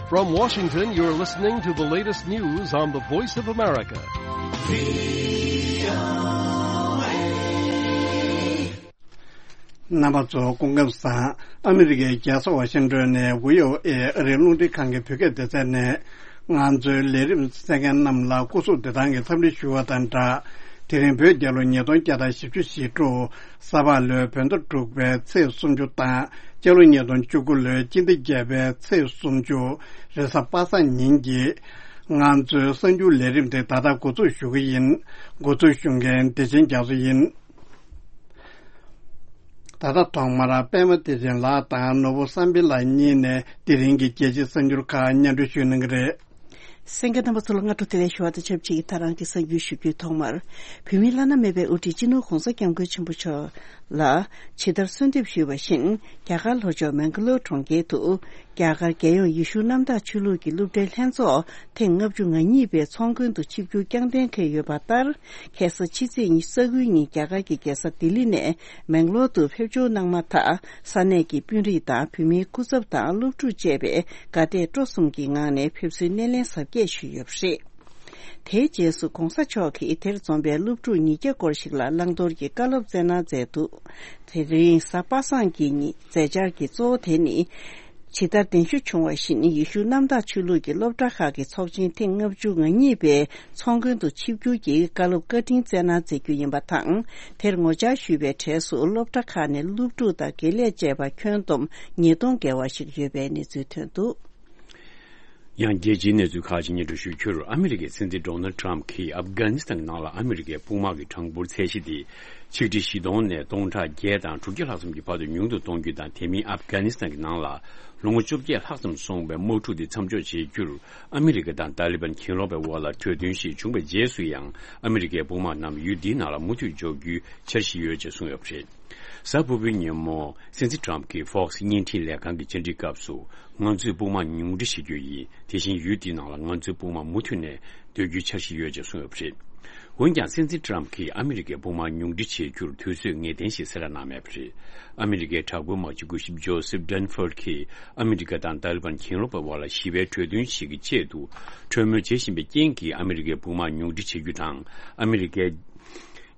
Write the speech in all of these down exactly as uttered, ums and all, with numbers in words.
From Washington, you're listening to the latest news on the Voice of America. རྣམ་པ་ཚོ་སྐུ་ཁམས་བཟང་། ཨ་མི་རི་ཀའི་རྒྱལ་ས་ཝ་ཤིང་ཏོན་ནས་བྷི་ཨོ་ཨེ་ཨ་རིའི་རླུང་འཕྲིན་ཁང་གི་བོད་སྐད་སྡེ་ཚན་ནས། ང་ཚོའི་ལས་རིམ་གསན་མཁན་རྣམས་ལ་སྐུ་གཟུགས་བདེ་ཐང་གི་འཚམས་འདྲི་ཞུ་བ་དང་སྦྲགས། དེ་རིང་བོད་རྒྱལ་ལོ་ཉིས་སྟོང་བརྒྱ་དང་བཞི་བཅུ་ཞེ་དྲུག་ས་ཕག་ལོའི་བོད་ཟླ་དྲུག་པའི་ཚེས་སུམ་ཅུ་དང་། སྤྱི་ལོ་ཉིས་སྟོང་བཅུ་དགུ་ལོའི་སྤྱི་ཟླ་བརྒྱད་པའི་ཚེས་སུམ་ཅུ། རེས་གཟའ་པ་སངས་ཉིན་གྱི་ང་ཚོའི་གསར་འགྱུར་ལས་རིམ་དེ་ད་ལྟ་འགོ་འཛུགས་ཞུ་གི་ཡིན། འགོ་འཛུགས་ཞུ་མཁན་བདེ་ཆེན་རྒྱ་མཚོ་ཡིན། ད་ལྟ་ཐོག་མར་པད་མ་བདེ་ཆེན་ལགས་དང་ནོར་བུ་བསམ་འཕེལ་ལགས་གཉིས་ནས་དེ་རིང་གི་རྒྱལ་སྤྱིའི་གསར་འགྱུར་ཁག་སྙན་སྒྲོན་ཞུ་གནང་གི་རེད། གསན་མཁན་རྣམ་པ་ཚོ་ལ་སྔ་དྲོ་བདེ་ལེགས་ཞུ་བ་དང་ཆབས་ཅིག་ད་རང་གི་གསར་འགྱུར་ཞུ་རྒྱུའི་ཐོག་མར། བོད་མིའི་བླ་ན་མེད་པའི་དབུ་ཁྲིད་སྤྱི་ནོར་༧གོང་ས་༧སྐྱབས་མགོན་ཆེན་པོ་མཆོག་ལ་ཇི་ལྟར་གསོལ་འདེབས་ཞུས་པ་བཞིན། རྒྱ་གར་ལྷོ་ཕྱོགས་མེང་ག་ལོར་གྲོང་ཁྱེར་དུ། རྒྱ་གར་རྒྱལ་ཡོངས་ཡེ་ཤུ་གནམ་བདག་ཆོས་ལུགས་ཀྱི་སློབ་གྲྭའི་ལྷན་ཚོགས་ཐེངས་ལྔ་བཅུ་ང་གཉིས་པའི་ཚོགས་མགོན་དུ་ཆིབས་བསྒྱུར་བསྐྱངས་གཏན་འཁེལ་ཡོད་པ་ལྟར། ཁ་སང་ཕྱི་ཚེས་ཉི་ཤུ་རྩ་དགུའི་ཉིན་རྒྱ་གར་གྱི་རྒྱལ་ས་ལྡི་ལི་ནས་མེང་ལོར་དུ་ཕེབས་འབྱོར་གནང་མ་ཐག་ས་གནས་ཀྱི་དཔོན་རིགས་དང་བོད་མིའི་སྐུ་ཚབ་དང་སློབ་ཕྲུག་བཅས་པས་དགའ་དད་སྤྲོ་གསུམ་གྱི་ངང་ནས་ཕེབས་བསུའི་སྣེ་ལེན་གཟབ་རྒྱས་ཞུས་ཡོད་པ་རེད། དེའི་རྗེས་སུ་༧གོང་ས་མཆོག་གིས་དེར་འཛོམས་པའི་སློབ་ཕྲུག་ཉིས་བརྒྱ་སྐོར་ཞིག་ལ་བླང་དོར་གྱི་བཀའ་སློབ་སྩལ་གནང་མཛད་འདུག་དེ་རིང་གཟའ་པ་སངས་ཀྱི་ཉིན་མཛད་འཆར་གྱི་གཙོ་བོ་དེ་ནི། ཇི་ལྟར་གདན་ཞུ་བྱུང་བ་བཞིན་ཡེ་ཤུ་གནམ་བདག་ཆོས་ལུགས་ཀྱི་སློབ་གྲྭ་ཁག་གི་ཚོགས་ཆེན་ཐེངས་ལྔ་བཅུ་ང་གཉིས་པའི་ཚོགས་མགོན་དུ་ཆིབས་བསྒྱུར་གྱིས་བཀའ་སློབ་བཀའ་དྲིན་སྩལ་གནང་མཛད་རྒྱུ་ཡིན་པ་དང་། དེར་ངོ་བཅར་ཞུས་པའི་གྲས་སུ་སློབ་གྲྭ་ཁག་ནས་སློབ་ཕྲུག་དང་དགེ་ལས་བཅས་པ་ཁྱོན་བསྡོམས་ཉིས་སྟོང་བརྒལ་བ་ཞིག་ཡོད་པའི་གནས་ཚུལ་ཐོན་འདུག་ཡང་རྒྱལ་སྤྱིའི་གནས་ཚུལ་ཁག་ཅིག་སྙན་སྒྲོན་ཞུ་རྒྱུར། ཨ་མི་རི་ཀའི་སྲིད་འཛིན་ཌོ་ནལ་ཊམ་གྱིས་ཨབ་གྷ་ནི་སི་ཐན་གྱི་ནང་ལ་ཨ་མི་རི་ཀའི་དཔུང་དམག་གི་གྲངས་འབོར་ཚད་གཞི་དེ་ཆིག་ཁྲི་བཞི་སྟོང་ནས་སྟོང་ཕྲག་བརྒྱད་དང་དྲུག་བརྒྱ་ལྷག་ཙམ་གྱི་བར་དུ་ཉུང་དུ་གཏོང་རྒྱུ་དང་། དེ་མིན་ཨབ་གྷ་ནི་སི་ཐན་གྱི་ནང་ལ་ལོ་ངོ་བཅོ་བརྒྱད་ལྷག་ཙམ་སོང་བའི་དམག་འཁྲུག་དེ་མཚམས་འཇོག་བྱེད་རྒྱུར་ཨ་མི་རི་ཀ་དང་ཏཱ་ལི་བན་གྱེན་ལོག་པའི་དབར་ལ་གྲོས་མཐུན་ཞིག་བྱུང་བའི་རྗེས་སུ་ཡང་ཨ་མི་རི་ཀའི་དཔུང་དམག་རྣམས་ཡུལ་འདིའི་ནང་ལ་མུ་མཐུད་འཇོག་རྒྱུའི་འཆར་གཞི་ཡོད་ཅེས་གསུངས་ཡོད་པ་རེད། གཟའ་ཕུར་བུའི་ཉིན་མོ་སྲིད་འཛིན་ཊམ་གྱིས་ཧྥོག་སི་བརྙན་འཕྲིན་ལས་ཁང་གི་བཅར་འདྲིའི་སྐབས་སུ། ང་ཚོས་དཔུང་དམག་ཉུང་འཕྲི་བྱེད་རྒྱུ་ཡིན། དེ་བཞིན་ཡུལ་དེའི་ནང་ལ་ང་ཚོའི་དཔུང་དམག་མུ་མཐུད་ནས་སྡོད་རྒྱུའི་འཆར་གཞི་ཡོད་ཅེས་གསུངས་ཡོད་པ་རེད། འོན་ཀྱང་སྲིད་འཛིན་ཊམ་གྱིས་ཨ་མི་རི་ཀའི་དཔུང་དམག་ཉུང་འཕྲི་བྱེད་རྒྱུར་དུས་ཚོད་ངེས་གཏན་ཞིག་གསལ་བསྒྲགས་གནང་མེད་པ་རེད། ཨ་མི་རི་ཀའི་དྲག་པོའི་དམག་སྤྱི་སྐུ་ཞབས་ཇོ་སེབ་ཌན་ཧྥོར་གྱིས་ཨ་མི་རི་ཀ་དང་ཏཱ་ལི་བན་གྱེན་ལོག་པའི་དབར་ལ་ཞི་བའི་གྲོས་མཐུན་ཞིག་གི་ཆེད་དུ་གྲོས་མོལ་བྱེད་བཞིན་པའི་རྐྱེན་གྱིས་ཨ་མི་རི་ཀའི་དཔུང་དམག་ཉུང་འཕྲི་བྱེད་རྒྱུ་དང་། ཨ་མི་རི་ཀའི་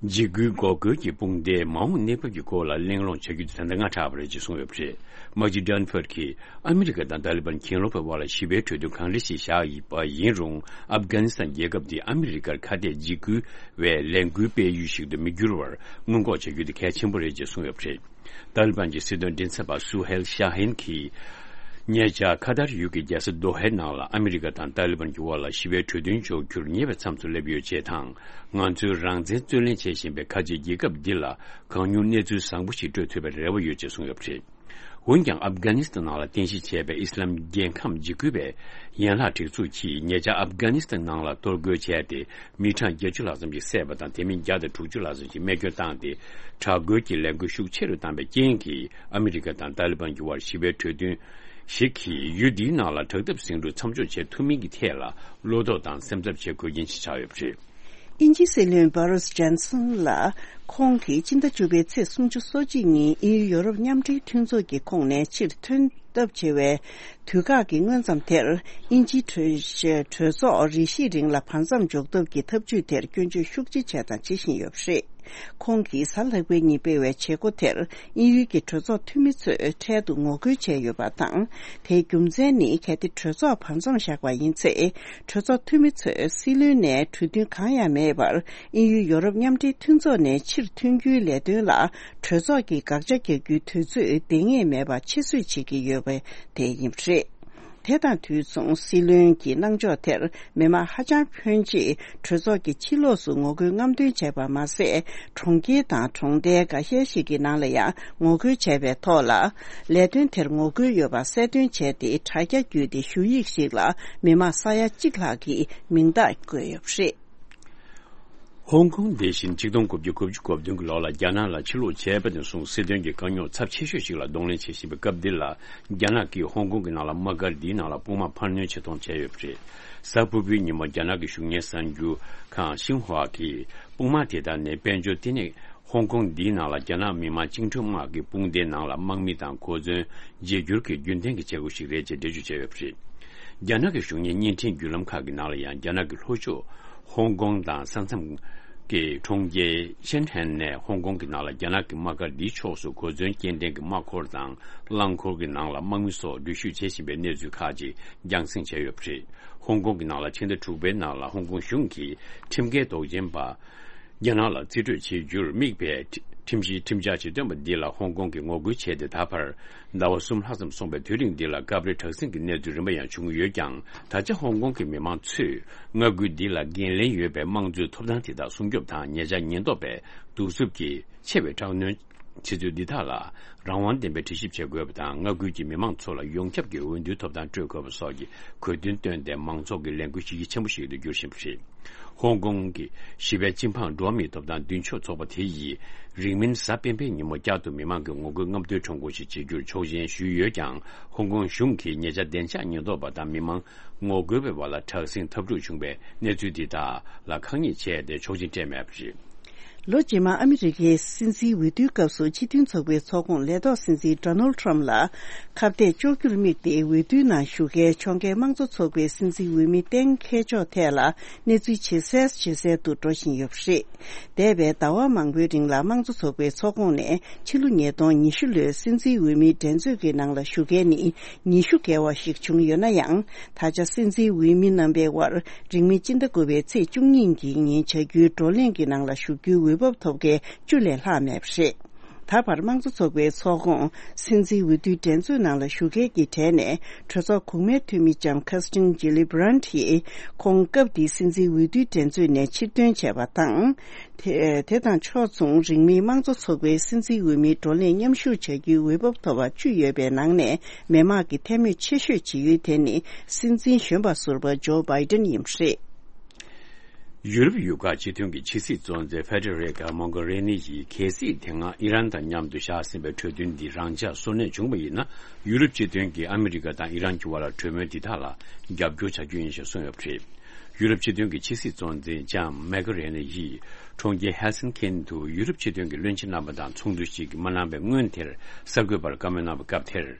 འཇིགས་སྐུལ་འགོག་རྒོལ་གྱི་དཔུང་སྡེའི་མ་འོངས་གནས་བབ་ཀྱི་སྐོར་ལ་གླེང་སློང་བྱ་རྒྱུ་དེ་ད་ལྟ་སྔ་དྲགས་པ་རེད་ཅེས་གསུངས་ཡོད་པ་རེད། དམག་སྤྱི་ཌན་ཧྥོར་གྱིས་ཨ་མི་རི་ཀ་དང་ཏཱ་ལི་བན་གྱེན་ལོག་པའི་དབར་ལ་ཞི་བའི་གྲོས་མཐུན་གང་འདྲ་ཞིག་བཞག་ཡོད་པ་ཡིན་རུང་། ཨབ་གྷ་ནི་སི་ཐན་རྒྱལ་ཁབ་དེ་ཨ་མི་རི་ཀར་ཁ་གཏད་འཇིགས་སྐུལ་བའི་ལས་འགུལ་སྤེལ་ཡུལ་ཞིག་ཏུ་མི་འགྱུར་བར་སྔོན་འགོག་བྱ་རྒྱུ་དེ་གལ་ཆེན་པོ་རེད་ཅེས་གསུངས་ཡོད་པ་རེད། ཏཱ་ལི་བན་གྱི་སྲིད་དོན་མགྲིན་ཚབ་པ་སུ་ཧེལ་ཤ་ཧིན་གྱིས། ཉེ་ཆར་ཁ་ཐར་ཡུལ་གྱི་རྒྱལ་ས་དོ་ཧའི་ནང་ལ་ཨ་མི་རི་ཀ་དང་ཏཱ་ལི་བན་གྱི་དབར་ལ་ཞི་བའི་གྲོས་མཐུན་འཇོག་རྒྱུར་ཉེ་བའི་མཚམས་སུ་སླེབས་ཡོད་ཅེས་དང་། ང་ཚོའི་རང་བཙན་རྩོད་ལེན་བྱེད་བཞིན་པའི་ཁ་ཆེ་རྒྱལ་ཁབ་འདི་ལ་གང་མྱུར་གནས་ཚུལ་བཟང་པོ་ཞིག་སྤྲོད་ཐུབ་པའི་རེ་བ་ཡོད་ཅེས་གསུངས་ཡོད་པ་རེད། འོན་ཀྱང་ཨབ་གྷ་ནི་སི་ཐན་ནང་ལ་རྟེན་གཞི་བྱས་པའི་ཨི་སི་ལམ་རྒྱལ་ཁམས་འཇིགས་སྐུལ་བའི་ཡན་ལག་སྒྲིག་འཛུགས་ཀྱིས་ཉེ་ཆར་ཨབ་གྷ་ནི་སི་ཐན་ནང་ལ་གཏོར་རྒོལ་བྱས་ཏེ། མི་གྲངས་བརྒྱད་ཅུ་ལྷག་ཙམ་ཞིག་བསད་པ་དང་། དེ་མིན་བརྒྱ་དང་དྲུག་ཅུ་ལྷག་ཙམ་ཞིག་རྨས་སྐྱོན་བཏང་སྟེ། དྲག་རྒོལ་གྱི་ལས་འགུལ་ཤུགས་ཆེ་རུ་བཏང་བའི་རྐྱེན་གྱིས། ཨ་མི་རི་ཀ་དང་ཏཱ་ལི་བན་གྱི་དབར་ཞི་བའི་གྲོས་མཐུན་ཞིག་གིས་ཡུལ་འདིའི་ནང་ལ་དྲག་འཐབ་ཟིང་འཁྲུག་མཚམས་འཇོག་བྱེད་ཐུབ་མིན་གྱི་ཐད་ལ་བློ་དོགས་དང་སེམས་འཚབ་བྱེད་དགོས་རྐྱེན་ཞིག་ཆགས་ཡོད་པ་རེད། དབྱིན་ཇིའི་སྲིད་བློན་བྷོ་རིས་ཇོན་སན་ལ། ཁོང་གིས་སྤྱི་ཟླ་བཅུ་པའི་ཚེས་སུམ་ཅུ་སོ་གཅིག་ཉིན་དབྱིན་ཡུལ་ཡོ་རོབ་མཉམ་འབྲེལ་མཐུན་ཚོགས་ཀྱི་ཁོངས་ནས་ཕྱིར་ཐོན་ཐབས་བྱེད་པའི་དུས་བཀག་གི་སྔོན་ཙམ་དེར། དབྱིན་ཇིའི་གྲོས་གྲོས་ཚོགས་རེ་ཞིག་རིང་ལ་བར་མཚམས་འཇོག་ཐབས་ཀྱི་ཐབས་ཇུས་དེར་སྐྱོན་བརྗོད་ཤུགས་ཆེ་བྱས་དང་བྱེད་བཞིན་ཡོད་པ་རེད། ཁོང་གིས་གཟའ་ལྷག་པའི་ཉིན་སྤེལ་བའི་བྱེད་སྒོ་དེར། དབྱིན་ཡུལ་གྱི་གྲོས་ཚོགས་འཐུས་མི་ཚོས་འཕྲལ་དུ་ངོ་རྒོལ་བྱས་ཡོད་པ་དང་། དེའི་རྒྱུ་མཚན་ནི། གལ་ཏེ་གྲོས་ཚོགས་བར་མཚམས་བཞག་པ་ཡིན་ཚེ། གྲོས་ཚོགས་འཐུས་མི་ཚོས་སྲིད་བློན་ནས་གྲོས་མཐུན་གང་ཡང་མེད་པར། དབྱིན་ཡུལ་ཡོ་རོབ་མཉམ་འབྲེལ་མཐུན་ཚོགས་ནས་ཕྱིར་ཐོན་རྒྱུའི་ལས་དོན་ལ། གྲོས་ཚོགས་ཀྱིས་དགག་བྱ་རྒྱག་རྒྱུའི་དུས་ཚོད་འདང་ངེས་མེད་པ་ཕྱིར་བསུ་བྱེད་ཀྱི་ཡོད་པ་དེ་ཡིན་པ་རེད། དེ་དང་དུས་མཚུངས། སྲིད་བློན་གྱི་གནང་ཕྱོགས་དེར་མི་མང་ཧ་ཅང་ཕོན་ཆེས་གྲོས་ཚོགས་ཀྱི་ཕྱི་ལོགས་སུ་ངོ་རྒོལ་རྔམ་སྟོན་བྱས་པ་མ་ཟད། གྲོང་ཁྱེར་དང་གྲོང་རྡལ་འགའ་ཤས་ཤིག་གི་ནང་ལ་ཡང་ངོ་རྒོལ་བྱས་པའི་ཐོག་ལ། ལས་དོན་དེར་ངོ་རྒོལ་ཡོད་པ་གསལ་སྟོན་བྱས་ཏེ། དྲ་རྒྱ་བརྒྱུད་དེ་ཞུ་ཡིག་ཞིག་ལ་མི་མང་ས་ཡ་གཅིག་ལྷག་གིས་མིང་རྟགས་བཀོད་ཡོད་པ་རེད། ཧོང་ཀོང་འདི་བཞིན་ཆིག་སྟོང་དགུ་བརྒྱ་དགུ་བཅུ་གོ་བདུན་གྱི་ལོ་ལ་རྒྱ་ནག་ལ་ཕྱིར་ལོག་བྱས་པ་ནས་བཟུང་སྲིད་དོན་གྱི་དཀའ་རྙོག་ཚབས་ཆེ་ཤོས་ཤིག་ལ་གདོང་ལེན་བྱེད་བཞིན་པའི་སྐབས་འདི་ལ། རྒྱ་ནག་གིས་ཧོང་ཀོང་གི་ནང་ལ་དམག་སྒར་འདིའི་ནང་ལ་དཔུང་དམག་འཕར་སྣོན་བྱེད་གཏོང་བྱས་ཡོད་པ་རེད། གཟའ་ཕུར་བུའི་ཉིན་མོ་རྒྱ་ནག་གི་གཞུང་གཉེར་གསར་འགྱུར་ཁང་ཤིན་ཧྭ་གིས། དཔུང་དམག་དེ་དག་ནི་དཔལ་འབྱོར་ལྟེ་གནས་ཧོང་ཀོང་འདིའི་ནང་ལ་རྒྱ་ནག་མི་དམངས་བཅིངས་འགྲོལ་དམག་གི་དཔུང་སྡེའི་ནང་ལ་དམག་མི་དང་གོ་མཚོན་བརྗེ་བསྒྱུར་གྱི་རྒྱུན་ལྡན་གྱི་བྱེད་སྒོ་ཞིག་རེད་ཅེས་འགྲེལ་བརྗོད་བྱས་ཡོད་པ་རེད། རྒྱ་ནག་གི་གཞུང་གཉེར་བརྙན་འཕྲིན་བརྒྱུད་ལམ་ཁག་གི་ནང་ལ་ཡང་རྒྱ་ནག་གི་ལྷོ་ཕྱོགས་ཧོང་ཀོང་དང་ས་མཚམས་ཀྱི་གྲོང་ཁྱེར་ཤན་ཧན་ནས་ཧོང་ཀོང་གི་ནང་ལ་རྒྱ་ནག་གི་དམག་སྒར་འདིའི་ཕྱོགས་སུ་གོ་མཚོན་སྐྱེལ་འདྲེན་གྱི་དམག་འཁོར་དང་རླངས་འཁོར་གྱི་ནང་ལ་དམག་མི་སོགས་འགྲུལ་བཞུད་བྱེད་བཞིན་པའི་གནས་ཚུལ་ཁག་ཅིག་རྒྱང་སྲིང་བྱས་ཡོད་པ་རེད། ཧོང་ཀོང་གི་ནང་ལ་ཕྱི་ཟླ་དྲུག་པའི་ནང་ལ་ཧོང་ཀོང་གཞུང་གིས་ཁྲིམས་འགལ་དོགས་ཅན་པ། རྒྱ་ནག་ལ་རྩིས་སྤྲོད་བྱེད་རྒྱུར་དམིགས་པའི་ཁྲིམས་གཞིའི་ཁྲིམས་འཆར་ཞིག་བཏོན་པ་འདི་ལ་ཧོང་ཀོང་གིས་ངོ་རྒོལ་བྱས་ཏེ། ད་བར་ཟླ་བ་གསུམ་ལྷག་ཙམ་སོང་བའི་དུས་རིང་འདི་ལ་སྐབས་རེ་དྲག་ཟིང་གི་གནས་ཚུལ་རིམ་པ་ཡང་བྱུང་ཡོད་ཀྱང་། ད་ཆ་ཧོང་ཀོང་གི་མི་མང་ཚོས་མངའ་ཁུལ་འདི་ལ་འགན་ལེན་ཡོད་པའི་དམངས་གཙོའི་ཐོབ་ཐང་དེ་དག་སྲུང་སྐྱོབ་དང་། ཉེ་ཆར་ཉེན་རྟོག་པས་གདུག་རྩུབ་ཀྱི་ཆེ་བའི་དྲག་གནོན་བྱེད་ཚུལ་འདི་དག་ལ་རང་དབང་ལྡན་པའི་དྲི་ཞིབ་བྱེད་དགོས་པ་དང་། མངའ་ཁུལ་གྱི་མི་མང་ཚོ་ལ་ཡོངས་ཁྱབ་ཀྱི་འོས་བསྡུའི་ཐོབ་ཐང་སྤྲོད་དགོས་པ་སོགས་ཀྱི་གོ་དོན་བཏོན་ཏེ། མང་ཚོགས་ཀྱི་ལས་འགུལ་གཞི་རྒྱ་ཆེན་པོ་ཞིག་ཏུ་འགྱུར་བཞིན་པ་རེད། ཧོང་ཀོང་གི་ཞི་བའི་སྤྱི་འབངས་འགྲོ་བ་མིའི་ཐོབ་ཐང་མདུན་སྐྱོད་ཚོགས་པ་དེ་ཡིས་རིང་མིན་གཟའ་སྤེན་པའི་ཉིན་མོ་བསྐྱར་དུ་མི་མང་གི་ངོ་རྒོལ་རྔམ་སྟོན་ཁྲོམ་སྐོར་ཞིག་བྱེད་རྒྱུར་ཆོག་མཆན་ཞུས་ཡོད་ཀྱང་། ཧོང་ཀོང་གཞུང་གིས་ཉེ་ཆར་བདེ་འཇགས་ཉེན་རྟོག་པ་དང་མི་མང་ངོ་རྒོལ་བའི་བར་ལ་དྲག་ཟིང་འཐབ་འཁྲུག་བྱུང་བའི་གནས་ཚུལ་འདི་དག་ལ་ཁག་ཉེས་བྱས་ཏེ་ཆོག་མཆན་སྤྲད་མེད་པ་རེད། ལོ་རྗེས་མ་ཨ་མི་རི་ཀའི་སྲིད་འཛིན་འོས་བསྡུའི་སྐབས་སུ་སྤྱི་མཐུན་ཚོགས་པའི་ཚོགས་ཁོངས་ལས་ཐོག་སྲིད་འཛིན་ཌོ་ནལ་ཁྲམ་ལ་ཁ་གཏད་གཅོག་རྒྱུར་དམིགས་ཏེ། འོས་བསྡུའི་ནང་ཞུགས་མཁན་ཕྱོགས་འགལ་དམངས་གཙོ་ཚོགས་པའི་སྲིད་འཛིན་འོས་མི་གཏན་འཁེལ་ཕྱོགས་ཐད་ལ་གནས་ཚུལ་ཇེ་གསལ་ཇེ་གསལ་དུ་འགྲོ་བཞིན་ཡོད་པ་རེད། འདས་པའི་ཟླ་བ་མང་པོའི་རིང་ལ་དམངས་གཙོ་ཚོགས་པའི་ཚོགས་ཁོངས་ནས་ཕྱི་ལོ་ཉིས་སྟོང་ཉི་ཤུ་ལོའི་སྲིད་འཛིན་འོས་མིའི་འགྲན་རྩོད་ཀྱི་ནང་ལ་ཞུགས་མཁན་ནི་ཉི་ཤུ་བརྒལ་བ་ཞིག་བྱུང་ཡོད་ན་ཡང་། ད་ཆ་སྲིད་འཛིན་འོས་མི་རྣམ་པའི་དབར་རིང་མིན་སྤྱི་ཟླ་དགུ་པའི་ཚེས་བཅུ་གཉིས་ཀྱི་ཉིན་བྱ་རྒྱུའི་བགྲོ་གླེང་གི་ནང་ལ་ཞུགས་རྒྱུའི་འོས་བབ་ཐོབ་མཁན་བཅུ་ལས་ལྷག་མེད་པ་རེད། ད་བར་དམངས་གཙོ་ཚོགས་པའི་ཚོགས་ཁོངས་སྲིད་འཛིན་འོས་བསྡུའི་འགྲན་རྩོད་ནང་ལ་ཞུགས་མཁན་གྱི་གྲས་ནས་གྲོས་ཚོགས་གོང་མའི་འཐུས་མི་ལྕམ་ཁ་སི་ཏིན་ཇི་ལི་བྷི་རན་ཡིས་ཁོང་སྐབས་དེའི་སྲིད་འཛིན་འོས་བསྡུའི་འགྲན་རྩོད་ནས་ཕྱིར་འདོན་བྱས་པ་དང་། དེ་དེ་དང་ཕྱོགས་མཚུངས་རིང་མིན་དམངས་གཙོ་ཚོགས་པའི་སྲིད་འཛིན་འོས་མིའི་བགྲོ་གླེང་མཉམ་ཞུགས་བྱ་རྒྱུའི་འོས་བབ་ཐོབ་པ་བཅུ་ཡོད་པའི་ནང་ནས་མི་དམངས་ཀྱི་འཐུས་མི་ཆེ་ཤོས་བྱེད་ཡུལ་དེ་ནི་སྲིད་འཛིན་གཞོན་པ་ཟུར་པ་ཇོ་བྷའི་ཏན་ཡིན་པ་རེད། ཡུ་རོབ་ཡུལ་ཁག་སྤྱི་མཐུན་གྱི་ཕྱི་སྲིད་གཙོ་འཛིན་ཕེ་ཏེ་རེ་ཀ་མོག་གྷ་རེ་ནི་ཡིས་གལ་སྲིད་དེ་སྔ་ཨི་རན་དང་མཉམ་དུ་བཞག་ཟིན་པའི་གྲོས་མཐུན་འདི་རང་འཇགས་སོར་གནས་བྱུང་བ་ཡིན་ན། ཡུ་རོབ་སྤྱི་མཐུན་གྱིས་ཨ་མི་རི་ཀ་དང་ཨི་རན་གྱི་དབར་ལ་གྲོས་མོལ་འདི་དག་ལ་རྒྱབ་སྐྱོར་བྱ་རྒྱུ་ཡིན་ཞེས་གསུངས་ཡོད་པ་རེད། ཡུ་རོབ་སྤྱི་མཐུན་གྱི་ཕྱི་སྲིད་གཙོ་འཛིན་ལྕམ་མེག་རེན་ཡིས་གྲོང་ཁྱེར་ཧེལ་སིན་ཀིན་དུ་ཡུ་རོབ་སྤྱི་མཐུན་གྱི་བློན་ཆེན་རྣམ་པ་དང་ཚོགས་འདུ་ཞིག་མ་གནང་བའི་སྔོན་དེར་གསར་འགོད་པར་བཀའ་མོལ་གནང་བའི་སྐབས་དེར།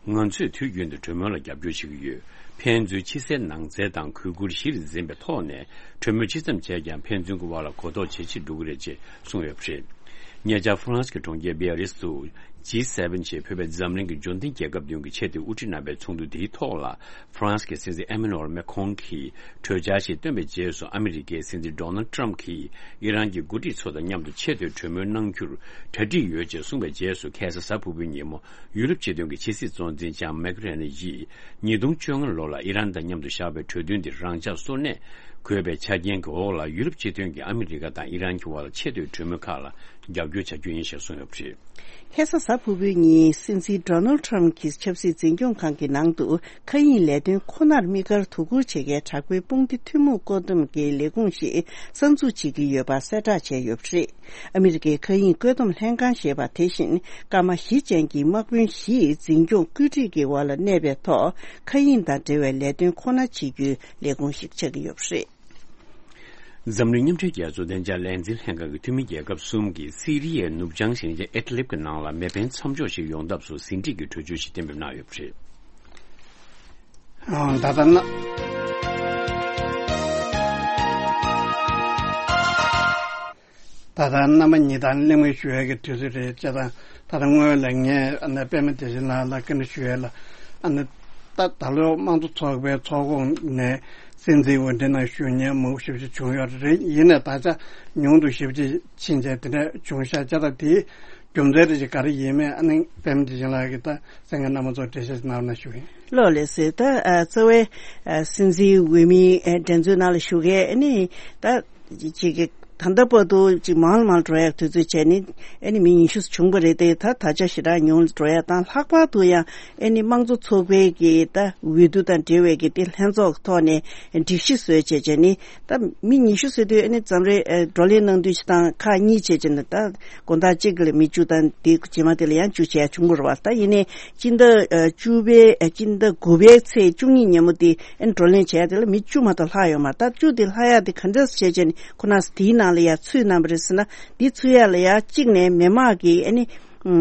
ང་ཚོས་དུས་རྒྱུན་དུ་གྲོས་མོལ་ལ་རྒྱབ་སྐྱོར་བྱེད་ཀྱི་ཡོད། ཕན་ཚུན་ཕྱི་གསལ་ནང་གསལ་དང་གུས་བཀུར་གཞིར་འཛིན་པའི་ཐོག་ནས་གྲོས་མོལ་ཅི་ཙམ་བྱས་ཀྱང་ཕན་ཚུན་གྱི་དབར་ལ་གོ་རྟོགས་ཇེ་ཆེར་འགྲོ་གི་རེད་ཅེས་གསུངས་ཡོད་པ་རེད། ཉེ་ཆར་ཧྥ་རན་སི་གི་གྲོང་ཁྱེར་བྷི་ཡ་རིས་སུ་ཇི་སེ་བེན་ཞེས་འབོད་པའི་འཛམ་གླིང་གི་འབྱོར་ལྡན་རྒྱལ་ཁབ་བདུན་གྱི་ཆེས་མཐོའི་དབུ་ཁྲིད་རྣམ་པའི་ཚོགས་འདུ་དེའི་ཐོག་ལ། ཧྥ་རན་སི་གི་སྲིད་འཛིན་ཨེ་མེ་ནུ་ཨེལ་མེ་ཁོང་གིས་གྲོས་འཆར་ཞིག་བཏོན་པའི་རྗེས་སུ། ཨ་མི་རི་ཀའི་སྲིད་འཛིན་ཌོ་ནལ་ཊམ་གྱིས་ཨི་རན་གྱི་འགོ་ཁྲིད་ཚོ་དང་མཉམ་དུ་ཆེས་མཐོའི་གྲོས་མོལ་གནང་རྒྱུར་གྲ་སྒྲིག་ཡོད་ཅེས་གསུངས་པའི་རྗེས་སུ། ཁ་སང་གཟའ་ཕུར་བུའི་ཉིན་མོ་ཡུ་རོབ་སྤྱི་མཐུན་གྱི་ཕྱི་སྲིད་གཙོ་འཛིན་ལྕམ་མེག་རེན་ཡིས་ཉིས་སྟོང་བཅོ་ལྔ་ལོ་ལ་ཨི་རན་དང་མཉམ་དུ་བཞག་པའི་གྲོས་མཐུན་འདི་རང་འཇགས་སོར་གནས་དགོས་པའི་ཆ་རྐྱེན་གྱི་འོག་ལ། ཡུ་རོབ་སྤྱི་མཐུན་གྱིས་ཨ་མི་རི་ཀ་དང་ཨི་རན་གྱི་དབར་ཆེས་མཐོའི་གྲོས་མོལ་ཁག་ལ་རྒྱབ་སྐྱོར་བྱ་རྒྱུ་ཡིན་ཞེས་གསུངས་ཡོད་པ་རེད། ཁ་སང་གཟའ་ཕུར་བུའི་ཉིན་སྲིད་འཛིན་ཌོ་ནལ་ཊམ་གྱིས་ཆབ་སྲིད་འཛིན་སྐྱོང་ཁང་གི་ནང་དུ་མཁའ་དབྱིངས་ལས་དོན་ཁོ་ནར་དམིགས་བཀར་དོ་ཁུར་བྱེད་མཁན་དྲག་པོའི་དཔུང་སྡེ་ཐུན་མོང་བཀོད་འདོམས་ཀྱི་ལས་ཁུངས་ཤིག་གསར་འཛུགས་བྱེད་ཀྱི་ཡོད་པ་གསལ་བསྒྲགས་བྱས་ཡོད་པ་རེད། ཨ་མི་རི་ཀའི་མཁའ་དབྱིངས་བཀོད་འདོམས་ལྷན་ཁང་ཞེས་པ་དེ་བཞིན་སྐར་མ་བཞི་ཅན་གྱི་དམག་དཔོན་བཞིས་འཛིན་སྐྱོང་བཀོད་སྒྲིག་གི་འོག་ལ་གནས་པའི་ཐོག་མཁའ་དབྱིངས་དང་འབྲེལ་བའི་ལས་དོན་ཁོ་ན་བྱེད་རྒྱུའི་ལས་ཁུངས་ཤིག་ཆགས་ཀྱི་ཡོད་པ་རེད། འཛམ་གླིང་མཉམ་འབྲེལ་རྒྱལ་ཚོགས་བདེ་འཇགས་ལས་འཛིན་ལྷན་ཁང་གི་འཐུས་མི་རྒྱལ་ཁབ་གསུམ་གྱིས་སི་རི་ཡའི་ནུབ་བྱང་ཞིང་ཆེན་ཨེ་ཏི་ལིབ་ཀྱི་ནང་ལ་མེ་འཕེན་མཚམས་འཇོག་ཞིག་ཡོང་ཐབས་སུ་ཟིན་བྲིས་ཀྱི་གྲོས་ཆོད་ཞིག་གཏན་འབེབས་གནང་ཡོད་པ་རེད། ཨང་། ད་ལྟ་ན། ད་ལྟ་རྣམ་པ་གཉིས་དང་གླེང་མོལ་ཞུ་ཡས་ཀྱི་དུས་ཚོད་རེད་ཅེས་དང་། ད་ལྟ་སྔོན་ལ་ངས་ཨ་ནི་པད་མ་བདེ་ཆེན་ལགས་ལ་བཀའ་འདྲི་ཞུ་ཡས་ལ། ཨ་ནི་ད་ད་ལོ་དམངས་གཙོ་ཚོགས་པའི་ཚོགས་ཁོངས་ནས་སྲིད་འཛིན་འོས་འདེམས་ནང་ཞུགས་མཁན་མང་པོ་ཞེ་པོ་ཅིག་བྱུང་ཡོད་རེད། ཡིན་ནའི་ད་ཆ་ཉུང་དུ་ཞེ་པོ་ཅིག་ཕྱིན་བྱས་དེ་འདྲ་བྱུང་ཤག་ཅེས་དང་། དེའི་རྒྱུ་མཚན་རེ་ཞིག་ག་རེ་ཡིན་མིན། ཨ་ནི་པད་མ་བདེ་ཆེན་ལགས་ཀྱིས་ད་གསན་མཁན་རྣམ་པ་ཚོར་འགྲེལ་བཤད་ཅིག་གནང་རོགས་གནང་ཞུ་གི་ཡིན། ལགས་ལགས་སོ། ད་ཨ་རྩ་བའི་ཨ་སྲིད་འཛིན་འོས་མིའི་ཨ་འགྲན་རྩོད་ནང་ལ་ཞུགས་མཁན་ཨ་ནི་ད་ཅིག་གི་ད་ལྟ་བར་དུ་ཅིག་མང་ལ་མང་འགྲོ་ཡག་དུས་ཚོད་བྱས་ནི་ཨ་ནི་མི་ཉི་ཤུ་བྱུང་བ་རེད་དེ། ད་ད་ཆ་ཞེ་དྲག་ཉུང་ལ་འགྲོ་ཡག་དང་། ལྷག་པར་དུ་ཡང་ཨ་ནི་དམངས་གཙོ་ཚོགས་པའི་གི་ད་འོས་བསྡུ་དང་འབྲེལ་བའི་གི་དེ་ལྷན་ཚོགས་ཀྱི་ཐོག་ནས་སྒྲིག་གཞི་བཟོས་བྱས་བྱས་ནི། ད་མི་ཉི་ཤུ་ཟེར་དུས་ཨ་ནི་འཛམ་རེ་ཨ་བགྲོ་གླེང་གནང་དུས་ཅིག་དང་ཁག་གཉིས་བྱས་བྱས་ནས། ད་དགོང་དག་གཅིག་ལ་མི་བཅུ་དང་དེ་རྗེས་མ་དེ་ལ་ཡང་བཅུ་བྱས་བྱུང་བ་རེད་པ། ད་ཡིན་ནའི་སྤྱི་ཟླ་ཨ་བཅུ་པའི་ཨ་སྤྱི་ཟླ་དགུ་པའི་ཚེས་བཅུ་གཉིས་ཉིན་མོ་དེ་ཨ་ནི་བགྲོ་གླེང་བྱས་དེ་ལ་མི་བཅུ་མ་གཏོགས་ལྷག་ཡོད་མ་རེད། ད་བཅུ་དེ་ལྷག་ཡག་དེ་ག་འདྲས་བྱས་བྱས་ནས་ཁོ་ན་དེའི་ནང་ལ་ཡང་ཚུད་གནང་བ་རེད་ཟེར་ན། དེ་ཚུད་ཡག་ལ་ཡང་གཅིག་ནས་མི་དམངས་ཀྱི་ཨ་ནི་ཨ་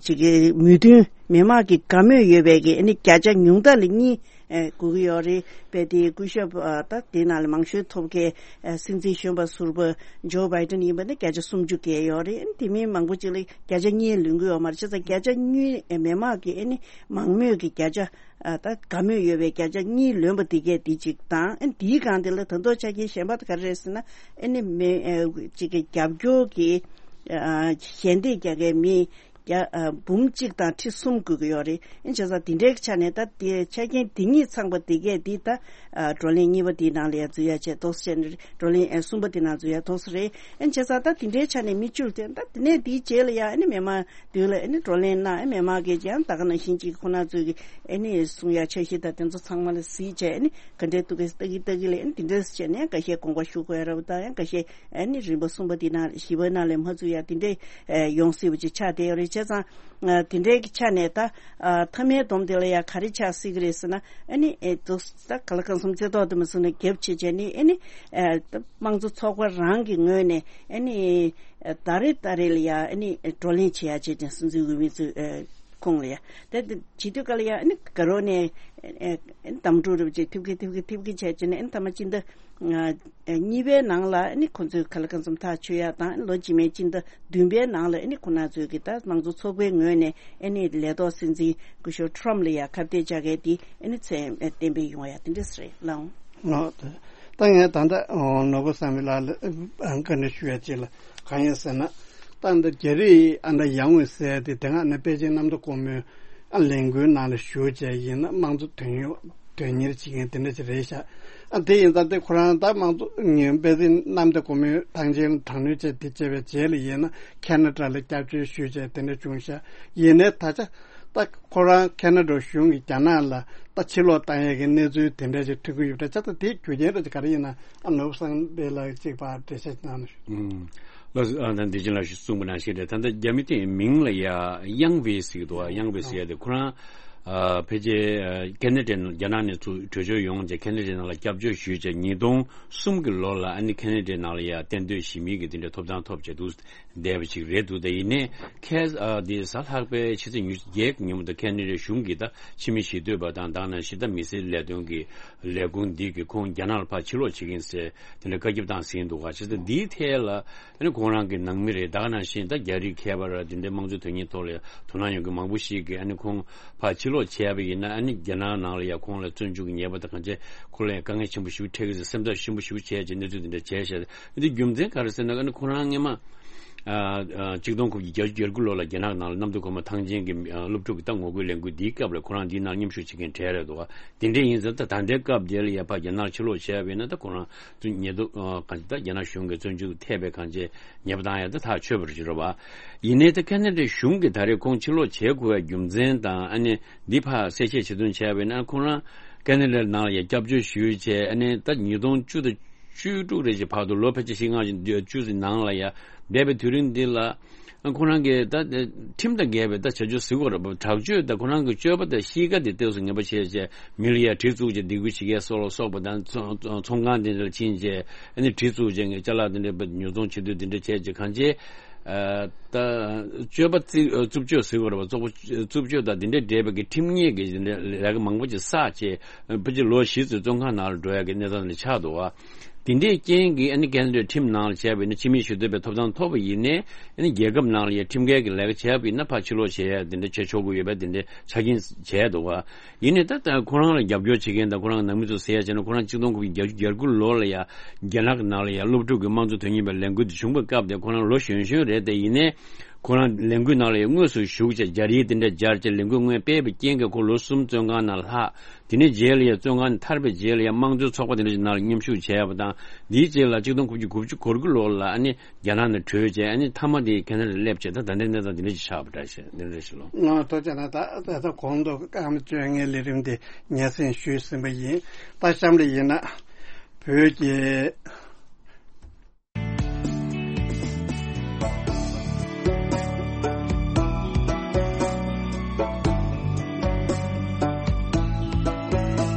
ཅིག་གི་མོས་མཐུན། མི་དམངས་ཀྱི་དགའ་མོས་ཡོད་པའི་གི་ཨ་ནི་བརྒྱ་ཆ་ཉུང་མཐའ་ལ་གཉིས། ཨེ་དགོས་ཀྱི་ཡོད་རེད། དཔེ་དེ་སྐུ་ཞབས་ཨ་ད་དེ་ནང་ལ་མང་ཤོས་ཐོབ་མཁན་ཨ་སྲིད་འཛིན་གཞོན་པ་ཟུར་པ་ཇོ་བྷའི་ཏན་ཡིན་པ་ན་བརྒྱ་ཆ་སུམ་ཅུ་བརྒལ་ཡོད་རེད། ཨ་ནི་དེ་མིན་མང་པོ་ཅིག་ལ་བརྒྱ་ཆ་གཉིས་ལོན་གྱི་ཡོད་མ་རེད། བྱས་ཙང་བརྒྱ་ཆ་གཉིས་ཨེ་མི་མང་གི་ཨ་ནི་མང་མོས་ཀྱི་བརྒྱ་ཆ་ཨ་ད་དགའ་མོས་ཡོད་པའི་བརྒྱ་ཆ་གཉིས་ལོན་པ་དེ་གས་དེ་གཅིག་དང་། ཨ་ནི་དེའི་སྒང་དེ་ལ་ད་དུང་ཆ་རྐྱེན་གཞན་པ་དེ་ག་རེ་རེད་ཟེར་ན། ཨ་ནི་མི་ཨ་གཅིག་གི་རྒྱབ་སྐྱོར་གྱི་ཨ་ཞལ་འདེབས་རྒྱག་མཁན་མི་བརྒྱ་ཨ་འབུམ་གཅིག་དང་ཁྲི་གསུམ་དགོས་ཀྱི་ཡོད་རེད། ཨ་ནི་བྱས་ཙང་དེ་འདྲའི་ཆ་ནས་ད་དེ་ཆ་རྐྱེན་དེ་གཉིས་ཚང་པ་དེ་གས་དེ་ད་ཨ་བགྲོ་གླེང་གཉིས་པ་དེའི་ནང་ལ་ཡང་འཛུལ་ཡ་བྱས་ཏོག་ཙམ་བྱས་ནས་བགྲོ་གླེང་ཨ་གསུམ་པ་དེའི་ནང་འཛུལ་ཡ་ཏོག་ཙམ་རེད། ཨ་ནི་བྱས་ཙང་ད་དེ་འདྲའི་ཆ་ནས་མི་བཅུ་དེ་ད་དེ་ནས་དེའི་རྗེས་ལ་ཡང་ཨ་ནི་མི་མང་དུས་ལ་ཨ་ནི་བགྲོ་གླེང་གནང་། ཨ་མི་མང་གིས་ཀྱང་ད་ག་ནང་བཞིན་ཅིག་ཁོ་ན་ཚོས་ཀྱི་ཨ་ནི་གསུང་ཡ་འཆར་གཞི་དང་དེ་ཚོ་ཚང་མ་ལ་གཟིགས་བྱས། ཨ་ནི་ག་འདྲའི་ཐུག་གི་ལྟ་གི་ལྟ་གི་ལ་ཨ་ནི་དེ་འདྲས་བྱས་ནས་འགའ་ཤས་དགོངས་པ་ཞུ་དགོས་ཡ་རབ་དང་། ཡང་འགའ་ཤས་ཨ་ནི་རིམ་པ་གསུམ་པ་དེ་ནང་བཞི་པ་ནང་ལ་མ་ཚུད་ཡ་དེ་འདྲས་ཨ་ཡོང་སྲིད་པ་ཅིག་ཆགས་བསྡད་ཡོད་རེད། བྱས་ཙང་ཨ་དེ་འདྲའི་གི་ཆ་ནས་ད་ཨ་མཐའ་མའི་སྡོམ་དེ་ལ་ཡ་ག་རེ་ཆགས་སྲིད་གི་རེད་ཟེར་ན། ཨ་ནི་ཨེ་ཏོག་ཙམ་ད་ག་ལ་གང་འཚམ་རྩེ་ཏོག་དེ་མ་སོང་ནས་རྒྱབ་བྱེད་བྱས་ནས་ཨ་ནི་ཨ་ད་དམངས་གཙོ་ཚོགས་པ་རང་གི་ངོས་ནས་ཨ་ནི་ཨ་ད་རེས་ད་རེས་ལ་ཡ་ཨ་ནི་བགྲོ་གླེང་བྱེད་ཡ་བྱས་ཏེ་སྲིད་འཛིན་འོས་མི་ཚོའི་ཨ་ཁོངས་ལ་ཡ་ད་ད་བྱེད་དུས་ག་ལ་ཡ་ཨ་ནི་དགའ་རོགས་ནས་ཨ་ཨ་གདམ་འགྲུལ་རེ་བྱས་ཐེབས་ཀི་ཐེབས་ཀི་ཐེབས་ཀི་བྱས་བྱས་ནས་ཨ་ནི་ཐ་མ་སྤྱི་ཟླ་ཨ་གཉིས་པའི་ནང་ལ་ཨ་ནི་ཁོ་ཚོས་ག་ལ་གང་འཚམ་ཐག་ཆོད་ཡ་དང་། ལོ་རྗེས་མའི་སྤྱི་ཟླ་བདུན་པའི་ནང་ལ་ཨ་ནི་ཁོ་ན་ཚོས་ཀྱི་ད་དམངས་གཙོ་ཚོགས་པའི་ངོས་ནས་ཨ་ནི་ལས་ཐོག་སྲིད་འཛིན་སྐུ་ཞབས་ཁྲོམ་ལ་ཡ་ཁ་གཏད་བཅག་མཁན་དེ་ཨ་ནི་ཚད་གཏན་འབེབས་ཡོང་ཡ་དེ་འདྲས་རེད་ལགས། ལགས། ད་ངས་ད་ལྟ་ནོར་བུ་བསམ་འཕེལ་ལགས་ལ་བཀའ་འདྲི་ཞུ་ཡ་ཅིག་ལ་གང་ཡིན་ཟེར་ན། ད་འདི་རྒྱ་རིགས་ཨ་ད་ཡར་ངོས་ཟེར་ཏེ་དེ་སྔ་ནས་པེ་ཅིན་གནམ་བདེ་སྒོ་མོའི་ཨ་ལས་འགུལ་ནང་ལ་ཞུགས་བྱས་ཡིན་ན་དམངས་གཙོ་དོན་ཡོད་དོན་གཉེར་བྱེད་མཁན་དེ་འདྲ་ཅིག་རེད་ཤག་ཨ་དེ་ཡིན་ཙང་དེ་ཁོ་རང་ད་དམངས་གཙོ་ངན་པེ་ཅིན་གནམ་བདེ་སྒོ་མོའི་ཐང་ཆེན་ལ་དྲག་གནོན་བྱས་དེ་བྱས་པའི་རྗེས་ལ་ཡིན་ན་ཁེ་ན་ཌ་ལ་སྐྱབས་བཅོལ་ཞུས་བྱས་དེ་འདྲ་བྱུང་ཤག་ཡིན་ནའི་ད་ཆ་ད་ཁོ་རང་ཁེ་ན་ཌ་གཞུང་གིས་རྒྱ་ནག་ལ་ད་ཕྱིར་ལོག་བཏང་ཡས་ཀྱི་གནས་ཚུལ་དེ་འདྲ་ཞིག་ཐོན་གྱི་ཡོད་པ་འདྲ་ཆགས། ད་དེའི་རྒྱུ་རྐྱེན་རེད་ག་རེ་ཡིན་ན་ཨ་ནོར་བུ་བསམ་འཕེལ་ལགས་གཅིག་པར་འགྲེལ་བཤད་གནང་ན་ཞུ། ཨུམ། ལགས་སོ། ཨ་ད་འདི་བཞིན་ལ་ཞུ་གསུངས་པ་ནང་བཞིན་རེད། ད་ལྟ་རྒྱ་མི་དེའི་མིང་ལ་ཡ་ཡང་ཝེ་ཟེར་གྱི་འདུག་ཨ་ཡང་ཝེ་ཟེར་ཡ་དེ་ཁོ་རང་ཨ་ཕལ་ཆེར་ཨ་ཁེ་ན་ཌའི་ནང་རྒྱ་ནག་ནས་ཚུར་བྲོས་བྱོལ་ཡོང་བྱས་ཁེ་ན་ཌའི་ནང་ལ་སྐྱབས་བཅོལ་ཞུས་བྱས་ཉིས་སྟོང་གསུམ་གྱི་ལོ་ལ་ཨ་ནི་ཁེ་ན་ཌའི་ནང་ལ་ཡ་གཏན་སྡོད་གཞིས་མི་གི་དེ་འདྲ་ཐོབ་ཐང་ཐོབ་བྱས་འདུག་བསྡད་པ་ཅིག་རེད་འདུག་ད་ཡིན་ནའི་ཁ་ཨ་དེ་གཟའ་ལྷག་པའི་ཕྱི་ཚེས་ཉི་ཤུ་བརྒྱད་ཀྱི་ཉིན་མོ་དང་ཁེ་ན་ཌའི་གཞུང་གིས་ད་ཕྱི་མི་ཞི་གཏོད་པ་དང་དེ་ནང་བཞིན་ད་མི་སེར་ལས་དོན་གྱི་ལས་ཁུངས་འདི་གིས་ཁོང་རྒྱ་ནག་ལ་ཕར་ཕྱིར་ལོག་བྱེད་ཀྱི་ཡིན་ཟེར་དེ་འདྲ་བཀའ་ཁྱབ་བཏང་ཟིན་འདུག་ག་བྱས་ཙང་འདིའི་ཐད་ལ་ཨ་ནི་ཁོང་རང་གི་ནང་མི་རེད། དེ་ག་ནང་བཞིན་ད་རྒྱ་རིགས་ཁྱད་པར་དེ་འདྲའི་དམངས་གཙོའི་དོན་གཉེར་ཐོག་ལ་དོ་སྣང་ཡོད་མཁན་མང་པོ་ཞིག་གིས་ཨ་ནི་ཁོང་ཕར་ཕྱིར་ལོག་བྱས་པ་ཡིན་ན་ཨ་ནི་རྒྱ་ནག་ནང་ལ་ཡ་ཁོང་ལ་བཙོན་འཇུག་གི་ཉེས་པ་དང་གང་བྱས་ཁོ་ལ་ཡང་དཀའ་ངལ་ཆེན་པོ་ཞིག་འཕྲད་ཀྱི་རེད། སེམས་ཐག་ཞིམ་པོ་ཞིག་བྱས་བྱས་གནས་ཚུལ་དེ་འདྲ་བྱས་བྱས། འདི་རྒྱུ་མཚན་ག་རེ་ཟེར་ན་ཨ་ནི་ཁོ་རང་སྔོན་མ་ཨ་ཨ་གཅིག་སྟོང་དགུ་བརྒྱ་བརྒྱད་ཅུ་གྱ་དགུ་ལོ་ལ་རྒྱ་ནག་ནང་ལ་གནམ་བདེ་སྒོ་མོ་ཐང་ཆེན་གྱི་ཨ་སློབ་ཕྲུག་གི་ད་ངོ་རྒོལ་ལས་འགུལ་འདིའི་སྐབས་ལ་ཁོ་རང་འདིའི་ནང་མཉམ་ཞུགས་བྱེད་མཁན་གྲས་རེད་འདུག་ག་དེ་འདྲ་ཡིན་ཙང་ད་ད་ལྟའི་སྐབས་དེ་ལ་ཡ་ཕར་རྒྱ་ནག་ཕྱིར་ལོག་བྱས་པ་ཡིན་ན་ད་ཁོ་རང་ཚོ་ཉེས་རྡུང་ཨ་གང་ཅི་ད་རྒྱ་ནག་གཞུང་གིས་བཙོན་འཇུག་ཐེབས་པའི་གང་ཅི་ཉེས་པ་བཏང་ཡ་ད་ཐག་ཆོད་པ་རེད་རེད་བ། ཡིན་ནའི་ད་ཁེ་ན་ཌའི་གཞུང་གིས་ད་རེས་ཁོང་ཕྱིར་ལོག་བྱེད་དགོས་པའི་རྒྱུ་མཚན་དང་ཨ་ནི་འདི་ཕར་གསལ་བཤད་བྱེད་དོན་བྱས་པ་ཡིན་ན་ཁོང་རང་ཁེ་ན་ཌའི་ནང་ལ་ཡ་སྐྱབས་བཅོལ་ཞུས་བྱས་ཨ་ནི་ད་ཉིས་སྟོང་བཅུ་དང་བཅུ་དྲུག་རེ་བཞིན་བར་དུ་ལོ་ཕལ་ཆེར་བཞི་ལྔ་ཞིག་བཅུ་ཙམ་ནང་ལ་ཡ་བསྡད་པའི་དུས་རིང་འདི་ལ་ཁོང་རང་གིས་ད་ཁྲིམས་དང་འགལ་བའི་ད་བྱ་སྤྱོད་ཟེར་དགོས་རེད་པ། དྲག་སྤྱོད་དང་ཁོང་རང་གི་སྤྱོད་པ་དང་གཤིས་ཀ་དེ་ཏོག་ཙམ་ངན་པ་བྱས་བྱས་མི་ལ་ཡ་གྲི་བཙུགས་བྱས་སྡིགས་སྐུལ་བྱེད་མཁན་སོགས་ལ་སོགས་པ་དང་ཚོང་ཚོང་ཁང་དེ་འདྲ་ལ་ཕྱིན་བྱས་ཨ་ནི་གྲི་བཙུགས་བྱས་ངས་ཅ་ལག་དེ་འདྲ་ཉོ་ཚོང་བྱེད་དུས་དེ་འདྲ་བྱས་བྱས་གང་བྱས། ཨ་ད་སྤྱོད་པ་རྩི་རྩུབ་སྤྱོད་ཟེར་དགོས་རེད་པ། རྩུབ་སྤྱོད་དང་དེ་འདྲའི་འབྲེལ་བའི་གི་ཁྲིམས་ཉེས་ཀྱི་དེ་འདྲའི་ལས་ཀ་མང་པོ་ཅིག་བསགས་བྱས་ཕལ་ཆེར་ལོ་བཞི་ཙམ་བཙོན་ཁང་ནང་ལ་འགྲོ་ཡ་གི་གནས་སྟངས་ལ་ཆགས་འདུག་བ། དེ་འདྲའི་རྐྱེན་གྱིས་ཨ་ནི་ཁེ་ན་ཌའི་ཁྲིམས་ནང་ལ་བྱས་པ་ཡིན་ན་ཕྱི་མི་ཞུ་གཏུག་པའི་ཐོབ་ཐང་ཐོབ་པ་ཡིན་ནའི་ཨ་ནི་རྒྱལ་ཁབ་ནང་ལ་ཡ་ཁྲིམས་འགལ་གྱི་ལས་ཀ་བྱས་པ་ཡིན་ན་ཕར་ཕྱིར་ལོག་བྱེད་ཡ་དེ་འདྲ་བྱེད་ཆོག་གི་ཡོད་པ་དེ་འདྲའི་ཆ་རྐྱེན་བྱས་འདུག་བ། ཡིན་ནའི་ད་ལྟ་ཁོ་རང་ལ་རྒྱབ་སྐྱོར་བྱེད་མཁན་དང་ཁོ་རང་གི་ནང་མི་ཚོ་ཟེར་ཡ་བྱས་ན་ཁོ་རང་གཅིག་སྟོང་དགུ་བརྒྱ་བརྒྱད་ཅུ་གྱ་དགུ་ལོ་ལ་ཡ་རྒྱ་ནག་གི་ནང་ལ་ཡ་སློབ་ཕྲུག་གི་དམངས་གཙོ་དོན་གཉེར་བའི་ལས་འགུལ་དེ་བྱུང་བའི་སྐབས་དེ་ཁོ་རང་ལོ་གཞོན་གཞོན་རེད། དེ་ཡིན་ནའི་ཁོ་རང་ལས་འགུལ་ནང་ལ་ཡ་དངོས་སུ་ཞུགས་བྱས་སྦྱར་ཡིག་དེ་འདྲ་སྦྱར་བྱས་ལས་འགུལ་དངོས་སྤེལ་བའི་རྐྱེན་གྱིས་ཁོ་ལོ་གསུམ་བཙོན་ཁང་ནང་ལྷག་དེ་ནས་རྗེས་ལ་ཡ་བཙོན་ཁང་ནས་ཐར་པའི་རྗེས་ལ་ཡ་དམངས་གཙོའི་ཚོགས་པ་དེ་འདྲ་ཞིག་ནང་ལ་མཉམ་ཞུགས་བྱས་པ་དང་། འདིའི་རྗེས་ལ་གཅིག་སྟོང་དགུ་བརྒྱ་དགུ་བཅུ་གོ་དགུ་ལོ་ལ་ཨ་ནི་རྒྱ་ནག་ནས་བྲོས་བྱས་ཨ་ནི་མཐའ་མ་དེ་ཁེ་ན་ཌ་སླེབས་བྱས་ད་ད་ལྟའི་གནས་སྟངས་འདི་འདྲ་ཞིག་ཆགས་པ་འདྲ་ཞིག་འདི་འདྲ་ཞིག་ལོ། ང་ཐུགས་རྗེ་གནང་། ད་ད་ལྟ་གོང་དུ་སྐར་མ་བཅོ་ལྔའི་ལས་རིམ་དེ་སྙན་སེང་ཞུས་ཟིན་པ་ཡིན། ད་གཤམ་ལ་ཡིན་ན་བོད་ཀྱི།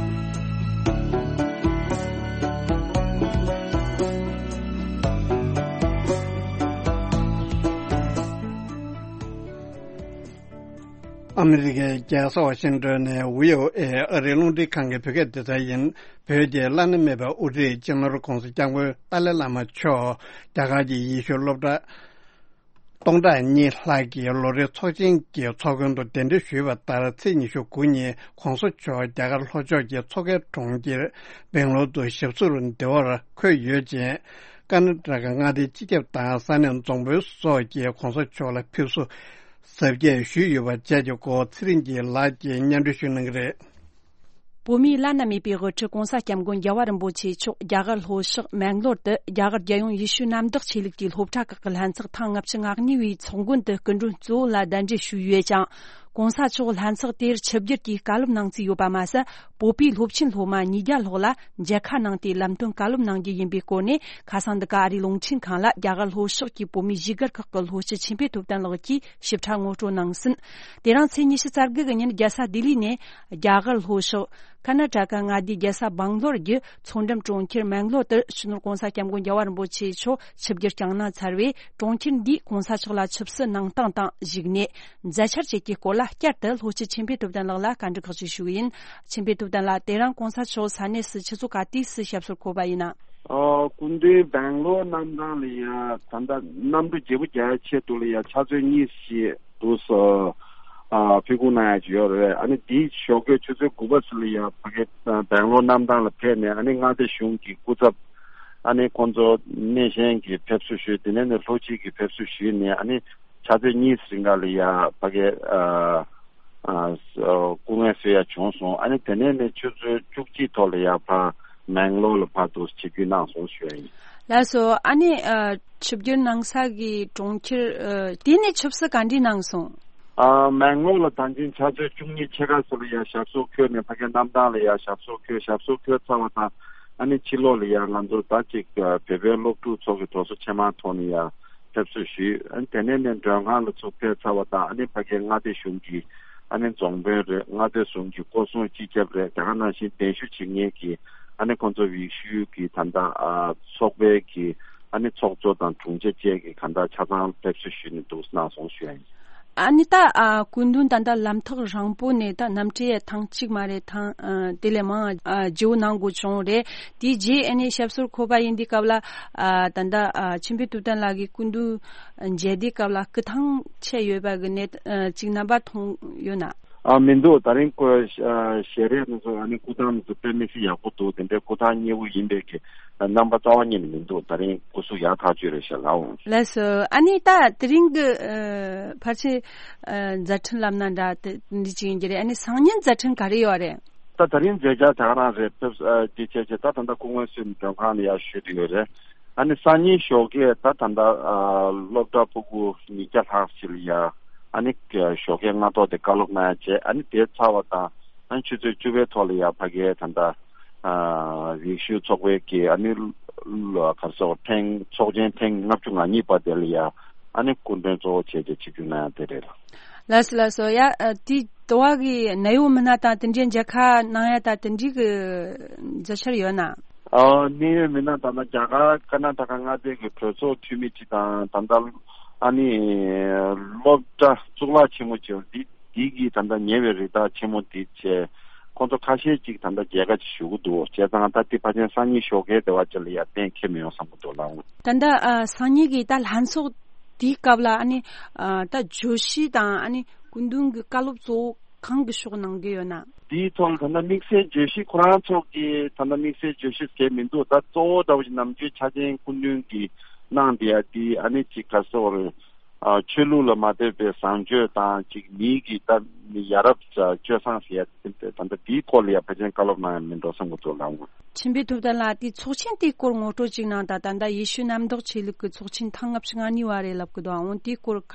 ཨ་མི་རི་ཀའི་རྒྱལ་ས་ཝ་ཤིང་ཏོན་ནས་བྷི་ཨོ་ཨེ་ཨ་རིའི་རླུང་འཕྲིན་ཁང་གི་བོད་སྐད་སྡེ་ཚན་ཡིན། བོད་ཀྱི་བླ་ན་མེད་པའི་དབུ་ཁྲིད་སྤྱི་ནོར་༧གོང་ས་༧སྐྱབས་མགོན་ཏཱ་ལའི་བླ་མ་མཆོག་རྒྱ་གར་གྱི་ཡེ་ཤུ་སློབ་གྲྭ་སྟོང་ཕྲག་གཉིས་ལྷག་གི་ལོ་རེའི་ཚོགས་ཆེན་གྱི་ཚོགས་མགོན་དུ་གདན་འདྲེན་ཞུས་པ་ལྟར། ཚེས་ཉི་ཤུ་དགུ་ཉིན་༧གོང་ས་མཆོག་རྒྱ་གར་ལྷོ་ཕྱོགས་ཀྱི་མཚོ་ཁའི་གྲོང་ཁྱེར་སྦེང་ལོར་དུ་ཞབས་སོར་བདེ་བར་འཁོད་ཡོད་ཅིང་། ཀར་ན་ཊ་ཀ་མངའ་སྡེའི་སྤྱི་ཁྱབ་དང་ས་གནས་རྫོང་དཔོན་སོགས་ཀྱིས་༧གོང་ས་མཆོག་ལ་ཕེབས་བསུ་གཟབ་རྒྱས་ཞུས་ཡོད་པ་བཅས་ཀྱི་སྐོར་ཚེ་རིང་སྐྱིད་ལགས་ཀྱིས་སྙན་སྒྲོན་ཞུ་གནང་གི་རེད། བོད་མིའི་བླ་ན་མེད་པའི་དབུ་ཁྲིད་༧གོང་ས་༧སྐྱབས་མགོན་རྒྱལ་བ་རིན་པོ་ཆེ་མཆོག་རྒྱ་གར་ལྷོ་ཕྱོགས་མེང་ལོར་དུ་རྒྱ་གར་རྒྱལ་ཡོངས་ཡེ་ཤུ་གནམ་བདག་ཆོས་ལུགས་ཀྱི་སློབ་གྲྭ་ཁག་གི་ལྷན་ཚོགས་ཐེངས་ལྔ་བཅུ་ང་གཉིས་པའི་ཚོགས་མགོན་དུ་སྐུ་མགྲོན་གཙོ་བོ་ལ་གདན་འདྲེན་ཞུས་ཡོད་ཅིང་། ༸གོང་ས་མཆོག་ལྷན་ཚོགས་དེར་ཆིབས་བསྒྱུར་གྱིས་བཀའ་སློབ་གནང་རྩིས་ཡོད་པ་མ་ཟད། བོད་པའི་སློབ་ཆེན་སློབ་མ་ཉིས་བརྒྱ་ལྷག་ལ་མཇལ་ཁ་གནང་སྟེ་ལམ་སྟོན་བཀའ་སློབ་གནང་རྒྱུ་ཡིན་པའི་སྐོར་ནས། ཁ་སང་འདི་ག་ཨ་རིའི་རླུང་འཕྲིན་ཁང་ལ་རྒྱ་གར་ལྷོ་ཕྱོགས་ཀྱི་བོད་མིའི་བཞུགས་སྒར་ཁག་གི་ལྷོ་སྤྱི་ཆོས་འཕེལ་ཐུབ་བསྟན་ལགས་ཀྱིས་ཞིབ་ཕྲ་ངོ་སྤྲོད་གནང་ཟིན། དེ་རིང་ཚེས་ཉི་ཤུ་རྩ་དགུ་གི་ཉིན་རྒྱལ་ས་ལྡི་ལི་ནས་རྒྱ་གར་ལྷོ་ཕྱོགས་ཀར་ན་ཊ་ཀ་མངའ་སྡེའི་རྒྱལ་ས་སྦང་ལོར་གྱི་མཚོ་འགྲམ་གྲོང་ཁྱེར་མེང་ལོར་དུ་སྤྱི་ནོར་༸གོང་ས་༸སྐྱབས་མགོན་རྒྱལ་བ་རིན་པོ་ཆེ་མཆོག་ཆིབས་བསྒྱུར་བསྐྱངས་གནང་ཚར་བས། གྲོང་ཁྱེར་འདིས་༸གོང་ས་མཆོག་ལ་ཆབ་སྲིད་གནང་སྟངས་དང་བཞུགས་གནས། མཛད་འཆར་བཅས་ཀྱི་སྐོར་ལ་བསྐྱར་དུ་ལྷོ་སྤྱི་ཆོས་འཕེལ་ཐུབ་བསྟན་ལགས་ལ་བཀའ་འདྲི་ཁག་ཅིག་ཞུ་གི་ཡིན། ཆོས་འཕེལ་ཐུབ་བསྟན་ལགས། དེ་རིང་༸གོང་ས་མཆོག་ས་གནས་སུ་ཆུ་ཚོད་ག་དུས་སུ་ཞབས་སོར་འཁོད་པ་ཡིན་ན། ཨ། སྐུ་མདུན་སྦེང་ལོར་གནམ་ཐང་ལ་ཡ་ད་ལྟ་གནམ་གྲུ་བརྗེ་པོ་རྒྱག་ཡ་ཆེད་དུ་ལ་ཡ་ཆུ་ཚོད་གཉིས་ཤིག་འདུག་སེ། ཨ། ཕེབས་སྒུག་གནང་ཡ་ཅིག་ཡོད་རེད། ཨ་ནི་དེའི་ཞོགས་ཀས་ཆུ་ཚོད་དགུ་པ་ཙམ་ལ་ཡ་ཕ་གི་སྦེང་ལོར་གནམ་ཐང་ལ་ཕེབས་ནས། ཨ་ནི་མངའ་སྡེ་གཞུང་གི་སྐུ་ཚབ། ཨ་ནི་ཁོང་ཚོ་སྣེ་ཤན་གྱིས་ཕེབས་བསུ་ཞུས། དེ་ནས་ནི་ལྷོ་སྤྱི་གིས་ཕེབས་བསུ་ཞུས་ནས། ཨ་ནི་ཆུ་ཚོད་གཉིས་རིང་ག་ལ་ཡ་ཕ་གི། ཨ། ཨ། སྐུ་ངལ་གསོ་ཡ་བྱུང་སོང་། ཨ་ནི་དེ་ནས་ནི་ཆུ་ཚོད་བཅུ་གཅིག་ཐོག་ལ་ཡ་ཕར་མེང་ལོར་ལ་ཕར་དུ་ཆིབས་བསྒྱུར་གནང་སོང་ཞུ་ཡ་ཡིན། ལགས་སོ། ཨ་ནི། ཨ། ཆིབས་བསྒྱུར་གནང་ས་གི་གྲོང་ཁྱེར། ཨ། དེ་ནས་ཆབ་སྲིད་ག་འདྲ་གནང་སོང་། ཨ། མེང་ལོར་ལ་ད་གིན་ཆུ་ཚོད་བཅུ་གཉིས་ཕྱེད་ཀ་ཙམ་ལ་ཡ་ཞབས་སོར་འཁོད་ནས། ཕ་གི་གནམ་ཐང་ལ་ཡ་ཞབས་སོར་འཁོད། ཞབས་སོར་འཁོད་ཚར་བ་དང་། ཨ་ནི་ཕྱི་ལོགས་ལ་ཡ་ང་ཚོ་ད་ཅིག་བོད་པའི་སློབ་ཕྲུག་ཚོ་གི་དྲོ་ཚོགས་ཆེན་མོའི་ཐོག་ནས་ཡ་ཕེབས་བསུ་ཞུས། ཨ་ནི་དེ་ནས་ནས་མགྲོན་ཁང་ལ་ཚུར་ཕེབས་ཚར་བ་དང་། ཨ་ནི་ཕ་གིའི་མངའ་སྡེ་གཞུང་གི། ཨ་ནི་རྫོང་དཔོན་རེད། མངའ་སྡེ་གཞུང་གི་སྐོར་སྲུང་སྤྱི་ཁྱབ་རེད། དེ་ག་ནང་བཞིན་གདན་ཞུ་བྱེད་མཁན་གྱི། ཨ་ནི་ཁོང་ཚོ་ཡེ་ཤུ་གི་ད་ལྟ། ཨ། ཚོགས་པའི་གི། ཨ་ནི་ཚོགས་གཙོ་དང་དྲུང་ཆེ་བཅས་ཀྱིས་གང་ལྟར་ཆ་ཚང་ཕེབས་བསུ་ཞུས་ནས་འདུག་གནང་སོང་ཞུ་ཡ་ཡིན། ཨ་ནི་ད། ཨ། སྐུ་མདུན་ད་ལྟ་ལམ་ཐག་རིང་པོ་ནས་ད་གནམ་གྲུ་ཡ་ཐེངས་གཅིག་མ་རེད། ཐེངས། ཨ། དེ་ལས་མང་། ཨ། བརྒྱུད་གནང་དགོས་བྱུང་རེད། དེའི་རྗེས་ཨ་ནི་ཞབས་སོར་འཁོད་པ་ཡིན་དུས་སྐབས་ལ། ཨ། ད་ལྟ། ཨ། ཆོས་འཕེལ་ཐུབ་བསྟན་ལགས་ཀྱི་སྐུ་མདུན་མཇལ་དུས་སྐབས་ལ་སྐུ་ཐང་ཆད་ཡོད་པ་གི་གནས། ཨ། ཅིག་རྣམ་པ་མཐོང་ཡོད་ན། ཨ། མི་འདུག་ད་རིང་ཁོ། ཨ། ཞལ་རས་དེ་ཚོ། ཨ་ནི་སྐུ་ཐང་དེ་ཚོ་དཔེ་མི་སྲིད་ཡག་པོ་འདུག་དེ་འདྲའི་སྐུ་ཐང་མཉེས་པོ་ཡིན་པའི་གི་རྣམ་པ་རྩ་བ་ཉིད་ནས་མི་འདུག་ད་རིང་སྐུ་གཟུགས་ཡག་ཐག་ཆོད་རེད་ཤག་ལགས། ལགས་སོ། ཨ་ནི་ད་དེ་རིང་གི། ཨ། ཕལ་ཆེར། ཨ། མཛད་འཕྲིན་ལབ་ན་འདྲ་དེ་འདྲ་ཅིག་ཡིན་གྱི་རེད། ཨ་ནི་སང་ཉིན་མཛད་འཕྲིན་ག་རེ་ཡོད་རེད། ད་ད་རིང་མཛད་འཆར་དེ་ག་རང་རེད། ཕེབས། ཨ། དེ་བྱས་བྱས་ད་ད་ལྟ་སྐུ་ངལ་གསོས་ནས་མགྲོན་ཁང་ལ་ཡར་བཞུགས་བསྡད་ཡོད་རེད། ཨ་ནི་སང་ཉིན་ཞོགས་ཀས་ད་ད་ལྟ། ཨ། སློབ་གྲྭ་ཕྲུ་གུ་ཉིས་བརྒྱ་ལྷག་ཞིག་ལ་ཡ། ཨ་ནི་ཞོགས་ཀས་སྔ་ཐོག་དེ་བཀའ་སློབ་གནང་ཡ་བྱས། ཨ་ནི་དེ་ཚར་བ་དང་། ཨ་ནི་ཆུ་ཚོད་བཅུ་པའི་ཐོག་ལ་ཡ་ཕ་གིའི་ད་ལྟ། ཨ། ཡེ་ཤུ་ཚོགས་པའི་གི། ཨ་ནི་ལ། ག་རེ་ཟེར། ཐེངས། ཚོགས་ཆེན་ཐེངས་ལྔ་བཅུ་ང་གཉིས་པ་དེ་ལ་ཡ། ཨ་ནི་སྐུ་མགྲོན་གཙོ་བོ་བྱས་བྱས་ཆིབས་བསྒྱུར་གནང་ཡ་དེ་རེད་ལགས། ལགས་སོ། ལགས་སོ། ཡ། ཨ། དེ། དེ་བ་གི་གནད་ཡོད་མི་སྣ་དང་དེ་འདྲའི་མཇལ་ཁ་གནང་ཡ་དང་དེ་འདྲའི་གི་མཛད་འཆར་ཡོད་ན། ཨ། གནད་ཡོད་མི་སྣ་དང་། ད་རྒྱ་གར་ཀར་ན་ཊ་ཀ་མངའ་སྡེ་གི་གྲོས་ཚོགས་འཐུས་མི་ཅིག་དང་། ད་ལྟ་ཨ་ནི་སློབ་གྲྭ་གཙུག་ལག་ཆེན་མོ་ཅིག་ཡོད། འདི། འདི་གི་ད་ལྟ་ཉེ་བའི་རི་དྭགས་ཆེན་མོ་འདི་བྱས། ཁོང་ཚོ་ཁ་ཤས་ཅིག་ད་ལྟ་མཇལ་ཁ་ཅིག་ཞུ་གི་འདུག་བྱས་ཙང་ད་འདི་ཕལ་ཆེར་སང་ཉིན་ཞོགས་ཀས་དེ་བ་ཅིག་ལ་ཡ་གཏན་འཁེལ་མི་ཡོང་བསམ་གི་འདུག་ལགས། ད་ལྟ། ཨ། སང་ཉིན་གི་ད་ལྷན་ཚོགས་དེའི་སྐབས་ལ། ཨ་ནི། ཨ། ད་བརྗོད་གཞི་དང་། ཨ་ནི་སྐུ་མདུན་གྱི་བཀའ་སློབ་གཙོ་བོ་གང་གི་ཕྱོགས་གནང་གི་ཡོད་ན། དེའི་ཐོག་ལ་ད་ལྟ་དམིགས་བསལ་བརྗོད་གཞི། ཁོ་རང་ཚོ་གིས་ད་ལྟ་དམིགས་བསལ་བརྗོད་གཞི་ཟེར་མི་འདུག་ད་གཙོ་བོ་འདྲ་བོ་ཞིག་ནམ་རྒྱུན་འཆར་ཅན་སྐུ་མདུན་གྱིས་གནང་བསྡད་ཡ་དེ། ཨ་ནི་ཅིག་ག་རེ་ཟེར། ཨ། ཆོས་ལུགས་ལ་མ་ལྟོས་པའི་བཟང་སྤྱོད་དང་། ཅིག་མིའི་གི་ད་ཡ་རབས་སྤྱོད་བཟང་ཟེར་ཡ་དེ། ད་ལྟ་དེའི་སྐོར་ལ་ཡ་ཕལ་ཆེར་བཀའ་སློབ་གནང་ཡ་མིན་འགྲོ་བསམ་གི་འདུག་ལགས། ཆོས་འཕེལ་ཐུབ་བསྟན་ལགས། དེ་ཚོགས་ཆེན་དེའི་སྐོར་ངོ་སྤྲོད་ཅིག་གནང་དང་། ད་ལྟ་ཡེ་ཤུ་གནམ་བདག་ཆོས་ལུགས་ཀྱི་ཚོགས་ཆེན་ཐེངས་ལྔ་བཅུ་ང་གཉིས་པ་རེད་ལབ་གི་འདུག་འོ་དེའི་སྐོར་ག་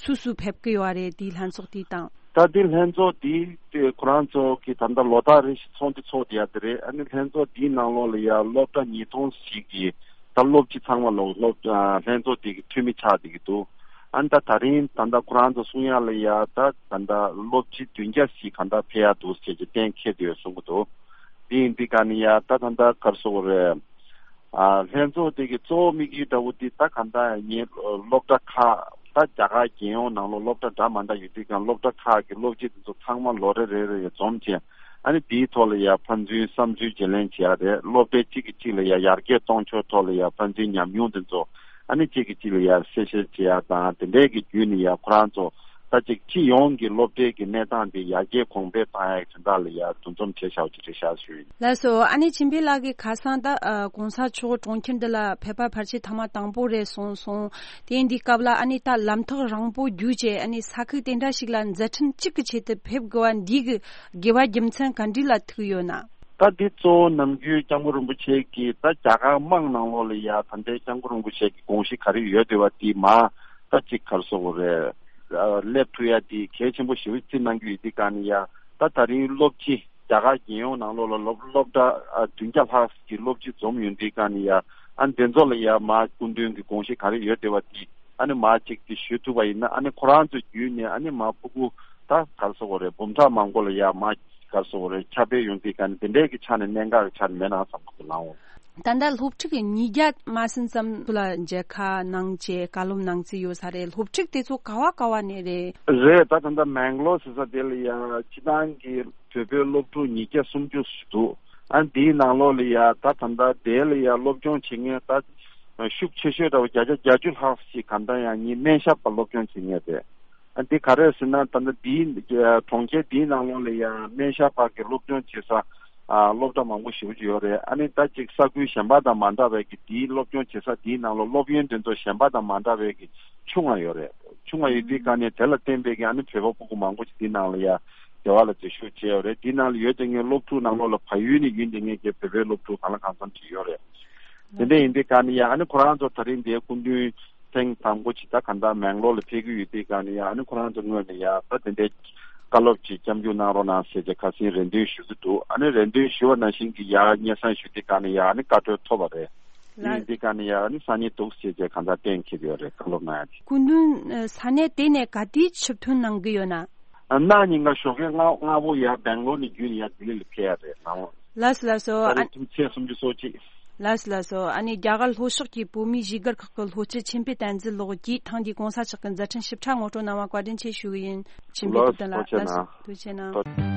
སུ་སུ་ཕེབས་གི་ཡོད་རེད། དེའི་ལྷན་ཚོགས་དེའི་སྟེང་། ད་དེ་ལྷན་ཚོགས་དེ་དེ་ཁོ་རང་ཚོ་གི་ད་ལྟ་ལོ་ལྟར་རེ་བཞིན་ཚོགས་འདུ་ཚོགས་བསྡད་ཡ་དེ་རེད། ཨ་ནི་ལྷན་ཚོགས་དེའི་ནང་ལོགས་ལ་ཡ་སློབ་གྲྭ་ཉིས་སྟོང་ཞིག་གི་ད་སློབ་སྤྱི་ཚང་མ་ལོག་སློབ། ཨ། ལྷན་ཚོགས་དེ་གི་འཐུས་མི་ཆགས་བསྡད་ཀྱི་འདུག་ཨ་ནི་ད་ད་རིང་ད་ལྟ་ཁོ་རང་ཚོ་གསུང་ཡ་ལ་ཡ། ད་ད་ལྟ་སློབ་སྤྱི་བདུན་བརྒྱ་ཞིག་གང་ལྟར་ཕེབས་ཡ་འདུག་ཟེར་གྱི་གཏན་འཁེལ་བསྡད་ཡོད་གསུང་གི་འདུག་དེ་ཡིན་དུས་ག་ནི་ཡ། ད་ད་ལྟ་ག་རེ་ཟེར་དགོས་རེད། ཨ། ལྷན་ཚོགས་དེ་གི་གཙོ་བོ་དམིགས་ཡུལ་འདྲ་བོ་དེ་ད་གང་ལྟར་ངའི་སློབ་གྲྭ་ཁག་ད། ད་རྒྱ་གར་རྒྱལ་ཡོངས་ནང་ལོགས་སློབ་གྲྭ་འདྲ་མ་འདྲ་ཡོད་དུས་ཀྱང་སློབ་གྲྭ་ཁག་གི་སློབ་སྤྱི་དེ་ཚོ་ཚང་མ་ལོ་རེ་རེ་རེ་འཛོམས་བྱས། ཨ་ནི་དེའི་ཐོག་ལ་ཡ་ཕན་ཚུན་བསམ་ཚུལ་བརྗེ་ལེན་བྱེད་ཡ་རེད། སློབ་གྲྭའི་གཅིག་གིས་གཅིག་ལ་ཡ་ཡར་རྒྱས་གཏོང་ཕྱོགས་ཐོག་ལ་ཡ་ཕན་ཚུན་ཉམས་མྱོང་དེ་ཚོ་ཨ་ནི་གཅིག་གིས་གཅིག་ལ་ཡ་གསལ་བཤད་བྱེད་ཡ་དང་དེ་འདྲའི་གི་བརྒྱུད་ནས་ཡ་ཁོ་རང་ཚོ་ད་ཅིག་སྤྱི་ཡོངས་ཀྱི་སློབ་གྲྭའི་གི་གནས་སྟངས་དེ་ཡར་རྒྱས་གོང་འཕེལ་བཏང་ཡ་གི་དོན་དག་ལ་ཡ་འདུ་འཛོམས་བྱས་བཞག་པ་ཅིག་རེད་ཤག་ཞུ་ཡིན། ལགས་སོ། ཨ་ནི་ཆིན་པེ་ལགས་ཀྱིས་ཁ་སང་ད་ཨ་༸གོང་ས་མཆོག་གྲོང་ཁྱེར་འདི་ལ་ཕེབས་པ་ཕལ་ཆེར་ཐེངས་མ་དང་པོ་རེད་གསུངས་སོང་། དེ་ཡིན་དུས་སྐབས་ལ་ཨ་ནི་ད་ལམ་ཐག་རིང་པོ་བརྒྱུད་བྱས་ཨ་ནི་ས་ཁུལ་དེ་འདྲ་ཞིག་ལ་མཛད་འཕྲིན་གཅིག་གི་ཆེད་དུ་ཕེབས་དགོས་པ་འདི་གི་དགོས་པ་རྒྱུ་མཚན་ག་འདྲ་ལ་ཐུག་ཡོད་ན། ད་འདི་གཙོ་བོ་ནམ་རྒྱུན་སྐྱབས་མགོན་རིན་པོ་ཆེ་གིས་ད་རྒྱ་གར་དམངས་ནང་ལོགས་ལ་ཡ་ད་ལྟའི་སྐྱབས་མགོན་རིན་པོ་ཆེ་གི་དགོངས་གཞི་ག་རེ་ཡོད་བསྡད་པ་དེ་མར་ད་ཅིག་ག་རེ་ཟེར་དགོས་རེད། ཨ་སླེབས་ཐུབ་ཡ་དེ་གལ་ཆེན་པོ་ཞེ་པོ་བརྩི་གནང་གི་ཡོད་དུས་ག་ནས་ཡ་ད་ད་རིང་སློབ་སྤྱི་རྒྱ་གར་རྒྱལ་ཡོངས་ནང་ལོགས་ལ་སློབ་སློབ་གྲྭ་ཨ་བདུན་བརྒྱ་ལྷག་ཅིག་སློབ་སྤྱི་འཛོམས་ཡོང་དུས་ག་ནས་ཡ་ཨ་འདི་ཚོ་ལ་ཡ་མར་སྐུ་མདུན་གྱི་དགོངས་གཞི་ག་རེ་ཡོད་བསྡད་པ་དེ་ཨ་ནི་མར་ཅིག་དེ་ཞུ་ཐུབ་པ་ཡིན་ན་ཨ་ནི་ཁོ་རང་ཚོ་བརྒྱུད་ནས་ཨ་ནི་མར་ཕྲུ་གུ་ད་ག་རེ་ཟེར་དགོས་རེད། འབུམ་ཕྲག་མང་པོ་ལ་ཡ་མར་ག་རེ་ཟེར་དགོས་རེད། ཁྱབ་སྤེལ་ཡོང་དུས་ག་ནས་དེ་འདྲའི་གི་ཆ་ནས་གནད་འགག་གི་ཆ་ནས་མེད་ན་བསམ་གི་འདུག་ལགས་འོང་། ད་ལྟ་སློབ་ཕྲུག་ཉིས་བརྒྱ་མ་ཟིན་ཙམ་ལ་མཇལ་ཁ་གནང་བྱས་བཀའ་སློབ་གནང་རྩིས་ཡོད་ས་རེད། སློབ་ཕྲུག་དེ་ཚོ་ག་བ་ག་བ་ནས་རེད། རེད། ད་ད་ལྟ་མེང་ལོར་ཟེར་ས་དེ་ལ་ཡ་སྤྱི་བཏང་གི་བོད་པའི་སློབ་ཕྲུག་ཉིས་བརྒྱ་སུམ་ཅུ་འདུག་ཨ་འདིའི་ནང་ལོགས་ལ་ཡ་ད་ད་ལྟ་དེ་ལ་ཡ་སློབ་སྦྱོང་བྱེད་མཁན་ད་ཤུགས་ཆེ་ཤོས་འདྲ་བོ་བརྒྱ་ཆ་བརྒྱད་ཅུ་ལྷག་ཞིག་གང་ལྟར་ཡང་ངའི་སྨན་ཞབས་པ་སློབ་སྦྱོང་བྱེད་མཁན་རེད། ཨ་འདི་ག་རེ་ཟེར་ན་ད་ལྟ་འདིའི་གྲོང་ཁྱེར་འདིའི་ནང་ལོགས་ལ་ཡང་སྨན་ཞབས་པ་གི་སློབ་སྦྱོང་བྱེད་ས་ཨ་སློབ་གྲྭ་མང་པོ་ཞེ་པོ་ཅིག་ཡོད་རེད། ཨ་ནི་ད་ཅིག་ས་ཁུལ་གཞན་པ་དང་མ་འདྲ་བའི་གི་འདིའི་སློབ་སྦྱོང་བྱེད་ས་འདིའི་ནང་ལོགས་སློབ་ཡོན་དེ་ཚོ་གཞན་པ་དང་མ་འདྲ་བའི་གི་ཆུང་བ་ཡོད་རེད། ཆུང་བ་ཡོད་དུས་ག་ནས་དེ་ལ་བརྟེན་པའི་གི་ཨ་ནི་བོད་པ་ཕྲུ་གུ་མང་པོ་ཞིག་འདི་ནང་ལ་ཡང་སྡེ་བ་ལ་འཛུལ་ཞུགས་བྱས་ཡོད་རེད། འདི་ནང་ལ་ཡོད་དེ་ངའི་སློབ་ཕྲུག་ནང་ལོགས་ལ་བལ་ཡུལ་ནས་ཡིན་དེ་ངའི་གི་བོད་པའི་སློབ་ཕྲུག་གང་ལ་གང་འཚམ་ཅིག་ཡོད་རེད། དེ་འདྲ་ཡིན་དུས་ག་ནས་ཡང་ཨ་ནི་ཁོ་རང་ཚོ་ད་རིང་འདིའི་སྐུ་མདུན་ཐེངས་དང་པོ་ཅིག་ད་ག་འདྲ་མེང་ལོར་ལ་ཕེབས་ཀྱི་ཡོད་དུས་ག་ནས་ཡང་ཨ་ནི་ཁོ་རང་ཚོ་ངོས་ནས་ཡང་ད་དེ་འདྲའི་བཀའ་སློབ་ཅིག་སྐྱབས་འཇུག་གནང་རོགས་གནང་ཟེར་ཏེ་ཁ་སང་རེ་འདུན་ཞུ་གི་འདུག་ཨ་ནི་རེ་འདུན་ཞུ་བ་ནང་བཞིན་གྱི་ཡང་སྙན་སེང་ཞུ་དུས་ག་ནས་ཡང་ཨ་ནི་བཀའ་འཁྲོལ་ཐོབ་པ་རེད། དེ་ཡིན་དུས་ག་ནས་ཡང་ཨ་ནི་ས་གནས་འདུག་ཟེར་ཏེ་ག་འདྲ་གཏན་འཁེལ་ཡོད་རེད། བཀའ་སློབ་གནང་ཡ་དེ། སྐུ་མདུན་ས་གནས་དེ་ནས་ག་དུས་ཆིབས་ཐོན་གནང་གི་ཡོད་ན། གནངས་ཉིན་ཀ་ཞོགས་ཀས་སྔ་སྔ་པོ་ཡར་སྦེང་ལོར་ནས་བརྒྱུད་ནས་ཡར་ལྡི་ལི་ལ་ཕེབས་ཡ་རེད། ནང་ལོགས་ལགས་སོ་ལགས་སོ། ད་ཨ་རེས་ཐུག་ཚེས་སུམ་ཅུ་སོ་གཅིག་ལགས་སོ་ལགས་སོ། ཨ་ནི་རྒྱ་གར་ལྷོ་ཕྱོགས་ཀྱི་བོད་མིའི་གཞིས་སྒར་ཁག་གི་ལྷོ་སྤྱི་ཆིན་པེ་བསྟན་འཛིན་ལགས་ཀྱིས་ཐེངས་འདིའི་༸གོང་ས་མཆོག་གི་མཛད་འཕྲིན་ཞིབ་ཕྲ་ངོ་སྤྲོད་གནང་བར་བཀའ་དྲིན་ཆེ་ཞུ་གི་ཡིན། ཆིན་པེ་ལགས་སྐུ་མདུན་ལགས། ཐུགས་རྗེ་ཆེ་གནང་། ལགས་སོ། ཐུགས་རྗེ་ཆེ་གནང་། ཐུགས།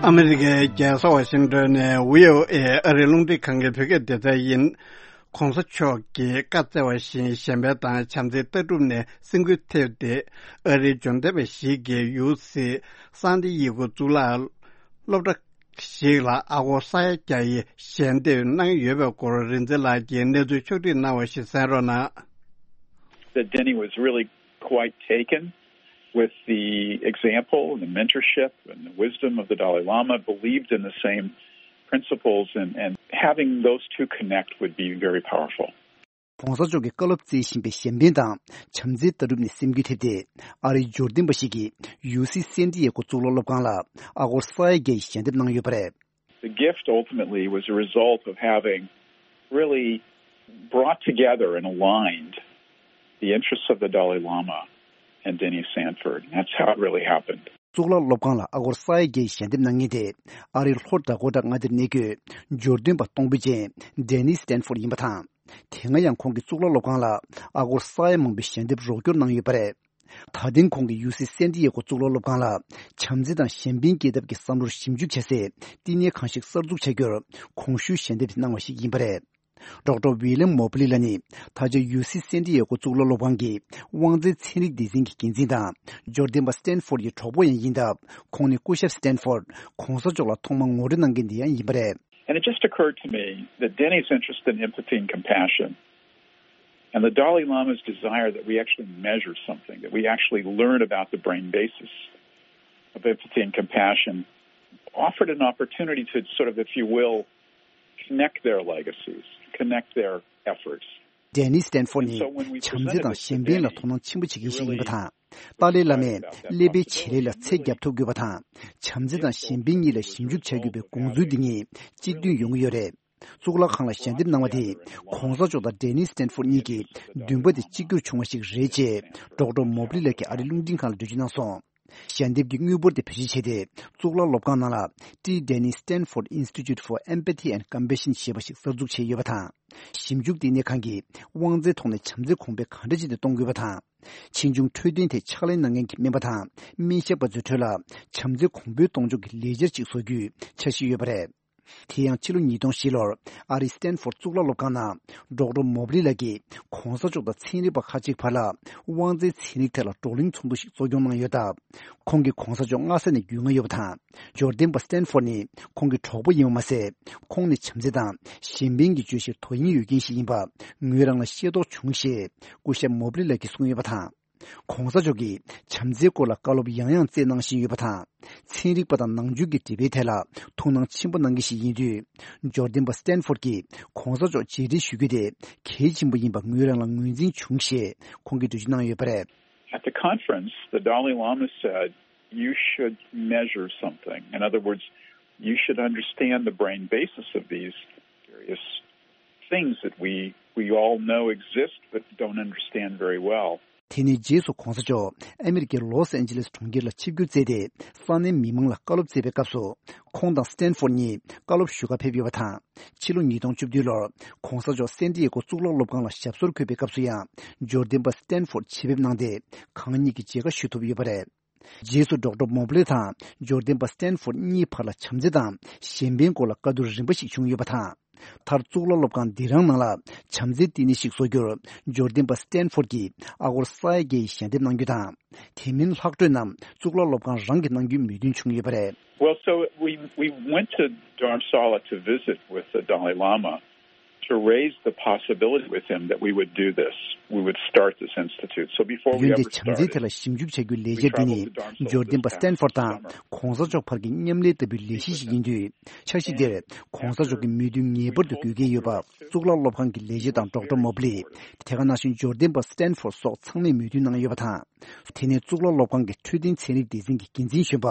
ཨ་མི་རི་ཀའི་རྒྱལ་ས་ཝ་ཤིང་ཏོན་ནས་བྷི་ཨོ་ཨེ་ཨ་རིའི་རླུང་འཕྲིན་ཁང་གི་བོད་སྐད་སྡེ་ཚན་ཡིན། ༸གོང་ས་མཆོག་གིས་བཀའ་སྩལ་བ་བཞིན་གཞན་ཕན་དང་བྱམས་བརྩེའི་ལྟ་གྲུབ་ནས་སེམས་འགུལ་ཐེབས་ཏེ་ཨ་རིའི་འབྱོར་ལྡན་པ་ཞིག་གིས་ཡུ་སི་སན་ཏི་ཡེ་གོ་གཙུག་ལག་སློབ་གྲྭ་ཞིག་ལ་ཨ་སྒོར་ས་ཡ་བརྒྱ་ཡི་ཞལ་འདེབས་གནང་ཡོད་པའི་སྐོར་རིག་འཛིན་ལགས་ཀྱིས་གནས་ཚུལ་ཕྱོགས་སྒྲིག་གནང་བ་ཞིག་གསན་རོགས་གནང་། That Denny was really quite taken with the example and the mentorship and the wisdom of the Dalai Lama, believed in the same principles, and, and having those two connect would be very powerful. ༸གོང་ས་མཆོག་གིས་བཀའ་སློབ་སྩལ་བཞིན་པའི་གཞན་ཕན་དང་བྱམས་བརྩེའི་ལྟ་གྲུབ་ནས་སེམས་འགུལ་ཐེབས་ཏེ། ཨ་རིའི་འབྱོར་ལྡན་པ་ཞིག་གིས་ཡུ་སི་སན་ཏི་ཡེ་གོ་གཙུག་ལག་སློབ་ཁང་ལ་ཨ་སྒོར་ས་ཡ་བརྒྱ་ཡི་ཞལ་འདེབས་གནང་ཡོད་པ་རེད། The gift ultimately was a result of having really brought together and aligned the interests of the Dalai Lama and Denny Sanford. That's how it really happened. གཙུག་ལག་སློབ་ཁང་ལ་ཨ་སྒོར་ས་ཡ་བརྒྱ་ཡི་ཞལ་འདེབས་གནང་མཁན་དེ་ཨ་རིའི་ལྷོ་བྲག་སྒོ་བྲག་མངའ་སྡེར་གནས་འཁོད་འབྱོར་ལྡན་པ་སྟོང་འབུལ་ཅན་Denny Sanford ཡིན་པ་དང་། དེ་སྔ་ཡང་ཁོང་གིས་གཙུག་ལག་སློབ་ཁང་ལ་ཨ་སྒོར་ས་ཡ་མང་པོའི་ཞལ་འདེབས་རོགས་སྐྱོར་གནང་ཡོད་པ་རེད། ད་ཐེངས་ཁོང་གིས་ཡུ་སི་སན་ཏི་ཡེ་གོ་གཙུག་ལག་སློབ་ཁང་ལ་བྱམས་བརྩེ་དང་གཞན་ཕན་སྐྱེད་ཐབས་ཀྱི་བསམ་བློར་ཞིབ་འཇུག་བྱ་སའི་བསྟི་གནས་ཁང་ཞིག་གསར་འཛུགས་བྱ་རྒྱུར་གོང་ཞུས་ཞལ་འདེབས་གནང་བ་ཞིག་ཡིན་པ་རེད། ཌོག་ཊར་ཝི་ལི་ཡམ་མོ་པི་ལི་ལགས་ནི་ད་ཆ་ཡུ་སི་སན་ཏི་ཡེ་གོ་གཙུག་ལག་སློབ་ཁང་གི་དབང་འཛིན་ཚན་རིག་སྡེ་ཚན་གྱི་འགན་འཛིན་དང་འབྱོར་ལྡན་པ་སི་ཏན་ཕོར་ཌི་ཡི་གྲོགས་པོ་ཡང་ཡིན་སྟབས། ཁོང་ནི་སྐུ་ཞབས་སི་ཏན་ཕོར་ཌི་༸གོང་ས་མཆོག་ལ་ཐོག་མར་ངོ་སྤྲོད་གནང་མཁན་དེ་ཡང་ཡིན་པ་རེད། And it just occurred to me that Denny's interest in empathy and compassion and the Dalai Lama's desire that we actually measure something, that we actually learn about the brain basis of empathy and compassion, offered an opportunity to sort of, if you will, connect their legacies, connect their efforts. Denny Stanford ནི་བྱམས་བརྩེ་དང་གཞན་ཕན་ལ་དོ་སྣང་ཆེན་པོ་བྱེད་མཁན་ཞིག་ཡིན་པ་དང་། ཏཱ་ལའི་བླ་མས་ཀླད་པའི་བྱེད་ལས་ལ་ཚད་བརྒྱབ་ཐུབ་དགོས་པ་དང་། བྱམས་བརྩེ་དང་གཞན་ཕན་གཉིས་ལ་ཞིབ་འཇུག་བྱ་དགོས་པའི་དགོངས་ཚུལ་འདི་གཉིས་གཅིག་མཐུན་ཡོང་གི་ཡོད་རེད། གཙུག་ལག་ཁང་ལ་ཞལ་འདེབས་གནང་བ་དེ་གོང་ས་མཆོག་དང་ཌེ་ནི་སི་ཊན་ཕོར་གཉིས་ཀྱི་འདུན་པ་དེ་གཅིག་གྱུར་བྱུང་བ་ཞིག་རེད་ཅེས་ཌོག་ཊར་མོབ་ལི་ལགས་ཀྱིས་ཨ་རིའི་རླུང་འཕྲིན་ཁང་ལ་འགྲེལ་བརྗོད་གནང་སོང་། ཞལ་འདེབས་ཀྱི་དངུལ་འབོར་དེ་བེད་སྤྱོད་བྱས་ཏེ། གཙུག་ལག་སློབ་ཁང་ནང་ལ་T. Denny Stanford Institute for Empathy and Compassion ཞེས་པ་ཞིག་གསར་འཛུགས་བྱས་ཡོད་པ་དང་། ཞིབ་འཇུག་ལྟེ་གནས་ཁང་གིས་དབང་རྩའི་ཐོག་ནས་བྱམས་བརྩེ་གོང་འཕེལ་ག་འདྲ་བྱས་ཏེ་གཏོང་དགོས་པ་དང་། ཕྱིས་འབྱུང་འཕྲོད་བསྟེན་ཐད་ཕྱག་ལས་གནང་མཁན་གྱི་སྨན་པ་དང་སྨན་ཞབས་པ་ཚོའི་ཁྲོད་ལ་བྱམས་བརྩེ་གོང་འཕེལ་གཏོང་ཕྱོགས་ཀྱི་ལས་འཆར་ཅིག་བཟོ་རྒྱུའི་འཆར་གཞི་ཡོད་པ་རེད། དེ་ཡང་ཕྱི་ལོ་ཉིས་སྟོང་བཞི་ལོར་ཨ་རིའི་སི་ཊན་ཕོར་གཙུག་ལག་སློབ་ཁང་ནང་ཌོག་ཊར་མོབ་ལི་ལགས་ཀྱིས་གོང་ས་མཆོག་དང་ཚན་རིག་པ་ཁག་ཅིག་བར་ལ་དབང་རྩའི་ཚན་རིག་ཐད་ལ་བགྲོ་གླེང་ཚོགས་འདུ་ཞིག་གཙོ་སྐྱོང་གནང་ཡོད་སྟབས། ཁོང་གིས་གོང་ས་མཆོག་སྔ་ས་ནས་རྒྱུས་མངའ་ཡོད་པ་དང་། འབྱོར་ལྡན་པ་སི་ཊན་ཕོར་ནི་ཁོང་གི་གྲོགས་པོ་ཡིན་པ་མ་ཟད། ཁོང་ནི་བྱམས་བརྩེ་དང་གཞན་ཕན་གྱི་བརྗོད་གཞིར་དོ་དབྱིངས་ཡོད་མཁན་ཞིག་ཡིན་པ་ངོས་རང་ལ་ཤེས་རྟོགས་བྱུང་ཞེས་སྐུ་ཞབས་མོབ་ལི་ལགས་ཀྱིས་གསུངས་ཡོད་པ་དང་། གོང་ས་མཆོག་གིས་བྱམས་བརྩེའི་སྐོར་ལ་བཀའ་སློབ་ཡང་ཡང་སྩལ་གནང་བཞིན་ཡོད་པ་དང་། ཚན་རིག་པ་དང་ནང་ཆོས་ཀྱི་འབྲེལ་བའི་ཐད་ལ་ཐུགས་སྣང་ཆེན་པོ་གནང་མཁན་ཞིག་ཡིན་དུས། འབྱོར་ལྡན་པ་སི་ཊན་ཕོར་གྱིས་གོང་ས་མཆོག་མཇལ་འཕྲད་ཞུ་རྒྱུ་དེ་གལ་ཆེན་པོ་ཡིན་པ་ངོས་རང་ལ་ངོས་འཛིན་བྱུང་ཞེས་ཁོང་གིས་འགྲེལ་བརྗོད་གནང་ཡོད་པ་རེད། At the conference, the Dalai Lama said, "You should measure something." In other words, you should understand the brain basis of these various things that we, we all know exist but don't understand very well. དེ་ནས་རྗེས་སུ་གོང་ས་མཆོག་ཨ་མི་རི་ཀའི་ལོས་ཨན་ཇི་ལེས་གྲོང་ཁྱེར་ལ་ཆིབས་བསྒྱུར་བསྩལ་ཏེ། ས་གནས་མི་མང་ལ་བཀའ་སློབ་སྩལ་བའི་སྐབས་སུ། ཁོང་དང་སི་ཊན་ཕོར་གཉིས་བཀའ་སློབ་ཞུ་གར་ཕེབས་ཡོད་པ་དང་། ཕྱི་ལོ་ཉིས་སྟོང་བཅུ་བདུན་ལོར་གོང་ས་མཆོག་སན་ཏི་ཡེ་གོ་གཙུག་ལག་སློབ་ཁང་ལ་ཞབས་སོར་འཁོད་པའི་སྐབས་སུ་ཡང་། འབྱོར་ལྡན་པ་སི་ཊན་ཕོར་ཆེད་ཕེབས་གནང་སྟེ། གང་ཉིད་ཀྱི་མཇལ་ཁ་ཞུ་ཐུབ་ཡོད་པ་རེད། རྗེས་སུ་ཌོག་ཊར་མོབ་ལེ་དང་འབྱོར་ལྡན་པ་སི་ཊན་ཕོར་གཉིས་བར་ལ་བྱམས་བརྩེ་དང་གཞན་ཕན་སྐོར་ལ་བཀའ་བསྡུར་རིམ་པ་ཞིག་བྱུང་ཡོད་པ་དང་། མཐར་གཙུག་ལག་སློབ་ཁང་འདི་རང་ནང་ལ་བྱམས་བརྩེའི་བསྟི་གནས་ཤིག་བཟོ་རྒྱུར་འབྱོར་ལྡན་པ་སི་ཊན་ཕོར་གྱིས་ཨ་སྒོར་ས་ཡ་བརྒྱད་ཡི་ཞལ་འདེབས་གནང་རྒྱུ་དང་། དེ་མིན་ལྷག་འཕྲོས་རྣམས་གཙུག་ལག་སློབ་ཁང་རང་གིས་གནང་རྒྱུའི་མོས་མཐུན་བྱུང་ཡོད་པ་རེད། Well, so we, we went to Dharamsala to visit with the Dalai Lama to raise the possibility with him that we would do this. We would start this institute. So before we ཡོན་ཏན་ever བྱམས་བརྩེའི་ཐད་ལ་ཞིབ་འཇུག་བྱ་རྒྱུའི་ལས་འཆར་འདི་ནི། འབྱོར་ལྡན་པ་སི་ཊན་ཕོར་དང་གོང་ས་མཆོག་བར་གྱི་མཉམ་ལས་ལྟ་བུའི་ལས་གཞི་ཞིག་ཡིན་དུས། འཆར་གཞི་འདིར་གོང་ས་མཆོག་གི་མོས་མཐུན་ངེས་པར་དུ་དགོས་ཀྱི་ཡོད་པ། གཙུག་ལག་སློབ་ཁང་གི་ལས་བྱེད་དང་ཌོག་ཊར་མོབ་ལི། དེ་ག་ནང་བཞིན་འབྱོར་ལྡན་པ་སི་ཊན་ཕོར་སོགས་ཚང་མས་མོས་མཐུན་གནང་ཡོད་པ་དང་། དེ་ནས་གཙུག་ལག་སློབ་ཁང་གི་འཕྲོད་བསྟེན་ཚན་རིག་སྡེ་ཚན་གྱི་འགན་འཛིན་གཞོན་པ་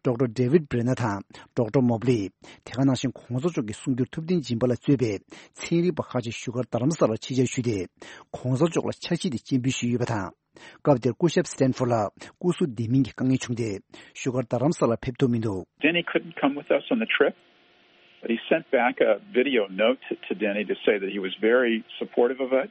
ཌོག་ཊར་ཌེ་ཝིཌ་བྷི་རེ་ནར་དང་ཌོག་ཊར་མོབ་ལི། དེ་ག་ནང་བཞིན་གོང་ས་མཆོག་གི་གསུང་སྒྱུར་ཐུབ་བསྟན་སྦྱིན་པ་ལ་གཙོས་པའི་ཚན་རིག་པ་ཁག་ཅིག་བཞུགས་སྒར་རྡ་རམ་ས་ལར་ཆེད་བཅར་ཞུས་ཏེ། གོང་ས་མཆོག་ལ་འཆར་གཞི་དེ་སྤྱན་འབུལ་ཞུས་ཡོད་པ་དང་། སྐབས་དེར་སྐུ་ཞབས་སི་ཊན་ཕོར་ལ་སྐུ་གཟུགས་བདེ་མིན་གྱི་དཀའ་ངལ་བྱུང་སྟེ། བཞུགས་སྒར་རྡ་རམ་ས་ལར་ཕེབས་ཐུབ་མི་འདུག Denny couldn't come with us on the trip, but he sent back a video note to, to Denny to say that he was very supportive of it.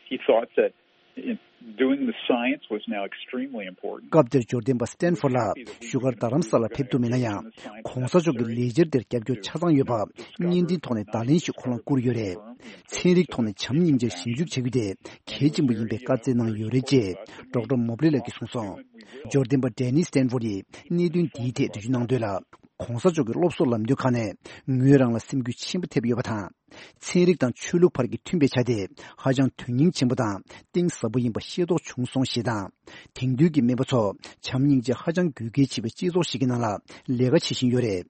He thought that in doing the science was now extremely important. སྐབས་དེར་འབྱོར་ལྡན་པ་སི་ཊན་ཕོར་ལགས་བཞུགས་སྒར་རྡ་རམ་ས་ལར་ཕེབས་ཐུབ་མེད་ན་ཡང་། གོང་ས་མཆོག་གི་ལས་འཆར་དེར་རྒྱབ་སྐྱོར་ཆ་ཚང་ཡོད་པ་བརྙན་འཕྲིན་ཐོག་ནས་བརྡ་ལན་ཞིག་ཁོ་རང་བསྐུར་ཡོད་རེད། ཚན་རིག་ཐོག་ནས་བྱམས་སྙིང་རྗེར་ཞིབ་འཇུག་བྱ་རྒྱུ་དེ་གལ་ཆེན་པོ་ཡིན་པའི་བཀའ་སྩལ་གནང་ཡོད་རེད་ཅེས་ཌོག་ཊར་མོབ་ལི་ལགས་ཀྱིས་གསུངས་སོང་། འབྱོར་ལྡན་པ་ཌེ་ནི་སི་ཊན་ཕོར་ཡིས་གནད་དོན་འདིའི་ཐད་འགྲེལ་བརྗོད་གནང་དོན་ལ། གོང་ས་མཆོག་གི་སློབ་གསོ་ལམ་སྟོན་ཁག་ནས་ངོས་རང་ལ་སེམས་འགུལ་ཆེན་པོ་ཐེབས་ཡོད་པ་དང་། ཚན་རིག་དང་ཆོས་ལུགས་བར་གྱི་མཐུན་པའི་ཆ་དེ་ཧ་ཅང་དོན་སྙིང་ཆེན་པོ་དང་གཏིང་ཟབ་པོ་ཡིན་པ་ཤེས་རྟོགས་བྱུང་སོང་ཞེས་དང་། དེང་དུས་ཀྱི་སྨན་པ་ཚོ་བྱམས་སྙིང་རྗེ་ཧ་ཅང་དགོས་གལ་ཆེ་བའི་སྤྱི་ཚོགས་ཤིག་གི་ནང་ལ་ལས་ཀ་བྱེད་བཞིན་ཡོད་རེད།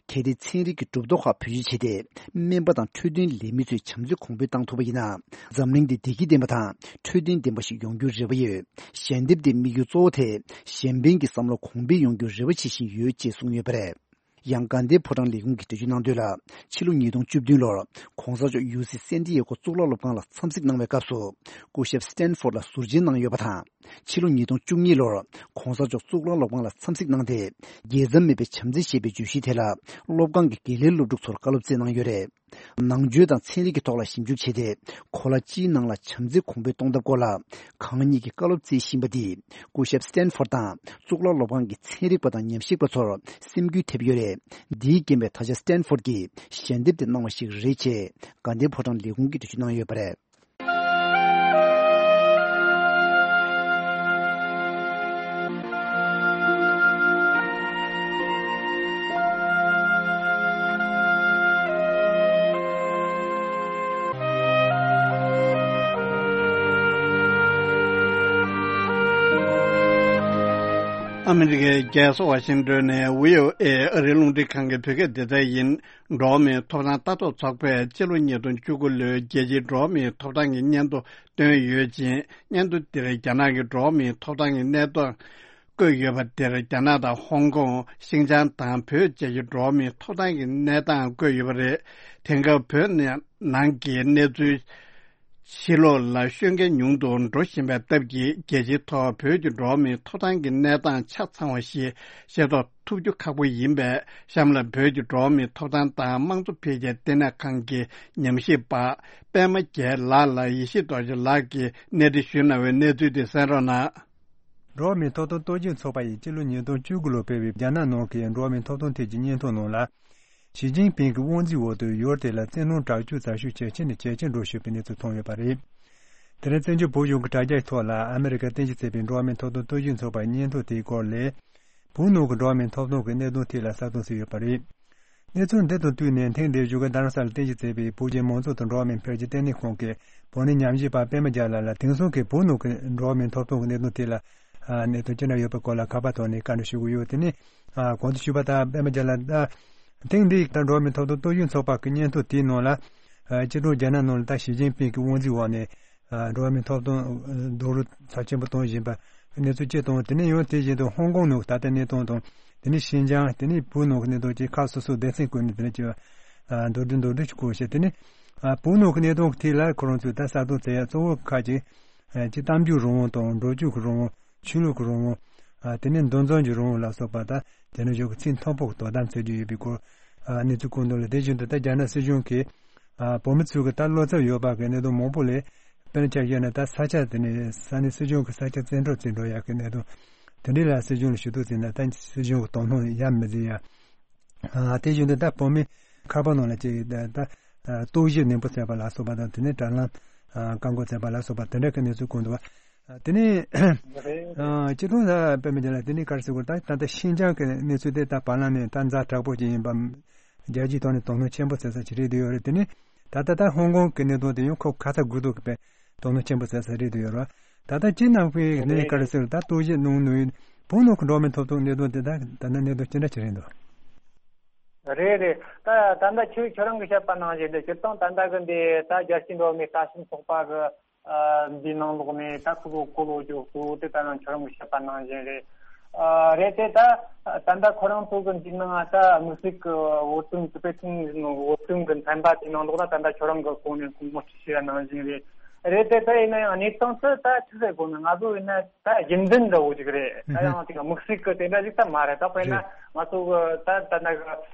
གལ་ཏེ་ཚན་རིག་གི་གྲུབ་ཐོབ་ཁག་བེད་སྤྱོད་བྱས་ཏེ་སྨན་པ་དང་འཕྲོད་བསྟེན་ལས་མི་ཚོའི་བྱམས་བརྩེ་གོང་འཕེལ་བཏང་ཐུབ་པ་ཡིན་ན། འཛམ་གླིང་འདི་བདེ་སྐྱིད་ལྡན་པ་དང་འཕྲོད་བསྟེན་ལྡན་པ་ཞིག་ཡོང་རྒྱུའི་རེ་བ་ཡོད། ཞལ་འདེབས་དེའི་དམིགས་ཡུལ་གཙོ་བོ་དེ་གཞན་ཕན་གྱི་བསམ་བློ་གོང་འཕེལ་ཡོང་རྒྱུའི་རེ་བ་བྱེད་བཞིན་ཡོད་ཅེས་གསུངས་ཡོད་པ་རེད། ཡང་དགའ་ལྡན་ཕོ་བྲང་ལས་ཁུངས་ཀྱིས་འགྲེལ་བརྗོད་གནང་དོན་ལ། ཕྱི་ལོ་ཉིས་སྟོང་བཅུ་བདུན་ལོར་གོང་ས་མཆོག་ཡུ་སི་སན་ཏི་ཡེ་གོ་གཙུག་ལག་སློབ་ཁང་ལ་འཚམས་གཟིགས་གནང་བའི་སྐབས་སུ། སྐུ་ཞབས་སི་ཊན་ཕོར་ལ་ཟུར་མཇལ་གནང་ཡོད་པ་དང་། ཕྱི་ལོ་ཉིས་སྟོང་བཅུ་གཉིས་ལོར་གོང་ས་མཆོག་གཙུག་ལག་སློབ་ཁང་ལ་འཚམས་གཟིགས་གནང་སྟེ། རྒྱལ་མཚམས་མེད་པའི་བྱམས་བརྩེ་ཞེས་པའི་བརྗོད་གཞིའི་ཐད་ལ་སློབ་ཁང་གི་དགེ་ལས་སློབ་ཕྲུག་ཚོར་བཀའ་སློབ་སྩལ་གནང་ཡོད་རེད། ནང་ཆོས་དང་ཚན་རིག་གི་ཐོག་ལ་ཞིབ་འཇུག་བྱས་ཏེ། གོ་ལ་སྤྱིའི་ནང་ལ་བྱམས་བརྩེ་གོང་འཕེལ་གཏོང་ཐབས་སྐོར་ལ་གང་ཉིད་ཀྱིས་བཀའ་སློབ་སྩལ་བཞིན་པ་འདིས། སྐུ་ཞབས་སི་ཊན་ཕོར་དང་གཙུག་ལག་སློབ་ཁང་གི་ཚན་རིག་པ་དང་ཉམས་ཞིབ་པ་ཚོར་སེམས་འགུལ་ཐེབས་ཡོད་རེད། འདིའི་རྐྱེན་པས་ད་ཆ་སི་ཊན་ཕོར་གྱིས་ཞལ་འདེབས་དེ་གནང་བ་ཞིག་རེད་ཅེས་དགའ་ལྡན་ཕོ་བྲང་ལས་ཁུངས་ཀྱིས་འགྲེལ་བརྗོད་གནང་ཡོད་པ་རེད། ཨ་མི་རི་ཀའི་རྒྱལ་ས་ཝ་ཤིང་ཏོན་ནས་བྷི་ཨོ་ཨེ་ཨ་རིའི་རླུང་འཕྲིན་ཁང་གི་བོད་སྐད་སྡེ་ཚན་ཡིན། འགྲོ་བ་མིའི་ཐོབ་ཐང་ལྟ་རྟོག་ཚོགས་པས་སྤྱི་ལོ་ཉིས་སྟོང་བཅུ་དགུ་ལོའི་རྒྱལ་སྤྱིའི་འགྲོ་བ་མིའི་ཐོབ་ཐང་གི་སྙན་ཐོ་བཏོན་ཡོད་ཅིང་། སྙན་ཐོ་འདིར་རྒྱ་ནག་གི་འགྲོ་བ་མིའི་ཐོབ་ཐང་གི་གནས་སྟངས་ བཀོད་ཡོད་པ་དེར། རྒྱ་ནག་དང་ཧོང་ཀོང་། ཤིན་ཅང་དང་བོད་བཅས་ཀྱི་འགྲོ་བ་མིའི་ཐོབ་ཐང་གི་གནས་སྟངས་བཀོད་ཡོད་པ་རེད། དེང་སྐབས་བོད་ནང་གི་གནས་ཚུལ་ཕྱི་ལོགས་ལ་ཤོད་མཁན་ཉུང་དུ་འགྲོ་བཞིན་པའི་སྟབས་ཀྱིས། རྒྱལ་སྤྱིའི་ཐོག་བོད་ཀྱི་འགྲོ་བ་མིའི་ཐོབ་ཐང་གི་གནས་སྟངས་ཆ་ཚང་བ་ཞིག་ཤེས་རྟོགས་ཐུབ་རྒྱུ་ཁག་པོ་ཡིན་པས། གཤམ་ལ་བོད་ཀྱི་འགྲོ་བ་མིའི་ཐོབ་ཐང་དང་དམངས་གཙོ་འཕེལ་རྒྱས་ལྟེ་གནས་ཁང་གི་ཉམས་ཞིབ་པ་པད་མ་རྒྱལ་ལགས་ལ་ཡེ་ཤེས་རྡོ་རྗེ་ལགས་ཀྱིས་གནས་འདྲི་ཞུས་གནང་བའི་གནས་ཚུལ་དེ་གསན་རོགས་གནང་། འགྲོ་བ་མིའི་ཐོབ་ཐང་རྟོག་ཞིབ་ཚོགས་པ་ཡིས་སྤྱི་ལོ་ཉིས་སྟོང་བཅུ་དགུ་ལོར་སྤེལ་བའི་རྒྱ་ནག་ནང་གི་འགྲོ་བ་མིའི་ཐོབ་ཐང་ཐད་ཀྱི་སྙན་ཐོ་ནང་ལ། ཞི་ཅིན་ཕིང་གི་དབང་འཛིན་འོག་ཏུ་ཡུལ་དེ་ལ་བཙན་གནོན་དྲག་སྤྱོད་རྩ་ཤུགས་ཇེ་ཆེ་ནས་ཇེ་ཆེར་འགྲོ་བཞིན་པའི་གནས་ཚུལ་ཐོན་ཡོད་པ་རེད། དེ་རིང་བཙན་བྱོལ་བོད་གཞུང་གི་དྲ་རྒྱའི་ཐོག་ལ་ཨ་མེ་རི་ཀས་རྟེན་གཞི་བྱས་པའི་འགྲོ་བ་མིའི་ཐོབ་ཐང་རྟོག་ཞིབ་ཚོགས་པའི་སྙན་ཐོ་དེའི་སྐོར་ལས། བོད་ནང་གི་འགྲོ་བ་མིའི་ཐོབ་ཐང་གི་གནད་དོན་ཐད་ལ་གསལ་སྟོན་བྱས་ཡོད་པ་རེད། གནས་ཚུལ་འདི་དང་བསྟུན་ནས། ཐེངས་འདིའི་བཞུགས་སྒར་རྡ་རམ་ས་ལར་རྟེན་གཞི་བྱས་པའི་བོད་ཀྱི་མང་གཙོ་དང་འགྲོ་བ་མིའི་འཕེལ་རྒྱས་ལྟེ་གནས་ཁང་གི་བོད་ནས་ཉམས་ཞིབ་པ་པད་མ་རྒྱལ་ལགས་ལ། དེང་སང་གི་བོད་ནང་གི་འགྲོ་བ་མིའི་ཐོབ་ཐང་གི་གནད་དོན་ཐད་ལ་ཨ་གནད་དོན་ཅི་འདྲ་ཡོད་པའི་སྐོར་ལ་ཁ་པར་ཐོག་ནས་བཀའ་འདྲི་ཞུ་གི་ཡོད། དེ་ནི་ཨ་གོང་དུ་ཞུས་པ་ལྟར། པད་མ་རྒྱལ་ལགས། ད་ཐེངས་འདིའི་ད་འགྲོ་བ་མིའི་ཐོབ་ཐང་རྟོག་ཞིབ་ཚོགས་པ་གི་སྙན་ཐོ་དེའི་ནང་ལ། ཨ་སྤྱི་ནོར་རྒྱ་ནག་ནང་ལ་ད་ཞི་ཅིན་ཕིང་གི་དབང་འཛིན་འོག་ནས་ཨ་འགྲོ་བ་མིའི་ཐོབ་ཐང་རྡོག་རོལ་ཚབས་ཆེན་པོ་གཏོང་བཞིན་པ་གནས་ཚུལ་སྤྱི་དང་། དེ་ནས་ཡང་དེ་བཞིན་དུ་ཧོང་ཀོང་ནང་ད་ལྟའི་གནས་སྟངས་དང་། དེ་ནས་ཤིན་ཅང་། དེ་ནས་བོད་ནང་གི་གནས་སྟངས་བཅས་ཁག་སོ་སོའི་སྡེ་ཚན་བཀོད་ནས། དེ་ནས་ཅིག་ཨ་མདོར་བསྡུས་མདོར་བསྡུས་ཅིག་བཀོད་བྱས། དེ་ནས་ཨ་བོད་ནང་གི་གནས་སྟངས་ཀྱི་ཐད་ལ་ཁོ་རང་ཚོས་ད་གསལ་སྟོན་བྱེད་ཡ་གཙོ་བོ་ཁག་ཅིག་ཨ་ཅིག་གཏམ་རྒྱུད་རང་དབང་དང་། འགྲོ་སྐྱོད་ཀྱི་རང་དབང་། ཆོས་ལུགས་ཀྱི་རང་དབང་། ཨ་དེ་ནས་འདུ་འཛོམས་ཀྱི་རང་དབང་ལ་སོགས་པ། ད་དེ་ནས་བཞུགས་ཀྱི་ཚིག་མཐོན་པོ་དོ་དམ་བྱེད་རྒྱུ་ཡོད་པའི་སྐོར་ཨ་གནས་ཚུལ་བཀོད་འདུག་ལ། དེ་བཞིན་དུ་ད་རྒྱ་ནག་སྲིད་གཞུང་གིས་ཨ་བོད་མི་ཚོའི་གི་ད་བློ་འཚབ་ཡོད་པ་གི་གནད་དོན་མང་པོ་ལས། དཔེར་ན་ཆ་བཞག་ན། ད་ས་ཆ་དེ་ནས་ས་གནས་སྲིད་གཞུང་གི་ས་ཆ་བཙན་འཕྲོག་བྱེད་འགྲོ་ཡག་གི་གནད་དོན་དེ་འདྲ་ལ་སྲིད་གཞུང་ལ་ཞུ་གཏུག་བྱས་ན། ད་སྲིད་གཞུང་གི་དོ་སྣང་ཡར་མི་འཛིན་ཡ། ཨ་དེ་བཞིན་དུ་ད་བོད་མི་ཁ་པར་ནང་ལ་ཅིག་ད་ད་ཨ་རྟོག་ཞིབ་ནན་པོ་བྱས་པ་ལ་སོགས་པ་དང་། དེ་ནས་དྲ་ལམ་ཨ་བཀག་འགོག་བྱས་པ་ལ་སོགས་པ་དེ་འདྲ་གི་གནས་ཚུལ་བཀོད་འདུག་པ། ཨ་དེ་ནས་རེད། ཨ་སྤྱིར་བཏང་ད་དཔེ་མི་སྲིད་ལ། དེ་ནས་ག་རེ་ཟེར་དགོས། ད་ད་ལྟ་ཤིན་ཅང་གི་གནས་ཚུལ་དེ་ད་བར་ལམ་ནས་ད་ཛ་དྲག་པོ་ཅིག་ཡིན་པ། རྒྱལ་སྤྱིའི་ཐོག་ནས་དོ་སྣང་ཆེན་པོ་བྱེད་ས་ཅིག་རེད་འདུག་ཡོད་རེད། དེ་ནས་ད་ལྟ་ད་ཧོང་ཀོང་གི་གནད་དོན་དེ་ཡང་ཁོ་ཁ་ཚ་དགོས་གཏུགས་གི་དཔེ་དོ་སྣང་ཆེན་པོ་བྱེད་ས་རེད་འདུག་ཡོད་རེད། ད་ལྟ་སྤྱིར་ནང་པའི་གནས་ག་རེ་ཟེར། ད་རྟོག་ཞིབ་གནང་ནུས། བོད་ནང་གི་འགྲོ་བ་མིའི་ཐོབ་ཐང་གནད་དོན་དེ་ད་ད་ལྟ་གནད་དོན་ཅི་འདྲ་ཅིག་རེད་འདུག་རེད་རེད། ད་ད་ལྟ་ཁྱོད་ཁྱོད་རང་གིས་བཤད་པ་ནང་བཞིན་དུ། སྤྱིར་བཏང་ད་ལྟ་གི་འདི་ད་རྒྱལ་སྤྱིའི་འགྲོ་བ་མིའི་ལྟ་ཞིབ་ཚོགས་པ་གི་ཨ་འདིའི་ནང་ལོགས་ནས་ད་ཁོ་ཚོ་གོ་ལོ་རྒྱུ་གཙོ་བོ་དེ་ད་ནང་ཁྱོད་རང་གིས་བཤད་པ་ནང་བཞིན་རེད། ཨ་རེད་དེ། ད་ད་ལྟ་ཁོ་རང་ཚོ་གི་འདི་ནང་ད་དམིགས་བསལ་གི་བོད་དོན་དེ་པེ་ཐུང་བོད་དོན་གི་ཚན་པ་དེའི་ནང་ལོགས་ལ་ད་ལྟ་ཁྱོད་རང་གིས་གོང་ནས་ངོ་སྤྲོད་བྱས་པ་ནང་བཞིན་རེད། རེད་དེ། ད་ཡིན་ན་ཡང་གནས་སྟངས་དེ་ད་ཆི་ཟེར་དགོས་ན། ང་ཚོ་ཡིན་ན་ད་རྒྱུན་ལྡན་འདྲ་བོ་ཅིག་རེད། ད་ཡང་དེ་ག་དམིགས་བསལ་གི་དེ་འདྲ་ཞིག་ད་མ་རེད། ད་དཔེར་ན་རེད། ང་ཚོ་གི་ད་ད་ལྟ་གི་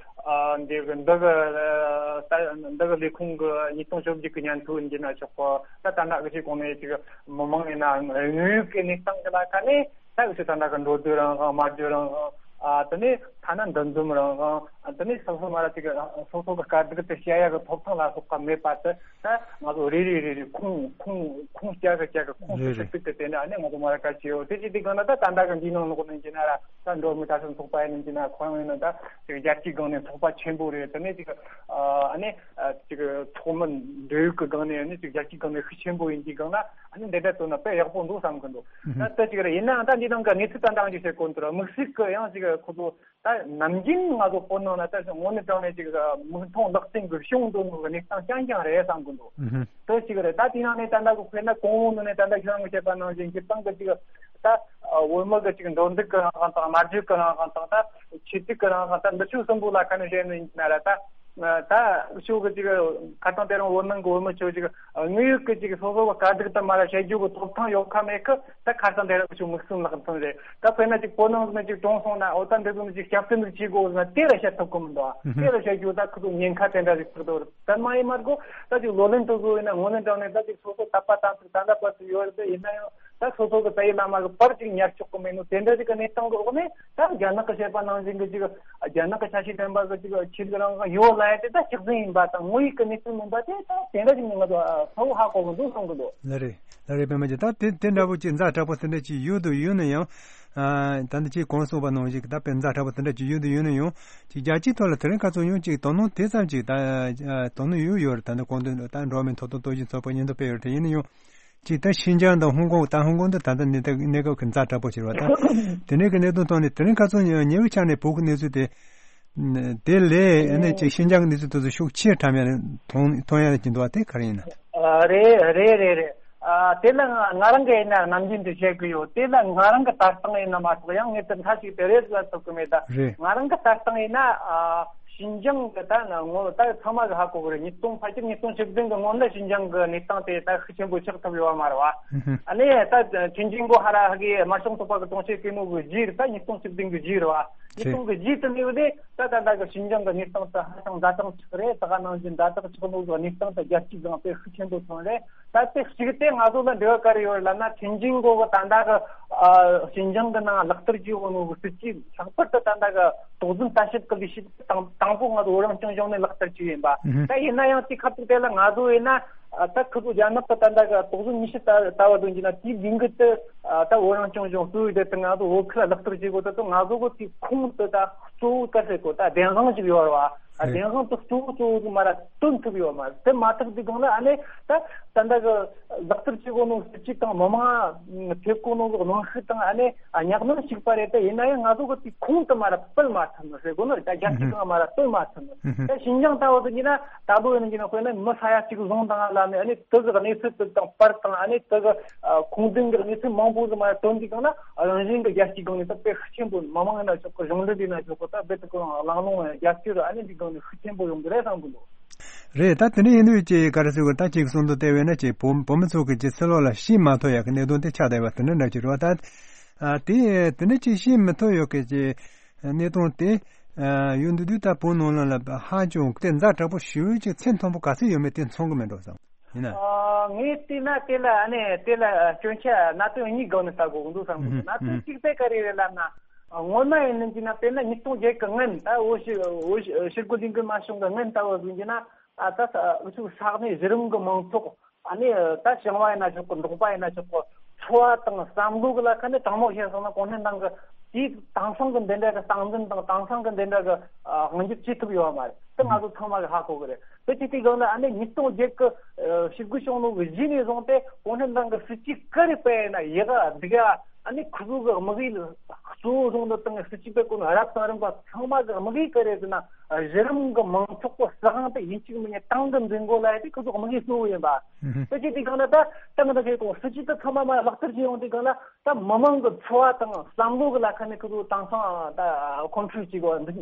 ཨ་འདི་གི་འདི་གི་ཨ་ད་འདི་གི་ལས་ཁུངས་གི་ཉིས་སྟོང་བཅོ་བརྒྱད་གི་སྙན་ཐོ་ཡིན་གྱི་ན་ཆོག་གི། ད་ད་ལྟ་གི་ཅིག་གོང་ནས་ཅིག་མི་མང་ཡིན་ན་དངོས་ཡོད་ཀྱི་གནས་སྟངས་ཀྱི་ལ་ཁ་ནས། ད་འུ་ཚོ་ད་ལྟ་གི་འགྲོ་སྡོད་རང་དབང་། མ་སྡོད་རང་དབང་། ཨ་དེ་ནས་ཐ་ན་འདུ་འཛོམས་རང་དབང་། ཨ་དེ་ནས་སོ་སོ་མ་ར་ཅིག་སོ་སོ་གི་དཀའ་སྡུག་དེ་བཤད་ཡག་གི་ཐོབ་ཐང་ལ་སོགས་པ་མེད་པ་དེ། ད་ང་ཚོ་རེ་རེ་རེ་རེ་ཁུངས་ཁུངས་ཁུངས་བསྐྱར་གི་བསྐྱར་གི་ཁུངས་སུ་རེད་ཞིབ་རེད། ཏིག་ཏིག་དེ་འདྲ་ཨ་ནི་ང་ཚོ་མ་ར་བཀའ་བྱེད་ཡོད། དེ་ཅི་སྟེ་གང་ན་ད་ད་ལྟ་གི་འདིའི་ནང་ལོགས་ནས་ཡིན་ན་ར། ད་འགྲོ་མི་ད་སོ་ཚོགས་པ་ཡིན་ན་ཡིན་ན། ཁོ་རང་ཡིན་ན་ད་ཅིག་རྒྱལ་སྤྱིའི་སྒང་ནས་ཚོགས་པ་ཆེན་པོ་རེད། དེ་ནས་ཅིག་ཨ་ནི་ཅིག་ཚོགས་མི་འབྲེལ་ཡོད་ཀྱི་སྒང་ནས་ནི་ཅིག་རྒྱལ་སྤྱིའི་སྒང་ནས་ཤུགས་ཆེན་པོ་ཡིན་གྱི་སྒང་ན། ཨ་ནི་འདི་འདྲ་བཏོན་ན་དཔེ་ཡག་པོ་འདུག་བསམ་གི་འདུག་ད་ལྟ་ཅིག་རེད། ཡིན་ནའང་ད་འདི་ནང་གི་གནས་ཚུལ་ད་ལྟ་ཅིག་བཤད་གོ་འདུག་ར། དམིགས་བསལ་གི་ཡང་ཅིག་ཁོ་ཚོ་ད་ནམ་རྒྱུན་ང་ཚོ་བོད་ནང་ལ་ད་དངོས་གནས་དྲང་གནས་ཅིག་མིག་མཐོང་ལག་ཟིན་གི་བྱུང་འདུག་ནོ་གི་གནས་སྟངས་རྐྱང་རྐྱང་རེད་བསམ་གི་འདུག་དེ་ཅིག་རེད། ད་དེ་ནང་ནས་ད་ལྟ་གི་དཔེར་ན་གོང་འོག་ནང་ནས་ད་ལྟ་ཁྱོད་རང་གིས་བཤད་པ་ནང་བཞིན་གྱི་སྟེང་གི་ཅིག་ད་བོད་མི་གི་ཅིག་འགྲོ་འདུག་གི་རང་དབང་དང་། སྨྲ་བརྗོད་གི་རང་དབང་དང་། ད་ཆོས་དད་གི་རང་དབང་དང་། འདི་ཕྱོགས་གསུམ་པོ་ལ་ཁ་ནས་བཤད་ནི་ཡིན་ན་ར། ད་ད་ཕྱོགས་གི་ཅིག་ཁ་སང་དེ་རིང་བོད་ནང་གི་བོད་མི་ཚོ་ཅིག་དངོས་ཡོད་གི་ཅིག་སོ་སོ་གི་དཀའ་སྡུག་དེ་མ་ར་བཤད་རྒྱུ་གི་ཐོབ་ཐང་ཡོད་ཁ་མེད་ཁ། ད་ཁ་སང་དེ་རིང་ཕྱོགས་མིག་སུམ་ལག་མཐོང་རེད། ད་དཔེར་ན་ཅིག་བོད་ནང་ནས་ཅིག་གྲོངས་སོང་ན། འོ་ད་འདི་ཚོ་ནི་ཅིག་སྐྱབས་བཅོལ་ནི་བྱེད་དགོས་ཟེར་ན་དེ་ར་བཤད་ཐུབ་གི་མི་འདུག་ཨ། དེ་ར་བཤད་རྒྱུ་ད་ཁོ་ཚོ་ཉེན་ཁ་དེ་འདྲ་ཞིག་ཐུག་འདུག་ད་མ་ཡིན་མ་དགོས་ད་ཅིག་ལོ་ལོན་དེ་ཚོ་ཡིན་ན་དངོས་གནས་དྲང་གནས་ད་ཅིག་སོ་སོ་དད་པ་དམ་ཚིག་ད་ལྟ་བར་དུ་ཡོད་རེད། ཡིན་ན་ཡང་ད་སོ་སོ་གི་ད་ཡིན་ན་མ་གི་བར་ཅིག་ཉར་ཆོག་གི་མེད་ནོ་དེ་འདྲ་ཅིག་གི་གནས་སྟངས་གི་འོག་ནས། ད་རྒྱ་ནག་གི་བཤད་པ་ནང་བཞིན་གི་ཅིག་རྒྱ་ནག་གི་ཆ་ཤས་ལྡན་པ་གི་ཅིག་ཆོས་ལུགས་རང་དབང་ཡོད་ལབ་ཡ་དེ་ད་ཆགས་ཟིན་ཡིན་པ་དང་། དངོས་ཡོད་ཀྱི་གནས་ཚུལ་མིན་པ་དེ་ད་དེ་འདྲ་ཞིག་ནི་ང་ཚོ་ཨ་གསལ་པོ་ཧ་གོ་གི་འདུག་གསུང་གི་འདུག་ལགས་རེད། ལགས་རེད། པད་མ་ཅན། ད་དེ་དེ་འདྲ་པོ་ཅིག་ཛ་དྲག་པོ་དེ་འདྲ་ཅིག་ཡོད་དུ་ཡོད་ན་ཡང་། ཨ་ད་འདི་ཅིག་གོང་གསུངས་པ་ནང་བཞིན་གི་ད་དཔེ་ཛ་དྲག་པོ་དེ་འདྲ་ཅིག་ཡོད་དུ་ཡོད་ན་ཡང་། ཅིག་རྒྱལ་སྤྱིའི་ཐོག་ལ་དེ་རིང་ཁ་སང་ཡང་ཅིག་དོ་སྣང་དེ་ཙམ་ཅིག་ད་ཨ་དོ་སྣང་ཡོད་ཡོད་རེད། ད་ནི་གོང་དུ་ད་འགྲོ་བ་མིའི་ཐོབ་ཐང་རྟོག་ཞིབ་ཚོགས་པ་སྙན་ཐོ་སྤེལ་ཡོད་རེད། དེ་ཡིན་ན་ཡང་། ཅིག་ད་ཤིན་ཅང་དང་ཧོང་ཀོང་། ད་ཧོང་ཀོང་དུ་ད་ལྟ་གནས་སྟངས་གནས་སྐབས་ཀྱི་ཛ་དྲག་པོ་ཕྱིར་བ་དང་། དེ་ནས་ཀྱི་གནད་དོན་ཐོག་ནས་དེ་རིང་ཁ་སང་ཉེ་བའི་ཆར་ནས་བོད་ཀྱི་གནས་ཚུལ་དེ། དེ་ལས་ཨ་ནི་ཅིག་ཤིན་ཅང་གི་གནས་ཚུལ་དེ་ཚོ་ཤུགས་ཆེ་དྲགས་ཡ་མཐོང་མཐོང་ཡ་ཅིག་འདུག་བ། དེ་ག་རེ་ཡིན་ན། ཨ་རེད་རེད་རེད་རེད། ཨ། དེ་ལ་ང་ང་རང་གི་ཡིན་ན་ནམ་རྒྱུན་དུ་བཤད་གི་ཡོད། དེ་ལ་ང་རང་གི་ལྟ་སྟངས་ཡིན་ན་མ་གཏོགས་ཡང་ངས་དེ་མཐའ་གཅིག་ཏུ་རེད་ཟེར་ཐུབ་གི་མེད་ད། རེད། ང་རང་གི་ལྟ་སྟངས་ཡིན་ན། ཨ། ཞིན་ཅང་གི་ད་ན་ངོ་ད་ཚང་མ་གི་ཧ་གོ་གི་རེད། ཉིས་སྟོང་ཕལ་ཆེར་ཉིས་སྟོང་བཅུ་བདུན་གི་སྔོན་ལ་ཞིན་ཅང་གི་གནས་སྟངས་དེ་ད་ཤུགས་ཆེན་པོ་ཆགས་ཐུབ་ཡོད་མ་རེད་བ། ཨ་ནི་ད་ཐེན་ཅིན་གོ་ཧ་ར་ཧ་གི་དམར་ཤོག་ཚོགས་པ་གི་དོན་གཅོད་གི་མོ་གི་རྗེས་རེད། ད་ཉིས་སྟོང་བཅུ་བདུན་གི་རྗེས་རེད་བ། ཉིས་སྟོང་གི་རྗེས་དུ་ནས་བཟླས་ད་ད་ད་གི་ཞིན་ཅང་གི་གནས་སྟངས་དེ་ཧ་ཅང་ཛ་དྲག་ཆགས་རེད། ད་ག་ནང་བཞིན་ཛ་དྲག་ཆགས་ལུགས་གི་གནས་སྟངས་དེ་རྒྱལ་སྤྱིའི་སྒང་དེ་ཤུགས་ཆེན་པོ་ཐོན་རེད། ད་དེ་གཅིག་དེ་ང་ཚོ་ལ་འབྲེལ་བ་ག་རེ་ཡོད་ལབ་ན། ཐེན་ཅིན་གོ་གི་ད་ད་གི་ཨ་ཞིན་ཅང་གི་ནང་ལག་བསྟར་བྱེད་འོས་ནོ་གི་སྲིད་ཇུས་ལྷག་པར་དུ་ད་ད་གི་དོགས་ཟོན་ལྟ་ཞིབ་གི་ལས་གཞི་དང་དང་པོ་ང་ཚོ་བོད་རང་སྐྱོང་ལྗོངས་ནས་ལག་བསྟར་བྱས་ཡིན་པ། ཨུ་ཧུ། ད་ཡིན་ན་ཡང་དེ་ཁ་ཐུག་དེ་ལ་ང་ཚོ་ཡིན་ན། ཨ། ད་ཁོ་ཚོ་རྒྱ་ནག་གི་ད་ལྟ་གི་དོགས་ཟོན་ནུས་ཤུགས་ལྟ་ལྟ་བ་དོན་གྱི་ན་དེའི་ལས་འགུལ་དེ། ཨ། ད་བོད་རང་སྐྱོང་ལྗོངས་གཙོ་བོའི་དེ་དང་ང་ཚོ་བོད་ཁུལ་ལ་ལག་བསྟར་བྱེད་དགོས་ད་དུ་ང་ཚོ་གི་དེ་ཁུངས་དེ་ད་གཙོ་བོ་ག་ཟེར་གོ་ད་བདེན་དཔང་ཅིག་ཡོད་རེད་བ། ཨ། རེད། བདེན་དཔང་དེ་གཙོ་བོ་གཙོ་བོ་གི་མ་ར་སྟོན་ཐུབ་ཡོད་མ་རེད། དེ་མ་ཐུབ་དུས་སྒང་ལ་ཨ་ནི་ད་ད་ལྟ་གི་ལག་བསྟར་བྱེད་དགོས་ནོ་སྲིད་ཇུས་དང་མི་མང་ཐེབས་དགོས་ནོ་གི་གནོན་ཤུགས་དང་ཨ་ནི་ཨ་ཉག་གནོན་ཞིག་པ་རེད། དེ་ཡིན་ན་ཡང་ང་ཚོ་གི་དེ་ཁུངས་དེ་མ་ར་སྤེལ་མ་ཐུབ་ནོ་ཟེར་དགོས་ནོ་རེད། ད་རྒྱལ་སྤྱི་སྒང་མ་ར་སྟོན་མ་ཐུབ་ནོ། ད་ཞིན་ཅང་ལྟ་བུ་དེ་ཡིན་ན་ད་ལོ་ཡིན་གྱི་ན་དཔེར་ན་མི་ས་ཡ་གཅིག་བཟུང་དང་ལ་ནི་ཨ་ནི་དེ་གི་གནས་ཚུལ་དེ་དང་པར་དང་ཨ་ནི་དེ་གི་ཁུངས་ལྡན་གྱི་གནས་ཚུལ་མང་པོ་ཟིག་མ་ཐོན་དུས་སྒང་ལ་རང་བཞིན་གྱི་རྒྱལ་སྤྱིའི་སྒང་ནས་ད་དཔེ་ཤུགས་ཆེན་པོ་མི་མང་ཡིན་ན་ཆོག་གི། གཞུང་འབྲེལ་ཡིན་ན་ཆོག་གི། ད་རྦད་དེ་ཁོ་རང་གླེང་སློང་རྒྱ་ཆེ་རུ་ཨ་ནི་འདི་སྒང་ནས་ཤུགས་ཆེན་པོ་ཡོང་གི་རེད་བསམ་གི་འདུག། རེད། ད་དེ་འདྲ་ཡིན་དུས་ཀྱི་ག་རེ་ཟེར་དགོས། ད་ཅིག་གསུང་དུ་བལྟས་པས་ན་ཅིག་བོད་བོད་མི་ཚོ་གི་ཅིག་ཕྱི་ལོགས་ལ་ཤེས་མ་ཐུབ་ཡག་གི་གནད་དོན་དེ་ཆགས་བསྡད་པ་དེ་འདྲ་འདྲ་ཅིག་རེད་བ། ད་ཨ་དེ་དེ་འདྲ་ཅིག་ཤེས་མི་ཐུབ་ཡག་གི་ཅིག་གནད་དོན་དེ་ཨ་ཡོད་འདུག་དུས་ད་བོད་ནང་ལ་ལ་ཧ་ཅང་དེ་ཛ་དྲག་པོ་ཞེ་པོ་ཅིག་ཚད་མཐོན་པོ་ག་ཚོད་ཡོད་མེད་དེ་མཚོན་གི་མེད་འགྲོ་བསམ་ཡིན་ན། ཨ། ངས་བལྟས་ན་དེ་ལ་ཨ་ནི་དེ་ལ་སྐྱོན་ཆ་གནད་དོན་གཉིས་སྒང་ནས་ལྟ་དགོས་འདུག་བསམ་གི་འདུག། གནད་དོན་གཅིག་དེ་ག་རེ་རེད་ལབ་ན། སྔོན་མ་ཡིན་ནམ་གྱི་ན་དཔེར་ན་ཉིས་སྟོང་བརྒྱད་གི་སྔོན། ད་འོ་ཤི་འོ་ཤི་ཤི་རྒོལ་ལས་འགུལ་མ་བྱུང་གི་སྔོན་ལྟ་བུ་ཡིན་གྱི་ན། ཨ། ད་ས་འུ་ཚོའི་ས་གནས་གཞི་རིམ་གི་མང་ཚོགས། ཨ་ནི་ད་ཞིང་བ་ཡིན་ན་ཆོག་གི། འབྲོག་པ་ཡིན་ན་ཆོག་གི། འཚོ་བ་དང་བསམ་བློ་གི་ལ་ཁ་ནས་དྲང་མོ་བཤད་སོང་ན་གོང་སྨན་ཏང་གི་དེའི་དེང་སང་གི་འདི་འདྲ་གི་སྟངས་འཛིན་དང་དེང་སང་གི་འདི་འདྲ་གི་ཨ་དབང་སྒྱུར་བྱེད་ཐུབ་ཡོད་མ་རེད། དེ་ང་ཚོ་ཚང་མ་གི་ཧ་གོ་གི་རེད། དེ་ཅི་སྟེ་གང་ལ་ཨ་ནི་ཉིས་སྟོང་བརྒྱད་གི་ཨ་ཞི་རྒོལ་བྱུང་ནོ་གི་གཞི་ནས་བཟུང་སྟེ་གོང་སྨན་ཏང་གི་སྲིད་ཇུས་ག་རེ་སྤེལ་ན་ཡག་ག་སྡུག་ག་ཨ་ནི་ཁོ་ཚོ་གི་དམིགས་ཡུལ་གཙོ་བོ་བཟུང་ནོ་དང་སྲིད་ཇུས་སྤེལ་གོ་ནོ་རབ་དང་རིམ་པ་ཚང་མ་གི་དམིགས་ཡུལ་ག་རེ་ཟེར་ན། གཞི་རིམ་གི་མང་ཚོགས་པོ་སྲིད་དབང་དེ་ཡིན་གཅིག་མིན་གཉིས་ཏང་གི་འཛིན་དགོས་ལ་ཡ་དེ་ཁོ་ཚོ་དམིགས་ཡུལ་གཙོ་བོ་ཡིན་པ། དེ་ཅི་སྟེ་གང་ལ་ད་ཏང་འདི་ཁའི་གོང་སྲིད་ཇུས་དེ་ཚང་མ་མ་ལག་བསྟར་བྱེད་ཡོང་དུས་གང་ལ་ད་མི་མང་གི་འཚོ་བ་དང་བསམ་བློ་གི་ལ་ཁ་ནས་ཁོ་ཚོ་དེང་སང་ད་ཁོང་ཁྲོ་བྱེད་དགོས། འདི་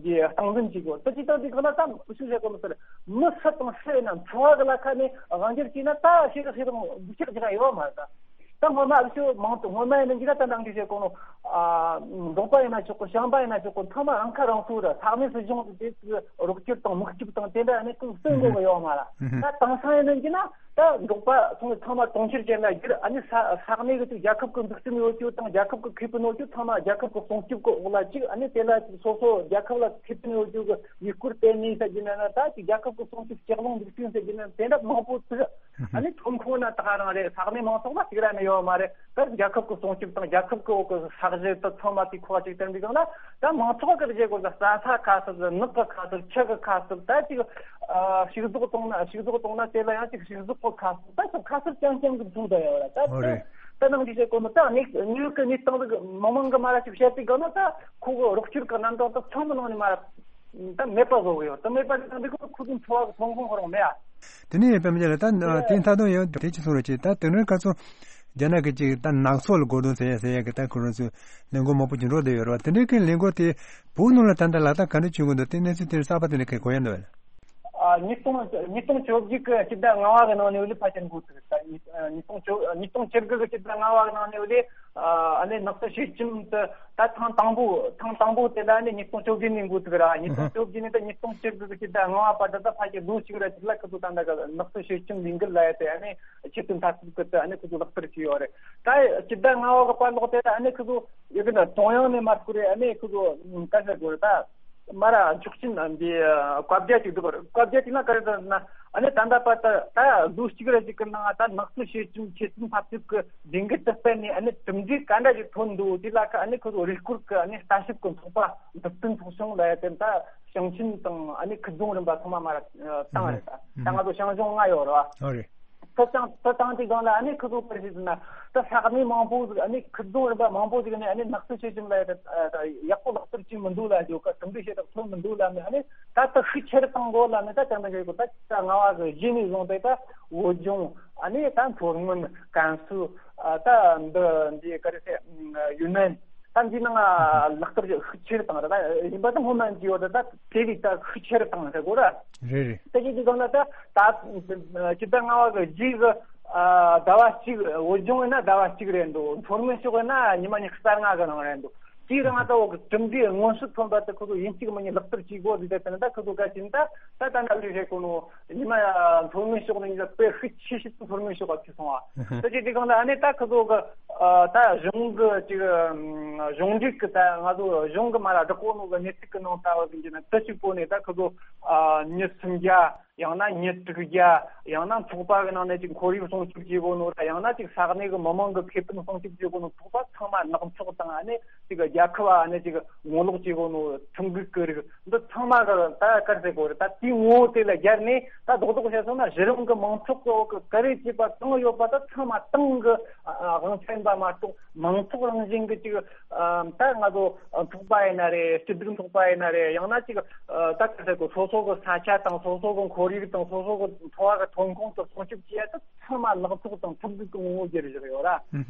འདི་སྟངས་འཛིན་བྱེད་དགོས། དེ་ཅི་ལྟར་དུས་གང་ལ་ད་ཤུགས་བྱེད་དགོས་མི་ཟེར། མི་སུ་དང་སུ་ཡིན་ན་འཚོ་བ་གི་ལ་ཁ་ནས་དབང་སྒྱུར་བྱས་ན་ད་ཤེས་རིག་ཤེས་རིག་འདུ་ཤེས་ཀྱི་ཡོད་མ་རེད་ད། ད་སྔོན་མ་ཨ་ཤོ་མང་དུ་སྔོན་མ་ཡིན་ན་འདི་ལ་ད་ནང་གི་བྱེད་གོ་ནོ། ཨ། འབྲོག་པ་ཡིན་ན་ཆོག་གོ། ཞིང་པ་ཡིན་ན་ཆོག་གོ། ཚང་མ་རང་ཁ་རང་གསོ་ར་ས་གནས་སྲིད་གཞུང་དེ་རོགས་སྐྱོར་དང་མུག་སྐྱོར་དང་དེ་འདྲ་ཨ་ནི་ཀུན་སེལ་དགོས་གི་ཡོད་མ་ར། ད་དེང་སང་ཡིན་ན་འདི་ན་ད་འབྲོག་པ་ཚང་ཚང་མ་གྲོང་ཁྱེར་ཅན་ལ་བསྒྱུར། ཨ་ནི་ས་ས་གནས་གི་ཅིག་རྒྱལ་ཁབ་གི་འཛུགས་སྐྲུན་ཡོད་རྒྱུ་དང་རྒྱལ་ཁབ་གི་ཁེ་ཕན་ཡོད་རྒྱུ་ཚང་མ་རྒྱལ་ཁབ་གི་སྲུང་སྐྱོབ་གི་འོག་ལ་ཅིག་ཨ་ནི་དེ་ལ་ཅིག་སོ་སོ་རྒྱལ་ཁབ་ལ་ཁེ་ཕན་ཡོད་རྒྱུ་གི་ཡུལ་སྐོར་སྤེལ་ནས་ཟེར་གྱི་ན་ན་ད་ཅིག་རྒྱལ་ཁབ་གི་སྲུང་སྐྱོབ་ལྕགས་ལམ་འཛུགས་སྐྲུན་ཟེར་གྱི་ན་དེ་འདྲ་མང་པོ་ཚུགས། ཨ་ནི་ཐོན་ཁུངས་ན་ད་ག་རང་རེད། ས་གནས་མང་ཚོགས་ལ་གཅིག་ར་ནི་ཡོད་མ་རེད། ད་རྒྱལ་ཁབ་ཀྱི་སྲུང་སྐྱོབ་དང་རྒྱལ་ཁབ་ཀྱི་འོག་གི་ས་གཞི་དེ་ཚང་མ་དེ་ཁོ་གཅིག་བསྟན་པའི་སྒང་ལ་ད་མང་ཚོགས་ཀྱི་རྗེས་སྐོར་ལ་རྩྭ་ས་ཁ་གསབ། ནགས་ཀྱི་ཁ་གསབ། ཆུ་གི་ཁ་གསབ། ད་ཅིག་ཨ་ཕྱུགས་ཟོག་གཏོང་ན་ཕྱུགས་ཟོག་གཏོང་ན་དེ་ལ་ཡང་ཅིག་ཕྱུགས་ཟོག་གི་ཁ་གསབ། ད་ཅིག་ཁ་གསབ་རྐྱང་རྐྱང་གི་འཛུགས་བསྡད་ཡོད་ར། ད་ཨོ་རེད། ད་ནང་གི་བཤད་གོ་ནོ་ད་ནི་ནིའུ་ཡོག་གི་གནས་སྟངས་དེ་མི་མང་གི་མ་ར་ཅིག་བཤད་པའི་སྒང་ལ་ད་ཁོ་གི་རོགས་སྐྱོར་གི་རྣམ་གྲངས་ད་ཚང་མི་ནང་ནས་མ་ར། ད་མེད་པ་བཟོ་གི་ཡོད། ད་མེད་པ་ནི་ད་འདི་ཁོ་ཁོ་ཚོའི་འཚོ་བ་གི་ཐོན་ཁུངས་ཁོ་རང་མེད་ཨ། དེ་ནས་ཡོད་པའི་མི་ལ་ད་དེ་མཐའ་དོན་ཡང་དེ་ཅི་སོང་རེད་ཅེ། ད་དེ་རིང་ཁ་སང་རྒྱ་ནག་གི་ཅིག་ད་ནགས་ཚོགས་ལ་གོ་དོན་ཟེར་ཡ་ཟེར་ཡ་གི་ད་ཁོ་རང་ཚོས་ལས་འགུལ་མང་པོ་ཅིག་འགྲོ་བསྡད་ཡོད་རེད་བ། དེ་འདྲའི་གི་ལས་འགུལ་དེ་བོད་ནང་ལ་ད་ལྟ་ལག་བསྟར་ག་འདྲ་བྱེད་དགོས་འདུག། དེ་གནས་ཚུལ་དེ་གསར་པ་དེ་འདྲ་གི་གོ་ཡ་འདུག་བས། ཨ། ཉིས་སྟོང་ཉིས་སྟོང་བཅོ་བརྒྱད་གི་སྤྱི་ཟླ་ལྔ་པ་གི་ནང་ནས་ལས་ཕལ་ཆེར་འགོ་ཚུགས་རེད། ད་ཉིས་ཉིས་སྟོང་བཅོ་ཉིས་སྟོང་བཅུ་དགུ་གི་སྤྱི་ཟླ་ལྔ་པ་གི་ནང་ནས་ལས། ཨ་ནི་ནགས་ཚལ་བཤས་ཁྱིམ་དེ་ད་ཐེངས་དང་པོ་ཐེངས་དང་པོ་དེ་ལ་ནི་ཉིས་སྟོང་བཅོ་བརྒྱད་ནས་འགོ་ཚུགས་ར། ཉིས་སྟོང་བཅོ་བརྒྱད་ནས་ད་ཉིས་སྟོང་བཅུ་དགུ་གི་སྤྱི་ཟླ་ལྔ་པ་བར་དུ་ད་ཕལ་ཆེར་ལོ་གཅིག་ར་གཅིག་ལ་ཁོ་ཚོ་ད་ད་ག་ནགས་ཚལ་བཤས་ཁྱིམ་ལས་འགུལ་ལ་ཡ་དེ་ཨ་ནི་ཆེད་དོན་འཐབ་རྩོད་ཀྱི་དེ་ཨ་ནི་ཁོ་ཚོ་ལག་བསྟར་བྱས་ཡོད་རེད། ད་སྤྱི་ཟླ་ལྔ་པ་གི་བར་ལོག་དེ་ད་ཨ་ནི་ཁོ་ཚོ་ཡོད་གི་ན་ཀྲུང་དབྱང་ནས་མར་ཁོ་རེ་ཨ་ནི་ཁོ་ཚོ་ག་ཟེར་དགོས་རེད་ད། མ་ར་འཇོག་ཆེན་འདི་བཀའ་རྒྱ་ཅིག་འདུག། བཀའ་རྒྱ་ཅིག་ན་ག་རེ་ཟེར་ན་ཨ་ནི་ད་ལྟ་བར་དུ་ད་ལོ་གཅིག་རེ་ཅིག་གི་ནང་ད་ནགས་ཚལ་བཤས་ཁྱིམ་ཆེད་དོན་འཐབ་རྩོད་ཀྱི་ལས་འགུལ་དུ་སྤེལ་ནས་ཨ་ནི་གྲུབ་འབྲས་ག་འདྲ་ཞིག་ཐོན་འདུག། དེ་ལ་ཁ་ཨ་ནི་ཁོ་ཚོ་རུས་སྐོར་གྱི་ཨ་ནི་ལྟ་ཞིབ་ཀྱི་ཚོགས་པ་འཛུགས་སྐྲུན་ཚོགས་ཆུང་ལ་ཡ་དེ་ད་ཞིང་ཆེན་དང་ཨ་ནི་ཁུལ་རྫོང་རིམ་པ་ཚང་མ་མ་ར་བཏང་རེད། ད་ད་ང་ཚོ་ཞང་ཞུང་ལྔ་ཡོད་རེད་བ། ཨོ་རེད། ད་ཅང་ད་ཅང་དེ་སྒང་ལ་ཨ་ནི་ཁུ་ཚོ་པར་ཞིག་ཟིན་ན་ད་ས་གནས་མང་པོ་ཟིག་ཨ་ནི་ཁུ་རྫོང་རིམ་པ་མང་པོ་ཟིག་ནས་ཨ་ནི་ནགས་ཚལ་ཤེལ་ཤུམ་ལ་ཡ་ད་ཡག་པོ་ལག་བསྟར་བྱེད་མི་འདུག་ལ་ཡོད་ཀ་གྲུབ་འབྲས་ཤེས་རབ་ཐོན་མི་འདུག་ལ་ནི་ཨ་ནི་ད་ད་ཤུགས་ཆེར་བཏང་དགོས་ལ་ནི་ད་ཅང་ད་ཞིག་གོ་ད་ད་ང་བ་གི་གཞི་ནས་བཟུང་སྟེ་ད་བོད་ལྗོངས་ཨ་ནི་ད་མཚོ་སྔོན་ཀན་སུའུ་ད་འདི་འདི་ག་རེ་ཟེར་ཡུན་ནན། ད་འདི་ནང་ལག་བསྟར་ཤུགས་ཆེར་བཏང་ར་ད་ཡིན་པ་ད་སྔོན་མ་འདི་ཡོད་ད་ད་དེ་ལས་ད་ཤུགས་ཆེར་བཏང་ཟེར་དགོས་ར། རེད་རེད། ད་ཅི་འདི་གང་ལ་ད་ད་ཅི་ད་ང་བ་གི་རྗེས་གི་ཟླ་བ་གཅིག་བོད་ལྗོངས་ཡིན་ན་ཟླ་བ་གཅིག་རེད་འདུག་མཚོ་སྔོན་ཕྱོགས་ཡིན་ན་ཉི་མ་ཉི་ཤུ་རྩ་ལྔ་གི་ནང་རེད་འདུག་དེའི་རིང་ད་འོག་གི་གྲུབ་འབྲས་མངོན་གསལ་ཐོན་པ་དེ་ཁོ་ཚོ་ཡིན་གཅིག་མིན་གཉིས་ལག་བསྟར་བྱེད་དགོས་ཟེར་ཏེ་དེ་ནི་ད་ཁོ་ཚོ་ག་ཅིན་ད་ད་ད་ནག་ལུས་རེད་གོ་ནོ། ཉི་མ་མཚོ་སྔོན་ཕྱོགས་ནས་ཉི་མ་དཔེ་ཤུགས་ཆེ་ཤོས་དེ་མཚོ་སྔོན་ཕྱོགས་ལ་ཁྱེར་སོང་བ། ད་ཅི་དེ་གང་ལ་ཨ་ནི་ད་ཁོ་ཚོ་གི་ད་གཞུང་གི་ཅིག་གཞུང་འབྲེལ་གི་ད་ང་ཚོ་གཞུང་གི་མ་ལ་བསྒྲགས་གོ་ནོ་གི་གནས་ཚུལ་གི་ནང་ལྟ་བ་ཟིན་གྱི་ན་ད་ཅིག་པོ་ནས་ད་ཁོ་ཚོ་ཉི་སུམ་བརྒྱ། ཡང་ན་ཉི་དྲུག་བརྒྱ། ཡང་ན་ཚོགས་པ་གི་ནང་ནས་ཅིག་ཁོར་ཡུག་སྲུང་སྐྱོབ་བྱེད་དགོས་ནོ་ར། ཡང་ན་ཅིག་ས་གནས་གི་མི་མང་གི་ཁེ་ཕན་སྲུང་སྐྱོབ་བྱེད་དགོས་ནོ་ཚོགས་པ་ཚང་མ་ནག་ཚོགས་དང་ཨ་ནི་ཅིག་རྒྱལ་ཁབ་ཨ་ནི་ཅིག་ངོ་ལོག་བྱེད་དགོས་ནོ་ཁྲིམས་འགལ་གི་རིགས་འདི་ཚང་མ་གི་ད་གར་ཟེར་དགོས་རེད། ད་དེའི་ངོ་བོ་དེ་ལ་སྦྱར་ནས་ད་རྡོག་རྡོག་བཤད་སོང་ན་གཞི་རིམ་གི་མང་ཚོགས་གི་འོག་གི་ག་རེ་བྱེད་པ་གང་ཡོད་པ་ད་ཚང་མ་ཏང་གི་དབང་ཆ་ཡིན་པ་མ་གཏོགས། མང་ཚོགས་རང་བཞིན་གྱི་ཅིག་ཨ་ད་ང་ཚོ་ཚོགས་པ་ཡིན་ན་རེད། སྐྱིད་སྡུག་ཚོགས་པ་ཡིན་ན་རེད། ཡང་ན་ཅིག་ཨ་ད་ག་ཟེར་གོ་སོ་སོ་གི་ས་ཆ་དང་སོ་སོ་གི་ཁོར་ཡུག་དང་སོ་སོ་གི་འཚོ་བ་གི་ཐོན་ཁུངས་དེ་སྲུང་སྐྱོབ་བྱེད་ཡ་ད་ཚང་མ་ལག་ཚོགས་དང་ཐུག་འདུག་གི་ངོ་བོ་སྒྱུར་བཞག་ཡོད་ར།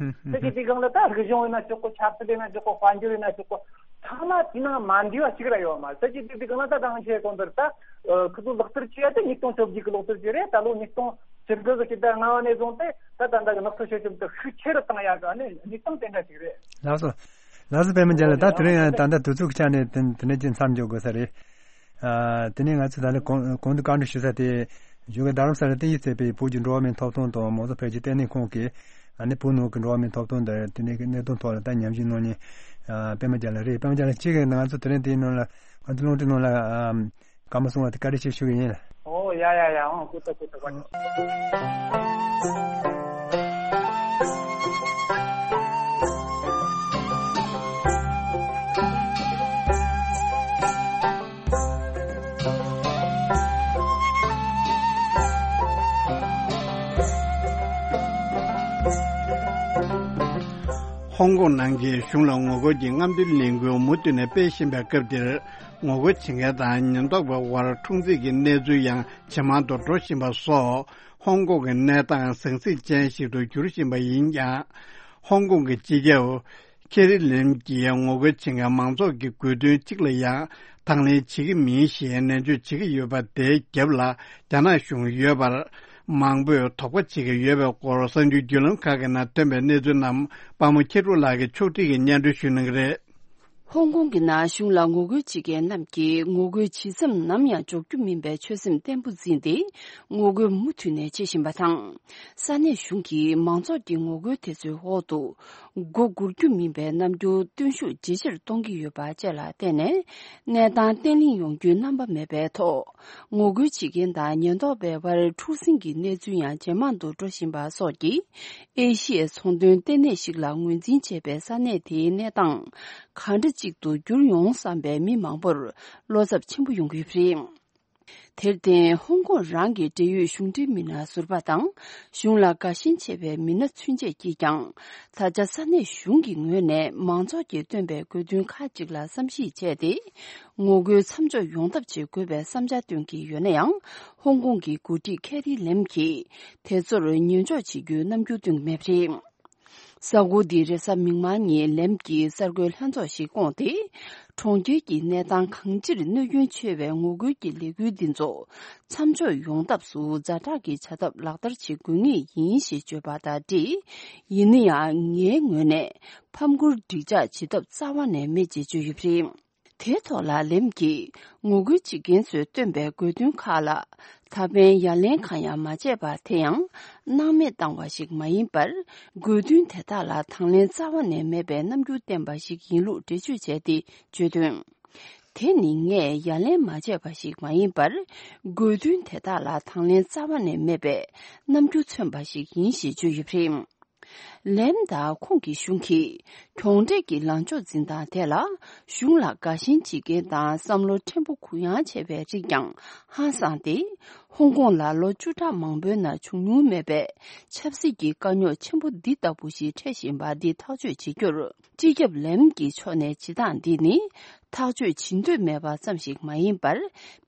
ད་ཅི་དེ་གང་ལ་ད་རིག་གཞུང་ཡིན་ན་ཆོག་གོ། ཆབ་སྲིད་ཡིན་ན་ཆོག་གོ། དཔལ་འབྱོར་ཡིན་ན་ཆོག་གོ། ཚང་མ་དེ་ནང་མ་འདུས་པ་ཞིག་ར་ཡོད་མ་རེད། ད་ཅི་དེ་དེ་གང་ལ་ད་དང་ཆེ་གོང་དེར་ད་ཁུ་ཚོ་ལག་བསྟར་བྱེད་ཡ་ད་ཉིས་སྟོང་བཅོ་བརྒྱད་གི་ལག་བསྟར་བྱེད་རེད། ད་ལོ་ཉིས་སྟོང་། ཕྱི་དྲོ་གི་ཕྱི་ཟླ་ལྔ་བ་ནས་བཟུང་སྟེ་ད་ད་ལྟ་གི་ནགས་ཚལ་ཤེལ་ཤུམ་དེ་ཤུགས་ཆེ་རུ་བཏང་ཡག་གི་ཨ་ནི་གནས་སྟངས་དེ་འདྲ་ཞིག་རེད། ལགས་སོ། ལགས་སོ། པད་མ་རྒྱལ་ལགས། ད་དེ་རིང་ད་ལྟ་དུས་ཚོད་ཀྱི་ཆ་ནས་དེ་དེ་ནས་ཀྱི་མཚམས་འཇོག་དགོས་ས་རེད། ཨ་དེ་ནས་ང་ཚོ་ད་ལྟ་གོང་གོང་དུ་བཀའ་འདྲི་ཞུ་ས་དེ་བཞུགས་སྒར་རྡ་རམ་ས་ལ་བསྟན་ཡིག་ཚད་པའི་བོད་ཀྱི་འགྲོ་བ་མིའི་ཐོབ་ཐང་དང་མང་གཙོ་འཕེལ་རྒྱས་ལྟེ་གནས་ཁང་གི་ཨ་ནི་བོད་ནང་གི་འགྲོ་བ་མིའི་ཐོབ་ཐང་དང་དེ་ནས་ཀྱི་གནད་དོན་ཐོག་ལ་ད་ཉམས་ཞིབ་གནང་མཁན་ཨ་པད་མ་རྒྱལ་ལགས་རེད། པད་མ་རྒྱལ་ལགས་ཁྱེད་ཀྱིས་ང་ཚོ་དེ་རིང་དེའི་ནང་ལ་ང་ཚོ་རླུང་འཕྲིན་ནང་ལ་ཨ། བཀའ་མོལ་གསུང་བ་དེ་བཀའ་དྲིན་ཆེ་ཞུ་གི་ཡིན། ཨོ་ཡ་ཡ་ཡ། ཨང་། ཀུ་ཏ་ཀུ་ཏ་བཀའ་དྲིན་ཆེ། ཧོང་ཀོང་ནང་གི་གཞུང་ལ་ངོ་རྒོལ་གྱི་རྔམ་སྟོན་ལས་འགུལ་མུ་མཐུད་ནས་སྤེལ་བཞིན་པའི་སྐབས་འདིར། ངོ་རྒོལ་བྱེད་མཁན་དང་ཉེན་རྟོག་པའི་དབར་འཁྲུག་འཛིང་གི་གནས་ཚུལ་ཡང་ཇེ་མང་དུ་འགྲོ་བཞིན་པ་སོགས་ཧོང་ཀོང་གི་གནས་སྟངས་ཟང་ཟིང་ཅན་ཞིག་ཏུ་འགྱུར་བཞིན་པ་ཡིན་ཀྱང་། ཧོང་ཀོང་གི་སྤྱི་ཁྱབ་ཁེ་རི་ལེམ་གྱིས་ངོ་རྒོལ་བྱེད་མཁན་མང་ཚོགས་ཀྱི་དགོས་འདུན་གཅིག་ལ་ཡང་དང་ལེན་བྱེད་ཀྱི་མིན་ཞེས་ནན་བརྗོད་བྱེད་ཀྱི་ཡོད་པ་དེའི་རྒྱབ་ལ་རྒྱ་ནག་གཞུང་ཡོད་པར་མང་པོས་དོགས་པ་བྱེད་ཀྱི་ཡོད་པའི་སྐོར་གསར་འགྱུར་བརྒྱུད་ལམ་ཁག་གི་ནང་ཐོན་པའི་གནས་ཚུལ་རྣམས་པདྨ་མཁས་གྲུབ་ལགས་ཀྱིས་ཕྱོགས་སྒྲིག་གིས་སྙན་སྒྲོན་ཞུ་གནང་གི་རེད། ཧོང་ཀོང་གི་ནང་གཞུང་ལ་ངོ་རྒོལ་བྱེད་མཁན་རྣམས་ཀྱིས་ངོ་རྒོལ་ཇི་བསམ་ནམ་ཡང་འཇོག་རྒྱུ་མིན་པའི་ཆོད་སེམས་བརྟན་པོ་འཛིན་ཏེ་ངོ་རྒོལ་མུ་མཐུད་ནས་བྱེད་བཞིན་པ་དང་། ས་གནས་གཞུང་གིས་མང་ཚོགས་ཀྱི་ངོ་རྒོལ་དེ་ཚོའི་འོག་ཏུ་མགོ་སྒུར་རྒྱུ་མིན་པའི་རྣམ་འགྱུར་སྟོན་ཤུགས་ཇེ་ཆེར་གཏོང་གི་ཡོད་པ་བཅས་ལ་བརྟེན་ནས་གནས་སྟངས་བརྟན་ལྷིང་ཡོང་རྒྱུའི་རྣམ་པ་མེད་པའི་ཐོག་ངོ་རྒོལ་བྱེད་མཁན་དང་ཉེན་རྟོག་པའི་དབར་འཁྲུག་ཟིང་གི་གནས་ཚུལ་ཡང་ཇེ་མང་དུ་འགྲོ་བཞིན་པ་སོགས་ཀྱིས། ཨེ་ཤི་ཡའི་ཚོང་དོན་ལྟེ་གནས་ཤིག་ལ་ངོས་འཛིན་བྱས་པའི་ས་གནས་དེའི་གནས་སྟངས་གང་འདྲ་ཅིག་ཏུ་འགྱུར་ཡོང་བསམ་པའི་མི་མང་པོར་བློ་འཚབ་ཆེན་པོ་ཡོང་གི་ཡོད་པ་རེད། དེར་བརྟེན་ཧོང་ཀོང་རང་གི་འབྲེལ་ཡོད་གཞུང་འབྲེལ་མི་སྣ་ཟུར་པ་དང་གཞུང་ལ་དགའ་ཞེན་ཆེ་བའི་མི་སྣ་ཚུན་ཆད་ཀྱིས་ཀྱང་ད་ཆ་ས་གནས་གཞུང་གི་ངོས་ནས་མང་ཚོགས་ཀྱིས་བཏོན་པའི་དགོས་འདུན་ཁག་ཅིག་ལ་བསམ་གཞིག་བྱས་ཏེ། ངོ་རྒོལ་མཚམས་འཇོག་ཡོང་ཐབས་བྱེད་དགོས་པའི་བསམ་འཆར་བཏོན་གྱི་ཡོད་ན་ཡང་། ཧོང་ཀོང་གི་འགོ་ཁྲིད་ཁེ་རི་ལེམ་གྱིས་དེ་ཚོར་ཉན་འཇོག་བྱེད་རྒྱུའི་རྣམ་འགྱུར་སྟོན་གྱི་མེད་པ་རེད། གཟའ་འཁོར་འདིའི་རེས་གཟའ་མིག་དམར་ཉིན་ལེམ་གྱིས་གསར་འགོད་ལྷན་ཚོགས་ཤིག་བསྐོངས་ཏེ། གྲོང་ཁྱེར་གྱི་གནས་སྟངས་གང་ཅིར་གནོད་སྐྱོན་ཆེ་བའི་ངོ་རྒོལ་གྱི་ལས་འགུལ་འདི་ཚོ་མཚམས་འཇོག་ཡོང་ཐབས་སུ་ཛ་དྲག་གི་བྱ་ཐབས་ལག་བསྟར་བྱེད་དགོས་ངེས་ཡིན་ཞེས་བརྗོད་པ་དང་འབྲེལ། ཡིན་ན་ཡང་ངའི་ངོས་ནས་ཕམ་ཁུར་འགྲིག་འཇགས་བྱེད་ཐབས་རྩ་བ་ནས་མེད་ཅེས་བརྗོད་ཡོད་པ་རེད། དེའི་ཐོག་ལ་ལེམ་གྱིས་ངོ་རྒོལ་བྱེད་མཁན་ཚོས་བཏོན་པའི་དགོས་འདུན་ཁག་ལ་ད་ཕན་ཡ་ལན་གང་ཡང་མ་བྱས་པ་དེ་ཡང་སྣང་མེད་བཏང་བ་ཞིག་མ་ཡིན་པར། དགོས་འདུན་དེ་དག་ལ་དང་ལེན་རྩ་བ་ནས་མེད་པའི་རྣམ་འགྱུར་བསྟན་པ་ཞིག་ཡིན་ལུགས་འགྲེལ་བརྗོད་བྱས་ཏེ་བརྗོད་དོན། དེ་ནི་ངས་ཡ་ལན་མ་བྱས་པ་ཞིག་མ་ཡིན་པར། དགོས་འདུན་དེ་དག་ལ་དང་ལེན་རྩ་བ་ནས་མེད་པའི་རྣམ་འགྱུར་མཚོན་པ་ཞིག་ཡིན་ཞེས་བརྗོད་ཡོད་པ་རེད། ལེམ་དང་ཁོང་གི་གཞུང་གིས་གྱོང་འབྲས་ཀྱི་ལངས་ཕྱོགས་འཛིན་སྟངས་དེ་ལ་གཞུང་ལ་དགའ་ཞེན་བྱེད་མཁན་དང་བསམ་བློ་ཕྲན་བུ་གུ་ཡངས་ཆེ་བའི་རིགས་ཀྱང་ཧང་སངས་ཏེ། ཧོང་ཀོང་ལ་ལོ་བཅུ་ཕྲག་མང་པོའི་ནང་བྱུང་མྱོང་མེད་པའི་ཆབ་སྲིད་ཀྱི་དཀའ་རྙོག་ཆེན་པོ་འདི་ལྟ་བུ་ཞིག་འཕྲད་བཞིན་པ་འདི་ཐག་གཅོད་བྱེད་རྒྱུར། སྤྱི་ཁྱབ་ལེམ་གྱི་ཕྱོགས་ནས་བྱེད་སྟངས་འདི་ནི་ཐག་གཅོད་བྱེད་འདོད་མེད་པ་ཙམ་ཞིག་མ་ཡིན་པར།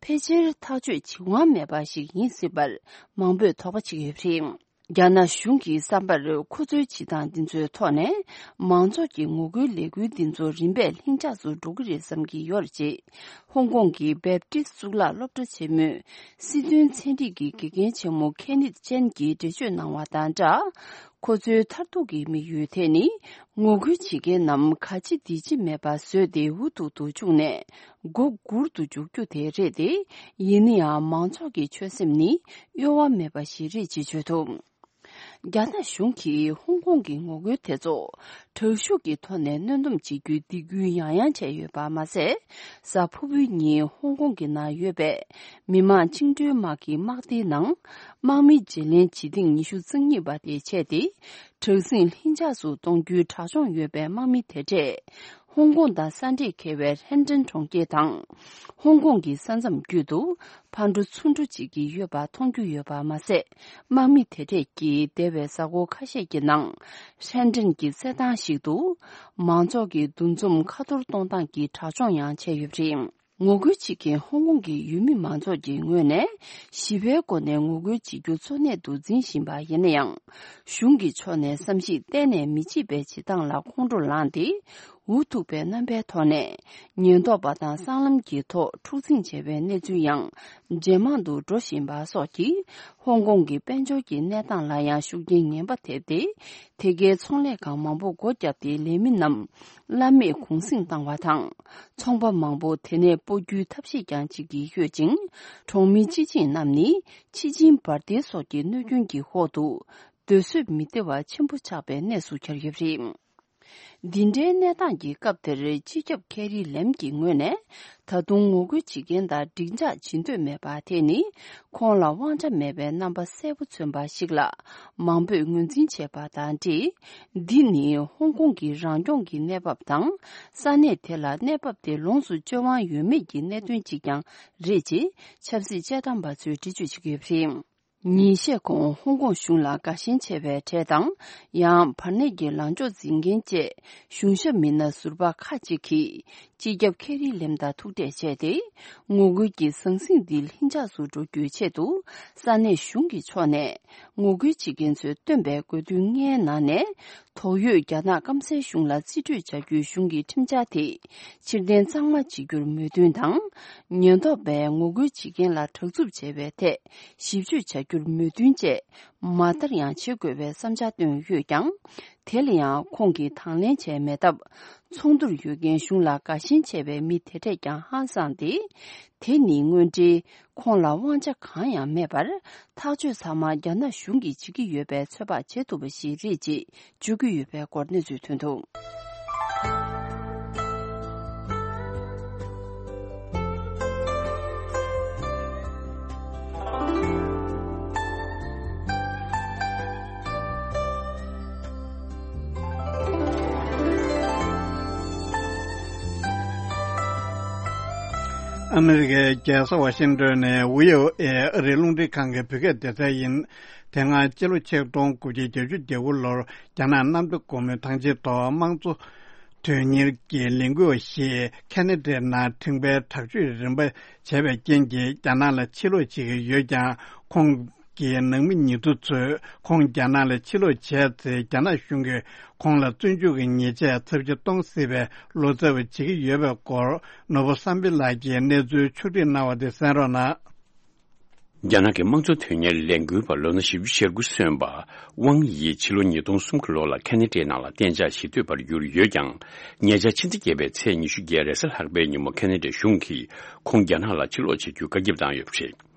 ཕལ་ཆེར་ཐག་གཅོད་བྱེད་དབང་མེད་པ་ཞིག་ཡིན་སྲིད་པར་མང་པོས་དོགས་པ་བྱེད་ཀྱི་ཡོད་པ་རེད། རྒྱ་ནག་གཞུང་གི་བསམ་པར། ཁོ་ཚོའི་བྱེད་སྟངས་འདི་ཚོའི་ཐོག་ནས་མང་ཚོགས་ཀྱི་ངོ་རྒོལ་ལས་འགུལ་འདི་ཚོ་རིམ་པས་ལྷིང་འཇགས་སུ་འགྲོ་གི་རེད་བསམ་གྱི་ཡོད་རེད། ཅེས་ཧོང་ཀོང་གི་བེབ་ཏི་གཙུག་ལག་སློབ་གྲྭ་ཆེན་མོའི་སྲིད་དོན་ཚན་རིག་གི་དགེ་རྒན་ཆེན་མོ་ཁེ་ནིད་ཅན་གྱིས་འགྲེལ་བརྗོད་གནང་བ་དང་སྦྲགས། ཁོ་ཚོའི་མཐར་ཐུག་གི་དམིགས་ཡུལ་དེ་ནི། ངོ་རྒོལ་བྱེད་མཁན་རྣམས་ག་ཅི་འདི་ཅི་མེད་པ་བཟོས་ཏེ་འུ་ཐུག་ཏུ་བཅུག་ནས་མགོ་སྒུར་དུ་འཇུག་རྒྱུ་དེ་རེད་དེ། ཡིན་ན་ཡང་མང་ཚོགས་ཀྱི་ཆོད་སེམས་ནི་གཡོ་བ་མེད་པ་ཞིག་རེད་ཅེས་བརྗོད་འདུག་རྒྱ་ནག་གཞུང་གིས་ཧོང་ཀོང་གི་ངོ་རྒོལ་དེ་ཚོ་དྲག་ཤུགས་ཀྱི་ཐོག་ནས་གནོན་སྡོམ་བྱེད་རྒྱུའི་སྡིགས་སྐུལ་ཡང་ཡང་བྱས་ཡོད་པ་མ་ཟད། གཟའ་ཕུར་བུའི་ཉིན་ཧོང་ཀོང་གི་ནང་ཡོད་པའི་མི་དམངས་བཅིངས་འགྲོལ་དམག་གི་དམག་སྡེའི་ནང་དམག་མི་བརྗེ་ལེན་བྱེད་ཐེངས་ཉི་ཤུ་རྩ་གཉིས་པ་དེ་བྱས་ཏེ། དྲག་ཟིང་ལྷིང་འཇགས་སུ་གཏོང་རྒྱུའི་དྲག་སྦྱོང་ཡོད་པའི་དམག་མི་དེ་གྲས། ཧོང་ཀོང་དང་ས་འདྲེས་འཁེལ་བའི་ཧྲེན་ཀྲེན་གྲོང་ཁྱེར་དང་། ཧོང་ཀོང་གི་ས་མཚམས་བརྒྱུད་དུ་ཕར་འགྲོ་ཚུར་འགྲོ་བྱེད་ཀྱི་ཡོད་པ་མཐོང་རྒྱུ་ཡོད་པ་མ་ཟད། དམག་མི་དེ་གྲས་ཀྱིས་འདས་པའི་གཟའ་འཁོར་ཁ་ཤས་ཀྱི་ནང་། ཧྲེན་ཀྲེན་གྱི་རྩེད་ཐང་ཞིག་ཏུ། མང་ཚོགས་ཀྱི་འདུ་འཛོམས་ཁ་ཐོར་གཏོང་སྟངས་ཀྱི་དྲག་སྦྱོང་ཡང་བྱས་ཡོད་པ་རེད། ངོ་རྒོལ་བྱེད་མཁན་ཧོང་ཀོང་གི་ཡུལ་མི་མང་ཚོགས་ཀྱི་ངོས་ནས་ཞི་བའི་སྒོ་ནས་ངོ་རྒོལ་བྱེད་རྒྱུ་གཙོ་གནད་དུ་འཛིན་བཞིན་པ་ཡིན་ན་ཡང་། གཞུང་གི་ཕྱོགས་ནས་བསམ་གཞིག་གཏན་ནས་མི་བྱེད་པའི་བྱེད་སྟངས་ལ་ཁོང་ཁྲོ་ལངས་ཏེ། འུ་ཐུག་པའི་རྣམ་པའི་ཐོག་ནས་ཉེན་རྟོག་པ་དང་སྲང་ལམ་གྱི་ཐོག་འཁྲུག་འཛིང་བྱས་པའི་གནས་ཚུལ་ཡང་ཇེ་མང་དུ་འགྲོ་བཞིན་པ་སོགས་ཀྱིས་ཧོང་ཀོང་གི་དཔལ་འབྱོར་གྱི་གནས་སྟངས་ལ་ཡང་ཤུགས་རྐྱེན་ངན་པ་ཐེབས་ཏེ། དེ་གའི་ཚོང་ལས་ཁང་མང་པོ་སྒོ་བརྒྱབ་སྟེ་ལས་མི་རྣམས་བླ་མེད་གུང་གསེང་བཏང་བ་དང་། ཚོང་པ་མང་པོ་དེ་ནས་སྤོ་རྒྱུའི་ཐབས་ཤེས་ཀྱང་བྱེད་ཀྱི་ཡོད་ཅིང་། གྲོང་མི་སྤྱི་བྱིངས་རྣམས་ནི་ཕྱི་ཆིངས་འབར་མདེལ་སོགས་ཀྱི་གནོད་སྐྱོན་གྱི་འོག་ཏུ་སྡོད་བཟོད་མི་བདེ་བ་ཆེན་པོ་ཆགས་པའི་གནས་སུ་གྱར་ཡོད་པ་རེད། འདི་འདྲའི་གནས་སྟངས་ཀྱི་སྐབས་དེར་སྤྱི་ཁྱབ་ཁེ་རི་ལེམ་གྱི་ངོས་ནས། ད་དུང་ངོ་རྒོལ་བྱེད་མཁན་དང་འགྲིག་འཇགས་བྱེད་འདོད་མེད་པ་དེ་ནི། ཁོང་ལ་དབང་ཆ་མེད་པའི་རྣམ་པ་གསལ་པོ་མཚོན་པ་ཞིག་ལ། མང་པོས་ངོས་འཛིན་བྱས་པ་དང་འབྲེལ། འདི་ནི་ཧོང་ཀོང་གི་རང་སྐྱོང་གི་གནས་བབ་དང་། ས་གནས་དེ་ལ་གནས་བབ་དེ་ལོངས་སུ་སྤྱོད་དབང་ཡོད་མེད་ཀྱི་གནད་དོན་གཅིག་ཀྱང་རེད་ཅེས་ཆབ་སྲིད་དཔྱད་གཏམ་པ་ཚོས་འགྲེལ་བརྗོད་བྱེད་ཀྱི་ཡོད་པ་རེད། ཉིན་ཤས་གོང་ཧོང་ཀོང་གཞུང་ལ་དགའ་ཞེན་ཆེ་བའི་གྲས་དང་། ཡང་བར་གནས་ཀྱི་ལངས་ཕྱོགས་འཛིན་མཁན་བཅས་གཞུང་ཞབས་མི་སྣ་ཟུར་པ་ཁག་ཅིག་གིས། སྤྱི་ཁྱབ་ཁེ་རི་ལེམ་དང་ཐུག་འཕྲད་བྱས་ཏེ། ངོ་རྒོལ་གྱི་ཟང་ཟིང་འདི་ལྷིང་འཇགས་སུ་འགྲོ་རྒྱུའི་ཆེད་དུ། ས་གནས་གཞུང་གི་ཕྱོགས་ནས་ངོ་རྒོལ་བྱེད་མཁན་ཚོས་བཏོན་པའི་དགོས་འདུན་ལྔའི་ནང་ནས། དོགས་ཡོད་རྒྱ་ནག་སྐམ་སའི་གཞུང་ལ་རྩིས་སྤྲོད་བྱ་རྒྱུའི་གཞུང་གི་ཁྲིམས་འཆར་དེ་ཕྱིར་འཐེན་གཙང་མ་བྱེད་རྒྱུར་མོས་མཐུན་དང་། ཉེན་རྟོག་པས་ངོ་རྒོལ་བྱེད་མཁན་ལ་དྲག་རྩུབ་བྱས་པའི་ཐད་ཞིབ་དཔྱོད་བྱ་རྒྱུར་མོས་མཐུན་བཅས་མ་མཐར་ཡང་བྱེད་དགོས་པའི་བསམ་འཆར་བཏོན་ཡོད་ཀྱང་། དེ་ལ་ཡང་ཁོང་གིས་དང་ལེན་བྱས་མེད་སྟབས། ཚོགས་འདུར་ཡོད་མཁན་གཞུང་ལ་དགའ་ཞེན་ཆེ་བའི་མི་དེ་གྲས་ཀྱང་ཧང་སངས་ཏེ། དེ་ནི་དངོས་འབྲེལ་ཁོང་ལ་དབང་ཆ་གང་ཡང་མེད་པར། ཐག་གཅོད་ཚང་མ་རྒྱ་ནག་གཞུང་གིས་བྱེད་ཀྱི་ཡོད་པའི་ཚོད་དཔག་བྱེད་ཐུབ་པ་ཞིག་རེད་ཅེས་བརྗོད་ཀྱི་ཡོད་པའི་སྐོར་གནས་ཚུལ་ཐོན་འདུག་ཨ་མི་རི་ཀའི་རྒྱལ་ས་ཝ་ཤིང་ཏོན་ནས་ཝི་ཨོ་ཨེ་ཨ་རིའི་རླུང་འཕྲིན་ཁང་གི་བོད་སྐད་སྡེ་ཚན་ཡིན། དེ་སྔ་ཕྱི་ལོ་ཆིག་སྟོང་དགུ་བརྒྱ་བརྒྱད་ཅུ་གྱ་དགུ་ལོར་རྒྱ་ནག་གནམ་བདེ་སྒོ་མོའི་ཐང་ཆེན་ཐོག་དམངས་གཙོ་དོན་གཉེར་གྱི་ལས་འགུལ་བ་ཞིག་ཁེ་ན་ཌའི་ནང་ཁྲིམས་འགལ་དྲག་སྤྱོད་རིམ་པ་བྱས་པའི་རྐྱེན་གྱིས་རྒྱ་ནག་ལ་ཕྱིར་ལོག་བྱེད་ཀྱི་ཡོད་ཀྱང་། ཁོང་གི་ནང་མི་ཉེ་དུ་ཚོས་ཁོང་རྒྱ་ནག་ལ་ཕྱིར་ལོག་བྱས་ཚེ། རྒྱ་ནག་གཞུང་གིས་ཁོང་ལ་བཙོན་འཇུག་གི་ཉེས་ཆད་ཚབས་ཆེ་གཏོང་སྲིད་པའི་ལོ་ཙཱ་བ་བྱེད་ཀྱི་ཡོད་པའི་སྐོར། ནོར་བུ་བསམ་འཕེལ་ལགས་ཀྱིས་གནས་ཚུལ་ཕྱོགས་སྒྲིག་གནང་བ་དེ་གསན་རོགས་གནང་། རྒྱ་ནག་གི་དམངས་གཙོ་དོན་གཉེར་ལས་འགུལ་བ་ལོ་ན་བཞི་བཅུ་ཞེ་དགུ་སོན་པ་ཝང་ཡི་ཕྱི་ལོ་ཉིས་སྟོང་གསུམ་གྱི་ལོ་ལ་ཁེ་ན་ཌའི་ནང་ལ་གཏན་འཇགས་གཞིས་སྡོད་པར་གྱུར་ཡོད་ཀྱང་། ཉེ་ཆར་ཕྱི་ཟླ་བརྒྱད་པའི་ཚེས་ཉི་ཤུ་བརྒྱད་རེས་གཟའ་ལྷག་པའི་ཉིན་མོ་ཁེ་ན་ཌའི་གཞུང་གིས་ཁོང་རྒྱ་ནག་ལ་ཕྱིར་ལོག་བྱ་རྒྱུའི་བཀའ་ཁྱབ་བཏང་ཡོད་པ་རེད།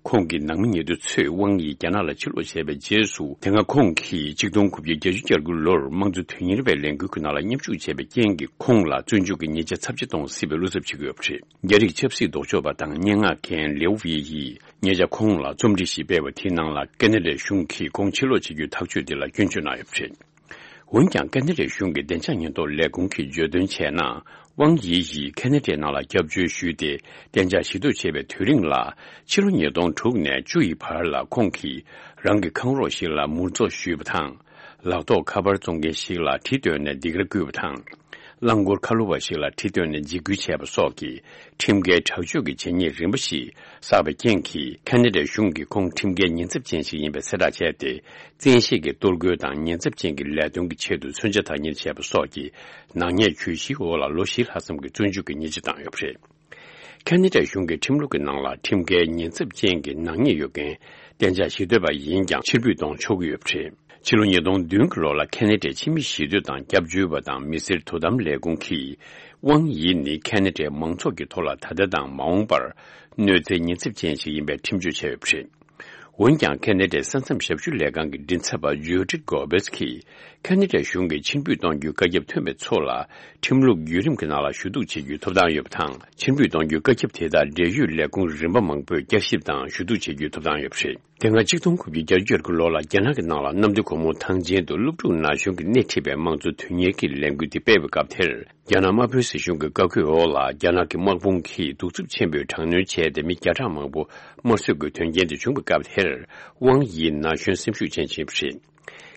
ཁོང་གི་ནང་མི་ཉེ་དུ་ཚོས་ཝང་ཡི་རྒྱ་ནག་ལ་ཕྱིར་ལོག་བྱས་པའི་རྗེས་སུ། དེ་སྔ་ཁོང་གིས་ཆིག་སྟོང་དགུ་བརྒྱ་བརྒྱད་ཅུ་གྱ་དགུ་ལོར་དམངས་གཙོ་དོན་གཉེར་བའི་ལས་འགུལ་གྱི་ནང་ལ་མཉམ་ཞུགས་བྱས་པའི་རྐྱེན་གྱིས་ཁོང་ལ་བཙོན་འཇུག་གི་ཉེས་ཆད་ཚབས་ཆེ་གཏོང་སྲིད་པའི་བློ་འཚབ་བྱེད་ཀྱི་ཡོད་པ་རེད། རྒྱ་རིགས་ཆབ་སྲིད་ལྡོག་ཕྱོགས་པ་དང་སྙན་ངག་མཁན་ལེའུ་ཝེ་ཡིས་ཉེ་ཆར་ཁོང་ལ་རྩོམ་བྲིས་ཤིག་སྤེལ་བ་དེའི་ནང་ལ་ཁེ་ན་ཌའི་གཞུང་གིས་ཁོང་ཕྱིར་ལོག་བྱེད་རྒྱུའི་ཐག་གཅོད་དེ་ལ་སྐྱོན་བརྗོད་གནང་ཡོད་པ་རེད། འོན་ཀྱང་ཁ་ན་ཌའི་གཞུང་གི་བདེ་འཇགས་ཉེན་རྟོག་ལས་ཁུངས་ཀྱིས་བརྗོད་དོན་བྱས་ན། ཝང་ཡི་ཡིས་ཁ་ན་ཌའི་ནང་ལ་སྐྱབས་བཅོལ་ཞུས་ཏེ་གཏན་འཇགས་ཞི་གཏོད་བྱས་པའི་དུས་རིང་ལ། ཕྱི་ལོ་ཉིས་སྟོང་དྲུག་ནས་བཅུ་ཡི་བར་ལ་ཁོང་གིས་རང་གི་ཁང་རོགས་ཤིག་ལ་མུར་འཛུགས་ཞུས་པ་དང་། ལག་ཐོགས་ཁ་པར་བཙོང་མཁན་ཞིག་ལ་གྲི་བཏོན་ནས་སྡིགས་ར་བསྐུལ་བ་དང་། རླངས་འཁོར་ཁ་ལོ་བ་ཞིག་ལ་གྲི་བཏོན་ནས་འཇིགས་སྐུལ་བྱས་པ་སོགས་ཀྱི་ཁྲིམས་འགལ་དྲག་སྤྱོད་ཀྱི་བྱས་ཉེས་རིམ་པ་ཞིག་བསགས་པའི་རྐྱེན་གྱིས། ཁ་ན་ཌའི་གཞུང་གིས་ཁོང་ཁྲིམས་འགལ་ཉེན་ཚབས་ཅན་ཞིག་ཡིན་པའི་གསལ་བསྒྲགས་བྱས་ཏེ། བཙན་ཤེད་ཀྱིས་གཏོར་རྒོལ་དང་ཉེན་ཚབས་ཅན་གྱི་ལས་དོན་གྱི་ཆེད་དུ་མཚོན་ཆ་བདག་གཉེར་བྱས་པ་སོགས་ཀྱི་ནག་ཉེས་གྱོད་གཞིའི་འོག་ལ་ལོ་བཞི་ལྷག་ཙམ་གྱི་བཙོན་འཇུག་གི་ཉེས་ཆད་བཏང་ཡོད་པ་རེད། ཁ་ན་ཌའི་གཞུང་གི་ཁྲིམས་ལུགས་ཀྱི་ནང་ལ་ཁྲིམས་འགལ་ཉེན་ཚབས་ཅན་གྱི་ནག་ཉེས་ཡོད་མཁན་གཏན་འཇགས་ཞི་གཏོད་པ་ཡིན་ཀྱང་ཕྱིར་འབུད་གཏོང་ཆོག་གི་ཡོད་པ་རེད། ཕྱི་ལོ་ཉིས་སྟོང་བདུན་གྱི་ལོ་ལ་ཁ་ན་ཌའི་ཕྱི་མི་ཞི་གཏོད་དང་སྐྱབས་བཅོལ་བ་དང་མི་སེར་དོ་དམ་ལས་ཁུངས་ཀྱིས། ཝང་ཡི་ནི་ཁ་ན་ཌའི་མང་ཚོགས་ཀྱི་ཐོག་ལ་ད་ལྟ་དང་མ་འོངས་པར་གནོད་འཚེའི་ཉེན་ཚབས་ཅན་ཞིག་ཡིན་པའི་ཁྲིམས་གཅོད་བྱས་ཡོད་པ་རེད། འོན་ཀྱང་ཁ་ན་ཌའི་ས་མཚམས་ཞབས་ཞུ་ལས་ཁང་གི་མགྲིན་ཚབ་པ་ཇོ་ཌི་གོ་བེས་ཀྱིས། ཁ་ན་ཌའི་གཞུང་གིས་ཕྱིར་འབུད་གཏོང་རྒྱུའི་བཀའ་ཁྱབ་ཐོན་པའི་ཚོ་ལ། ཁྲིམས་ལུགས་བརྒྱུད་རིམ་གྱི་ནང་ལ་ཞུ་གཏུག་བྱེད་རྒྱུའི་ཐོབ་ཐང་ཡོད་པ་དང་། ཕྱིར་འབུད་གཏོང་རྒྱུའི་བཀའ་ཁྱབ་དེ་དག་འབྲེལ་ཡོད་ལས་ཁུངས་རིམ་པ་མང་པོས་བསྐྱར་ཞིབ་དང་ཞུ་གཏུག་བྱེད་རྒྱུའི་ཐོབ་ཐང་ཡོད་པ་རེད། དེ་སྔ་ཆིག་སྟོང་དགུ་བརྒྱ་བརྒྱད་ཅུ་གྱ་དགུ་ལོ་ལ་རྒྱ་ནག་གི་ནང་ལ་གནམ་བདེ་སྒོ་མོ་ཐང་ཆེན་དུ་སློབ་ཕྲུག་ན་གཞོན་གྱིས་སྣེ་ཁྲིད་པའི་དམངས་གཙོ་དོན་གཉེར་གྱི་ལས་འགུལ་དེ་སྤེལ་བའི་སྐབས་དེར། རྒྱ་ནག་དམར་པོའི་སྲིད་གཞུང་གི་བཀའ་བཀོད་འོག་ལ་རྒྱ་ནག་གི་དམག་དཔུང་གིས་གདུག་རྩུབ་ཆེན་པོས་དྲག་གནོན་བྱས་ཏེ། མི་བརྒྱ་ཕྲག་མང་པོ་དམར་གསོད་ཀྱི་དོན་རྐྱེན་དེ་བྱུང་བའི་སྐབས་དེར། ཝང་ཡི་ན་གཞོན་སེམས་ཤུགས་ཅན་ཞིག་ཡིན་པ་རེད།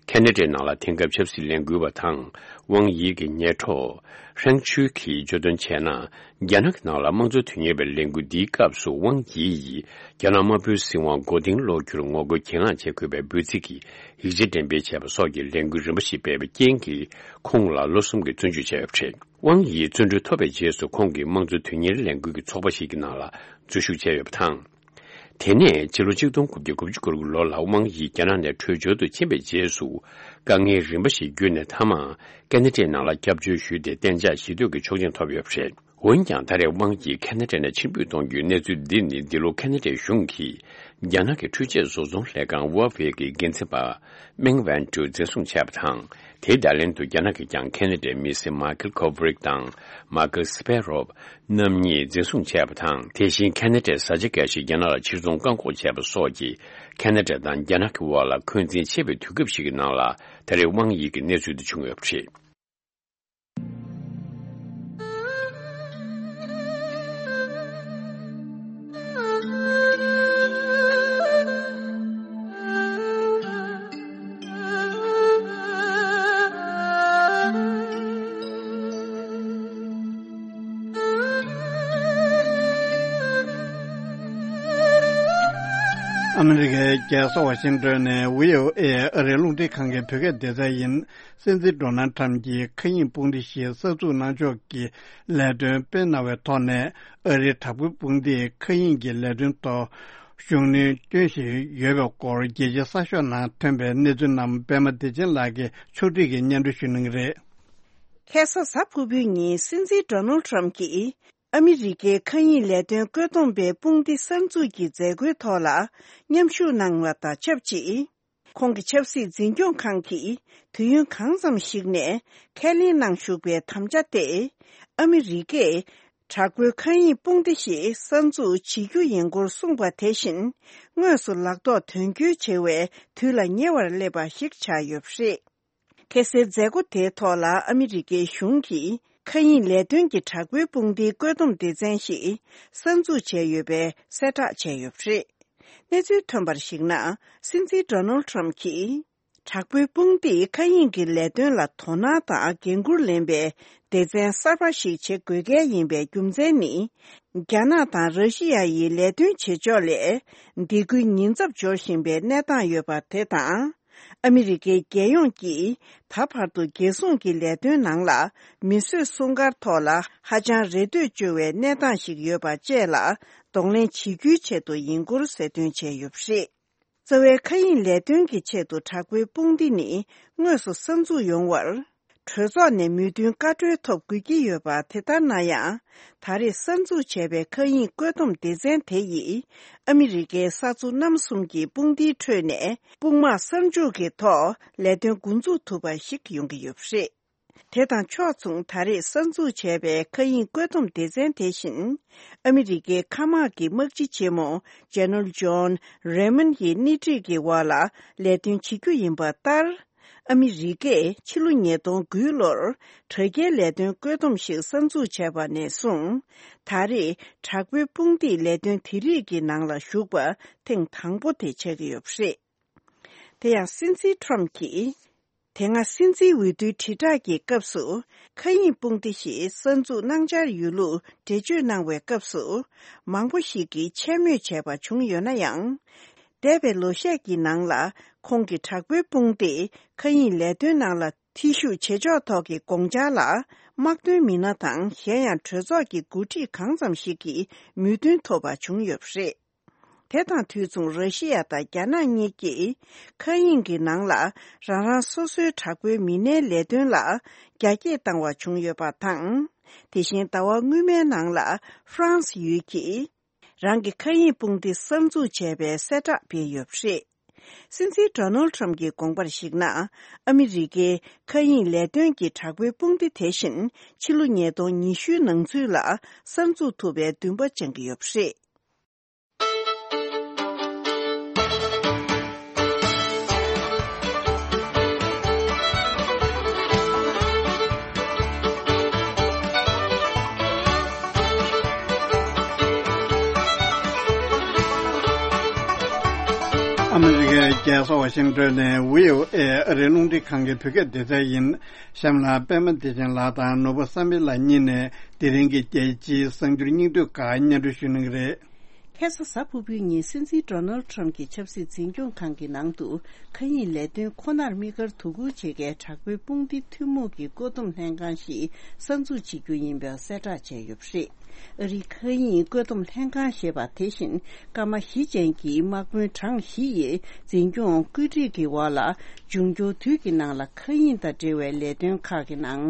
ཁ་ན་ཌའི་ནང་ལ་དེང་སྐབས་ཆབ་སྲིད་ལས་འགུལ་བ་དང་། ཝང་ཡི་གི་ཉེ་གྲོགས་ཧྲེང་ཆུའུ་གིས་བརྗོད་དོན་བྱས་ན། རྒྱ་ནག་གི་ནང་ལ་དམངས་གཙོ་དོན་གཉེར་བའི་ལས་འགུལ་འདིའི་སྐབས་སུ་ཝང་ཡི་ཡིས་རྒྱ་ནག་དམར་པོའི་སྲིད་དབང་མགོ་རྟིང་སློག་རྒྱུར་ངོ་རྒོལ་གྱེན་ལངས་བྱེད་དགོས་པའི་འབོད་ཚིག་གི་ཡིག་ཆ་འགྲེམས་སྤེལ་བྱས་པ་སོགས་ཀྱི་ལས་འགུལ་རིམ་པ་ཞིག་སྤེལ་བའི་རྐྱེན་གྱིས། ཁོང་ལ་ལོ་གསུམ་གྱི་བཙོན་འཇུག་བྱས་ཡོད་པ་རེད། ཝང་ཡི་བཙོན་གྲོལ་ཐོབ་པའི་རྗེས་སུ། ཁོང་གིས་དམངས་གཙོ་དོན་གཉེར་ལས་འགུལ་གྱི་ཚོགས་པ་ཞིག་གི་ནང་ལ་འཛུལ་ཞུགས་བྱས་ཡོད་པ་དང་། དེ་ནས་ཕྱི་ལོ་ཆིག་སྟོང་དགུ་བརྒྱ་དགུ་བཅུ་གོ་དགུ་ལོ་ལ་ཝང་ཡི་རྒྱ་ནག་ནས་བྲོས་བྱོལ་དུ་ཕྱིན་པའི་རྗེས་སུ། དཀའ་ངལ་རིམ་པ་ཞིག་བརྒྱུད་ནས། མཐའ་མར་ཁ་ན་ཌའི་ནང་ལ་སྐྱབས་བཅོལ་ཞུས་ཏེ། གཏན་འཇགས་ཞི་གཏོད་ཀྱི་ཆོག་མཆན་ཐོབ་ཡོད་པ་རེད། འོན་ཀྱང་། ད་རེས་ཝང་ཡི་ཁ་ན་ཌ་ནས་ཕྱིར་འབུད་གཏོང་རྒྱུའི་གནས་ཚུལ་འདི་ནི། འདི་ལོ་ཁ་ན་ཌའི་གཞུང་གིས་རྒྱ་ནག་གི་འཕྲུལ་ཆས་བཟོ་ཚོང་ལས་ཁང་Huawei་གི་འགན་འཛིན་པ་མེང་ཝན་ཀྲུའུ་འཛིན་བཟུང་བྱས་པ་དང་། དེའི་བརྡ་ལན་དུ། རྒྱ་ནག་གིས་ཀྱང་ཁ་ན་ཌའི་མི་སེར་མཱ་ཁེལ་ཁོ་བྷི་རིག་དང་མཱ་ཁེལ་སི་པེ་རོབ་རྣམ་གཉིས་འཛིན་བཟུང་བྱས་པ་དང་། དེ་བཞིན་ཁ་ན་ཌའི་བཟའ་བཅའ་འགའ་ཞིག་རྒྱ་ནག་ལ་ཕྱིར་ཚོང་བཀག་འགོག་བྱས་པ་སོགས་ཀྱིས། ཁ་ན་ཌ་དང་རྒྱ་ནག་གི་དབར་ལ་འཁོན་འཛིན་ཆེ་བའི་དུས་སྐབས་ཤིག་གི་ནང་ལ། ད་རེས་ཝང་ཡི་གི་གནས་ཚུལ་འདི་བྱུང་ཡོད་པ་རེད། ཨ་མི་རི་ཀའི་རྒྱལ་ས་ཝ་ཤིང་ཏོན་ནས་བྷི་ཨོ་ཨེ་ཨ་རིའི་རླུང་འཕྲིན་ཁང་གི་བོད་སྐད་སྡེ་ཚན་ཡིན། སྲིད་འཛིན་ཌོ་ནལ་ཁྲམ་གྱིས་མཁའ་དབྱིངས་དཔུང་སྡེ་ཞིག་གསར་འཛུགས་གནང་ཕྱོགས་ཀྱི་ལས་དོན་སྤེལ་གནང་བའི་ཐོག་ནས། ཨ་རིའི་དྲག་པོའི་དཔུང་སྡེས་མཁའ་དབྱིངས་ཀྱི་ལས་དོན་ཐོག་ཤུགས་སྣོན་བསྐྱོན་བཞིན་ཡོད་པའི་སྐོར། རྒྱལ་སྤྱིའི་གསར་ཤོག་ནང་ཐོན་པའི་གནས་ཚུལ་རྣམས་པད་མ་བདེ་ཆེན་ལགས་ཀྱིས་ཕྱོགས་སྒྲིག་གིས་སྙན་སྒྲོན་ཞུ་གནང་གི་རེད། ཁ་སང་གཟའ་ཕུར་བུའི་ཉིན། སྲིད་འཛིན་ཌོ་ནལ་ཁྲམ་གྱིས་ཨ་མི་རི་ཀའི་མཁའ་དབྱིངས་ལས་དོན་བཀོད་འདོམས་པའི་དཔུང་སྡེ་གསར་འཛུགས་ཀྱི་མཛད་སྒོའི་ཐོག་ལ་མཉམ་ཞུགས་གནང་བ་དང་ཆབས་ཅིག་ཁོང་གི་ཆབ་སྲིད་འཛིན་སྐྱོང་ཁང་གིས་དུས་ཡུན་གང་འཚམ་ཞིག་ནས་ཁས་ལེན་གནང་བཞུགས་པའི་དམ་བཅའ་སྟེ། ཨ་མི་རི་ཀས་དྲག་པོའི་མཁའ་དབྱིངས་དཔུང་སྡེ་ཞིག་གསར་འཛུགས་བྱེད་རྒྱུ་ཡིན་སྐོར་གསུངས་པ་དེ་བཞིན། དངོས་སུ་ལག་ཐོག་དོན་འཁྱོལ་བྱེད་པའི་དུས་ལ་ཉེ་བར་སླེབས་པ་ཞིག་ཆགས་ཡོད་པ་རེད། ཁ་སའི་མཛད་སྒོ་དེའི་ཐོག་ལ་ཨ་མི་རི་ཀའི་གཞུང་གི་མཁའ་དབྱིངས་ལས་དོན་གྱི་དྲག་པོའི་དཔུང་སྡེའི་བཀོད་འདོམས་སྡེ་ཚན་ཞིག་གསར་འཛུགས་བྱས་ཡོད་པའི་གསལ་བསྒྲགས་བྱས་ཡོད་པ་རེད། གནས་ཚུལ་ཐོན་པར་གཞིགས་ན། སྲིད་འཛིན་ཌོ་ནལ་ཁྲམ་གྱིས། དྲག་པོའི་དཔུང་སྡེས་མཁའ་དབྱིངས་ཀྱི་ལས་དོན་ལ་དོ་སྣང་དང་འགན་འཁུར་ལེན་པའི་སྡེ་ཚན་གསར་པ་ཞིག་བྱེད་དགོས་གལ་ཡིན་པའི་རྒྱུ་མཚན་ནི། རྒྱ་ནག་དང་ར་ཤི་ཡ་ཡི་ལས་དོན་བྱེད་ཕྱོགས་ལས་སྡིགས་སྐུལ་ཉེན་ཚབས་འབྱོར་བཞིན་པའི་གནས་སྟངས་ཡོད་པ་དེ་དང་། ཨ་མི་རི་ཀའི་རྒྱལ་ཡོངས་ཀྱིས་ད་བར་དུ་རྒྱལ་སྲུང་གི་ལས་དོན་ནང་ལ་མིས་བཟོས་སྲུང་སྐར་ཐོག་ལ་ཧ་ཅང་རེ་ལྟོས་བཅོལ་བའི་གནས་སྟངས་ཤིག་ཡོད་པ་བཅས་ལ་གདོང་ལེན་བྱེད་རྒྱུའི་ཆེད་དུ་ཡིན་སྐོར་གསལ་སྟོན་བྱས་ཡོད་པ་རེད། རྩ་བའི་མཁའ་དབྱིངས་ལས་དོན་གྱི་ཆེད་དུ་དྲག་པོའི་དཔུང་སྡེ་ནི་དངོས་སུ་གསར་འཛུགས་ཡོང་བར། གྲོས་ཚོགས་ནས་མོས་མཐུན་བཀའ་འཁྲོལ་ཐོབ་དགོས་ཀྱི་ཡོད་པ། དེ་ལྟར་ན་ཡང་། ད་རེས་གསར་འཛུགས་བྱས་པའི་མཁའ་དབྱིངས་བཀོད་འདོམས་སྡེ་ཚན་དེ་ཡིས་ཨ་མི་རི་ཀའི་ས་མཚོ་གནམ་གསུམ་གྱི་དཔུང་སྡེའི་ཁྲོད་ནས་དཔུང་དམག་གསར་འཇུག་གི་ཐོག་ལས་དོན་འགོ་འཛུགས་ཐུབ་པ་ཞིག་ཡོང་གི་ཡོད་པ་རེད། དེ་དང་ཕྱོགས་མཚུངས། ད་རེས་གསར་འཛུགས་བྱས་པའི་མཁའ་དབྱིངས་བཀོད་འདོམས་སྡེ་ཚན་དེ་བཞིན། ཨ་མི་རི་ཀའི་མཁའ་དམག་གི་དམག་སྤྱི་ཆེན་མོ་ཇེ་ནེ་རལ་ཇོན་རེ་མོན་གྱི་སྣེ་ཁྲིད་ཀྱི་འོག་ལ་ལས་དོན་བྱེད་རྒྱུ་ཡིན་པ་ལྟར། ཨ་མི་རི་ཀས་ཕྱི་ལོ་ཉིས་སྟོང་དགུ་ལོར་དྲ་རྒྱའི་ལས་དོན་བཀོད་འདོམས་ཤིག་གསར་འཛུགས་བྱས་པ་ནས་བཟུང་། ད་རེས་དྲག་པོའི་དཔུང་སྡེས་ལས་དོན་དེ་རིགས་ཀྱི་ནང་ལ་ཞུགས་པ་ཐེངས་དང་པོ་དེ་ཆགས་ཀྱི་ཡོད་པ་རེད། དེ་ཡང་སྲིད་འཛིན་ཁྲོམ་གྱིས། དེ་སྔ་སྲིད་འཛིན་འོས་བསྡུའི་དྲིལ་བསྒྲགས་ཀྱི་སྐབས་སུ། མཁའ་དབྱིངས་དཔུང་སྡེ་ཞིག་གསར་འཛུགས་གནང་འཆར་ཡོད་ལུགས་འགྲེལ་བརྗོད་གནང་བའི་སྐབས་སུ། མང་པོ་ཞིག་གིས་འཕྱ་སྨོད་བྱས་པ་བྱུང་ཡོད་ན་ཡང་། འདས་པའི་ལོ་ཤས་ཀྱི་ནང་ལ། ཁོང་གི་དྲག་པོའི་དཔུང་སྡེས་མཁའ་དབྱིངས་ལས་དོན་ནང་ལ་ཐེ་ཞུགས་བྱེད་ཕྱོགས་ཐོག་གི་དགོངས་འཆར་ལ། དམག་དོན་མི་སྣ་དང་། གཞན་ཡང་གྲོས་ཚོགས་ཀྱི་འགོ་ཁྲིད་གང་ཙམ་ཞིག་གིས་མོས་མཐུན་ཐོབ་པ་བྱུང་ཡོད་པ་རེད། དེ་དང་དུས་མཚུངས་ར་ཤི་ཡ་དང་རྒྱ་ནག་གཉིས་ཀྱིས་མཁའ་དབྱིངས་ཀྱི་ནང་ལ་རང་རང་སོ་སོའི་དྲག་པོའི་མི་སྣའི་ལས་དོན་ལ་རྒྱ་སྐྱེད་བཏང་བ་བྱུང་ཡོད་པ་དང་། དེ་བཞིན་ཟླ་བ་སྔོན་མའི་ནང་ལ་ཧྥ་རན་སི་ཡུལ་གྱིས་རང་གི་མཁའ་དབྱིངས་དཔུང་སྡེ་གསར་འཛུགས་བྱས་པའི་གསལ་བསྒྲགས་སྤེལ་ཡོད་པ་རེད། སྲིད་འཛིན་ཌོ་ནལ་ཁྲམ་གྱི་དགོངས་པར་གཞིགས་ན། ཨ་མི་རི་ཀའི་མཁའ་དབྱིངས་ལས་དོན་གྱི་དྲག་པོའི་དཔུང་སྡེ་དེ་བཞིན་ཕྱི་ལོ་ཉིས་སྟོང་ཉི་ཤུའི་ནང་ཚུད་ལ་གསར་འཛུགས་ཐུབ་པའི་འདུན་པ་བཅངས་ཀྱི་ཡོད་པ་རེད། ཨ་མི་རི་ཀའི་རྒྱལ་ས་ཝ་ཤིང་ཏོན་ནས་བྷི་ཨོ་ཨེ་ཨ་རིའི་རླུང་འཕྲིན་ཁང་གི་བོད་སྐད་སྡེ་ཚན་ཡིན། གཤམ་ལ་པད་མ་བདེ་ཆེན་ལགས་དང་ནོར་བུ་བསམ་འཕེལ་ལགས་གཉིས་ནས་དེ་རིང་གི་རྒྱལ་སྤྱིའི་གསར་འགྱུར་སྙིང་བསྡུས་ཁག་སྙན་སྒྲོན་ཞུ་གནང་གི་རེད། ཁ་སང་གཟའ་ཕུར་བུའི་ཉིན་སྲིད་འཛིན་ཌོ་ནལ་ཁྲམ་གྱི་ཆབ་སྲིད་འཛིན་སྐྱོང་ཁང་གི་ནང་དུ་མཁའ་དབྱིངས་ལས་དོན་ཁོ་ནར་དམིགས་བཀར་དོ་ཁུར་བྱེད་མཁན་དྲག་པོའི་དཔུང་སྡེ་ཐུན་མོང་གི་བཀོད་འདོམས་ལྷན་ཁང་ཞིག་གསར་འཛུགས་བྱེད་རྒྱུ་ཡིན་པའི་གསལ་བསྒྲགས་བྱས་ཡོད་པ་རེད། ཨ་རིའི་མཁའ་དབྱིངས་བཀོད་འདོམས་ལྷན་ཁང་ཞེས་པ་དེ་བཞིན་སྐར་མ་བཞི་ཅན་གྱི་དམག་དཔོན་གྲངས་བཞི་ཡི་འཛིན་སྐྱོང་བཀོད་སྒྲིག་གི་འོག་ལ་འབྱུང་འགྱུར་དུས་ཀྱི་ནང་ལ་མཁའ་དབྱིངས་དང་འབྲེལ་བའི་ལས་དོན་ཁག་གི་ནང་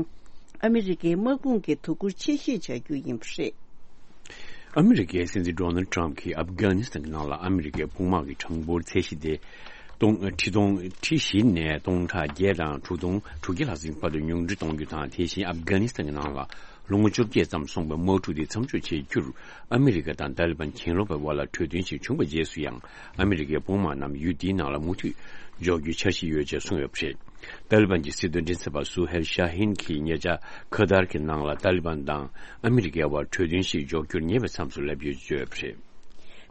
ཨ་མི་རི་ཀའི་དམག་དཔུང་གི་དོ་ཁུར་ཆེ་བཞེས་བྱ་རྒྱུ་ཡིན་པ་རེད། ཨ་མི་རི་ཀའི་སྲིད་འཛིན་ཌོ་ནལ་ཁྲམ་གྱིས་ཨབ་གྷ་ནི་སི་ཐན་གྱི་ནང་ལ་ཨ་མི་རི་ཀའི་དཔུང་དམག་གི་གྲངས་འབོར་ཚད་གཞི་དེ་སྟོང་ཁྲི་སྟོང་ཁྲི་བཞི་ནས་སྟོང་ཕྲག་བརྒྱད་དང་དྲུག་སྟོང་དྲུག་བརྒྱ་ལྷག་ཙམ་བར་དུ་ཉུང་འཕྲི་གཏོང་རྒྱུ་དང་། དེ་བཞིན་ཨབ་གྷ་ནི་སི་ཐན་གྱི་ནང་ལ་ལོ་ངོ་བཅོ་བརྒྱད་ཙམ་སོང་བའི་དམག་འཁྲུག་དེ་མཚམས་འཇོག་བྱེད་རྒྱུར་ཨ་མི་རི་ཀ་དང་ཏཱ་ལི་བན་གྱེན་ལོག་པའི་དབར་ལ་གྲོས་མཐུན་ཞིག་བྱུང་བའི་རྗེས་སུ་ཡང་ཨ་མི་རི་ཀའི་དཔུང་དམག་རྣམས་ཡུལ་དེའི་ནང་ལ་མུ་མཐུད་འཇོག་རྒྱུའི་འཆར་གཞི་ཡོད་ཅེས་གསུངས་ཡོད་པ་རེད། ཏཱ་ལི་བན་གྱི་སྲིད་དོན་མགྲིན་ཚབ་པ་སུ་ཧེལ་ཤ་ཧིན་གྱིས་ཉེ་ཆར་ཁ་ཏར་གྱི་ནང་ལ་ཏཱ་ལི་བན་དང་ཨ་མི་རི་ཀའི་དབར་གྲོས་མཐུན་ཞིག་འཇོག་རྒྱུར་ཉེ་བའི་མཚམས་སུ་སླེབས་ཡོད་ཅེས་བརྗོད་ཡོད་པ་རེད།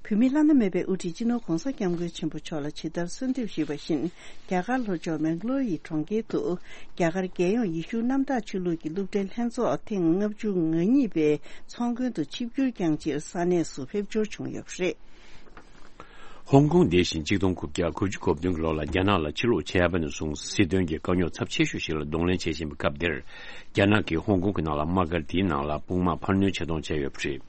བོད་མིའི་བླ་ན་མེད་པའི་དབུ་ཁྲིད་སྤྱི་ནོར་༧གོང་ས་༧སྐྱབས་མགོན་ཆེན་པོ་མཆོག་ལ་ཇི་ལྟར་གསོལ་འདེབས་ཞུས་པ་བཞིན། རྒྱ་གར་ལྷོ་ཕྱོགས་མེང་ལོར་ཡི་གྲོང་ཁྱེར་དུ་རྒྱ་གར་རྒྱལ་ཡོངས་ཡེ་ཤུ་གནམ་བདག་ཆོས་ལུགས་ཀྱི་སློབ་གྲྭའི་ལྷན་ཚོགས་ཐེངས་ལྔ་བཅུ་ང་གཉིས་པའི་ཚོགས་མགོན་དུ་ཆིབས་བསྒྱུར་བསྐྱངས་ཕྱིར་ས་གནས་སུ་ཕེབས་འབྱོར་བྱུང་ཡོད་པ་རེད། ཧོང་ཀོང་འདི་བཞིན་གཅིག་སྟོང་དགུ་བརྒྱ་དགུ་བཅུ་གོ་བདུན་གྱི་ལོ་ལ་རྒྱ་ནག་ལ་ཕྱིར་ལོག་བྱས་པ་ནས་བཟུང་སྲིད་དོན་གྱི་དཀའ་རྙོག་ཚབས་ཆེ་ཤོས་ཤིག་ལ་གདོང་ལེན་བྱེད་བཞིན་པའི་སྐབས་འདིར། རྒྱ་ནག་གིས་ཧོང་ཀོང་གི་ནང་ལ་དམག་སྒར་དེའི་ནང་ལ་དཔུང་དམག་འཕར་སྣོན་བྱེད་གཏོང་བྱས་ཡོད་པ་རེད།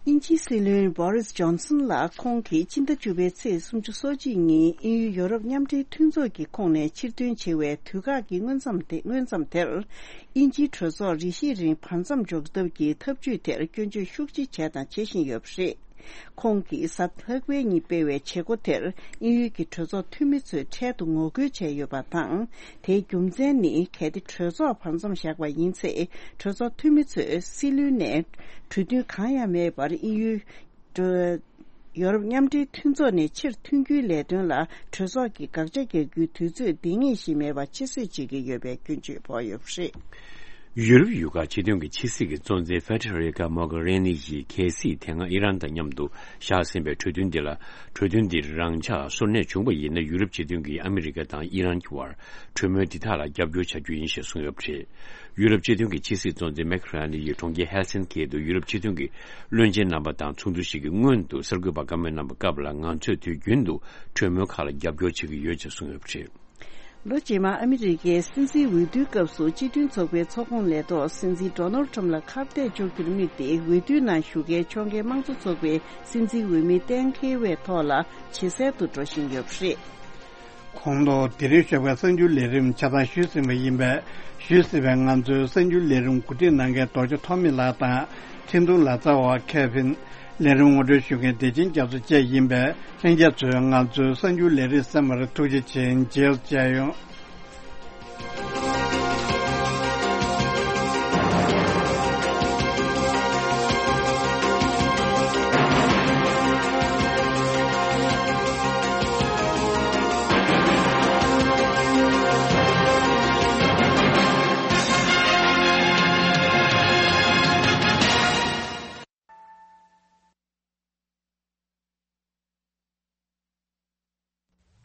དབྱིན་ཇིའི་སྲིད་བློན་བྷོ་རིས་ཇོན་སན་ལགས་ཁོང་གིས་སྤྱི་ཟླ་བཅུ་པའི་ཚེས་སུམ་ཅུ་སོ་གཅིག་ཉིན་དབྱིན་ཡུལ་ཡོ་རོབ་མཉམ་འབྲེལ་མཐུན་ཚོགས་ཀྱི་ཁོངས་ནས་ཕྱིར་ཐོན་བྱེད་པའི་དུས་བཀག་གི་སྔོན་མཚམས་དེ། སྔོན་མཚམས་དེར། དབྱིན་ཇིའི་གྲོས་ཚོགས་རེ་ཞིག་རིང་བར་མཚམས་འཇོག་ཐབས་ཀྱི་ཐབས་ཇུས་དེར་སྐྱོན་བརྗོད་ཤུགས་ཆེ་བྱས་དང་བྱེད་བཞིན་ཡོད་པ་རེད། ཁོང་གིས་གཟའ་ལྷག་པའི་ཉིན་སྤེལ་བའི་བྱེད་སྒོ་དེར་དབྱིན་ཡུལ་གྱི་གྲོས་ཚོགས་འཐུས་མི་ཚོས་འཕྲལ་དུ་ངོ་རྒོལ་བྱས་ཡོད་པ་དང་། དེའི་རྒྱུ་མཚན་ནི་གལ་ཏེ་གྲོས་ཚོགས་བར་མཚམས་བཞག་པ་ཡིན་ཚེ། གྲོས་ཚོགས་འཐུས་མི་ཚོས་སྲིད་བློན་ནས་གྲོས་མཐུན་གང་ཡང་མེད་པར་དབྱིན་ཡུལ་གྲོས། ཡོ་རོབ་མཉམ་འབྲེལ་མཐུན་ཚོགས་ནས་ཕྱིར་ཐོན་རྒྱུའི་ལས་དོན་ལ་གྲོས་ཚོགས་ཀྱིས་དགག་བྱ་རྒྱག་རྒྱུའི་དུས་ཚོད་འདང་ངེས་ཤིག་མེད་པ་ཕྱིར་བསུ་བྱེད་ཀྱི་ཡོད་པའི་སྐྱོན་བརྗོད་ཕོག་ཡོད་པ་རེད། ཡུ་རོབ་ཡུལ་ཁག་སྤྱི་མཐུན་གྱི་ཕྱི་སྲིད་ཀྱི་གཙོ་འཛིན་ཕེ་ཏྲ་རི་ཀ་མོག་རེ་ནི་ཡིས་གལ་སྲིད་དེ་སྔ་ཨི་རན་དང་མཉམ་དུ་བཞག་ཟིན་པའི་གྲོས་མཐུན་འདི་ལ། གྲོས་མཐུན་འདིར་རང་འཇགས་སོར་གནས་བྱུང་བ་ཡིན་ན། ཡུ་རོབ་སྤྱི་མཐུན་གྱིས་ཨ་མི་རི་ཀ་དང་ཨི་རན་གྱི་དབར་གྲོས་མོལ་འདི་དག་ལ་རྒྱབ་སྐྱོར་བྱ་རྒྱུ་ཡིན་ཞེས་གསུངས་ཡོད་པ་རེད། ཡུ་རོབ་སྤྱི་མཐུན་གྱི་ཕྱི་སྲིད་གཙོ་འཛིན་མེག་ར་ནི་ཡིས་གྲོང་ཁྱེར་ཧེལ་སིན་ཀི་དུ་ཡུ་རོབ་སྤྱི་མཐུན་གྱི་བློན་ཆེན་རྣམ་པ་དང་ཚོགས་འདུ་ཞིག་གི་སྔོན་དུ་གསར་འགོད་པར་བཀའ་མོལ་གནང་བའི་སྐབས་ལ། ང་ཚོས་དུས་རྒྱུན་དུ་གྲོས་མོལ་ཁག་ལ་རྒྱབ་སྐྱོར་བྱེད་ཀྱི་ཡོད་ཅེས་གསུངས་ཡོད་པ་རེད། ལོ་རྗེས་མར་ཨ་མི་རི་ཀའི་སྲིད་འཛིན་འོས་བསྡུའི་སྐབས་སུ་སྤྱི་མཐུན་ཚོགས་པའི་ཚོགས་ཁོངས་ལས་ཐོག་སྲིད་འཛིན་ཌོ་ནལ་ཁྲམ་ལ་ཁ་གཏད་གཅོག་རྒྱུར་དམིགས་ཏེ། འོས་བསྡུའི་ནང་ཞུགས་མཁན་ཕྱོགས་འགལ་དམངས་གཙོ་ཚོགས་པའི་སྲིད་འཛིན་འོས་མི་གཏན་འཁེལ་བའི་ཐོག་ལ་ཇེ་གསལ་དུ་འགྲོ་བཞིན་ཡོད་པ་རེད། གོང་དུ་དེ་རིང་ཞོགས་པའི་གསར་འགྱུར་ལས་རིམ་ཆ་ཚང་ཞུས་ཟིན་པ་ཡིན་པས། ཞུས་ཟིན་པའི་ང་ཚོའི་གསར་འགྱུར་ལས་རིམ་གོ་སྒྲིག་གནང་མཁན་རྡོ་རྗེ་ཐོགས་མེད་ལགས་དང་། འཕྲིན་གཏོང་ལག་རྩལ་བ་ཁེ་ཕིན། ལས་རིམ་ངོ་སྤྲོད་ཞུ་མཁན་བདེ་ཆེན་རྒྱ་མཚོ་བཅས་ཡིན་པས། ལྷན་རྒྱས་ཚོས་ང་ཚོའི་གསར་འགྱུར་ལས་རིམ་གསན་པར་ཐུགས་རྗེ་ཆེ། མཇལ་མཇལ་ཡོང་།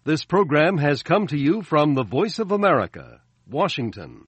This program has come to you from the Voice of America, Washington.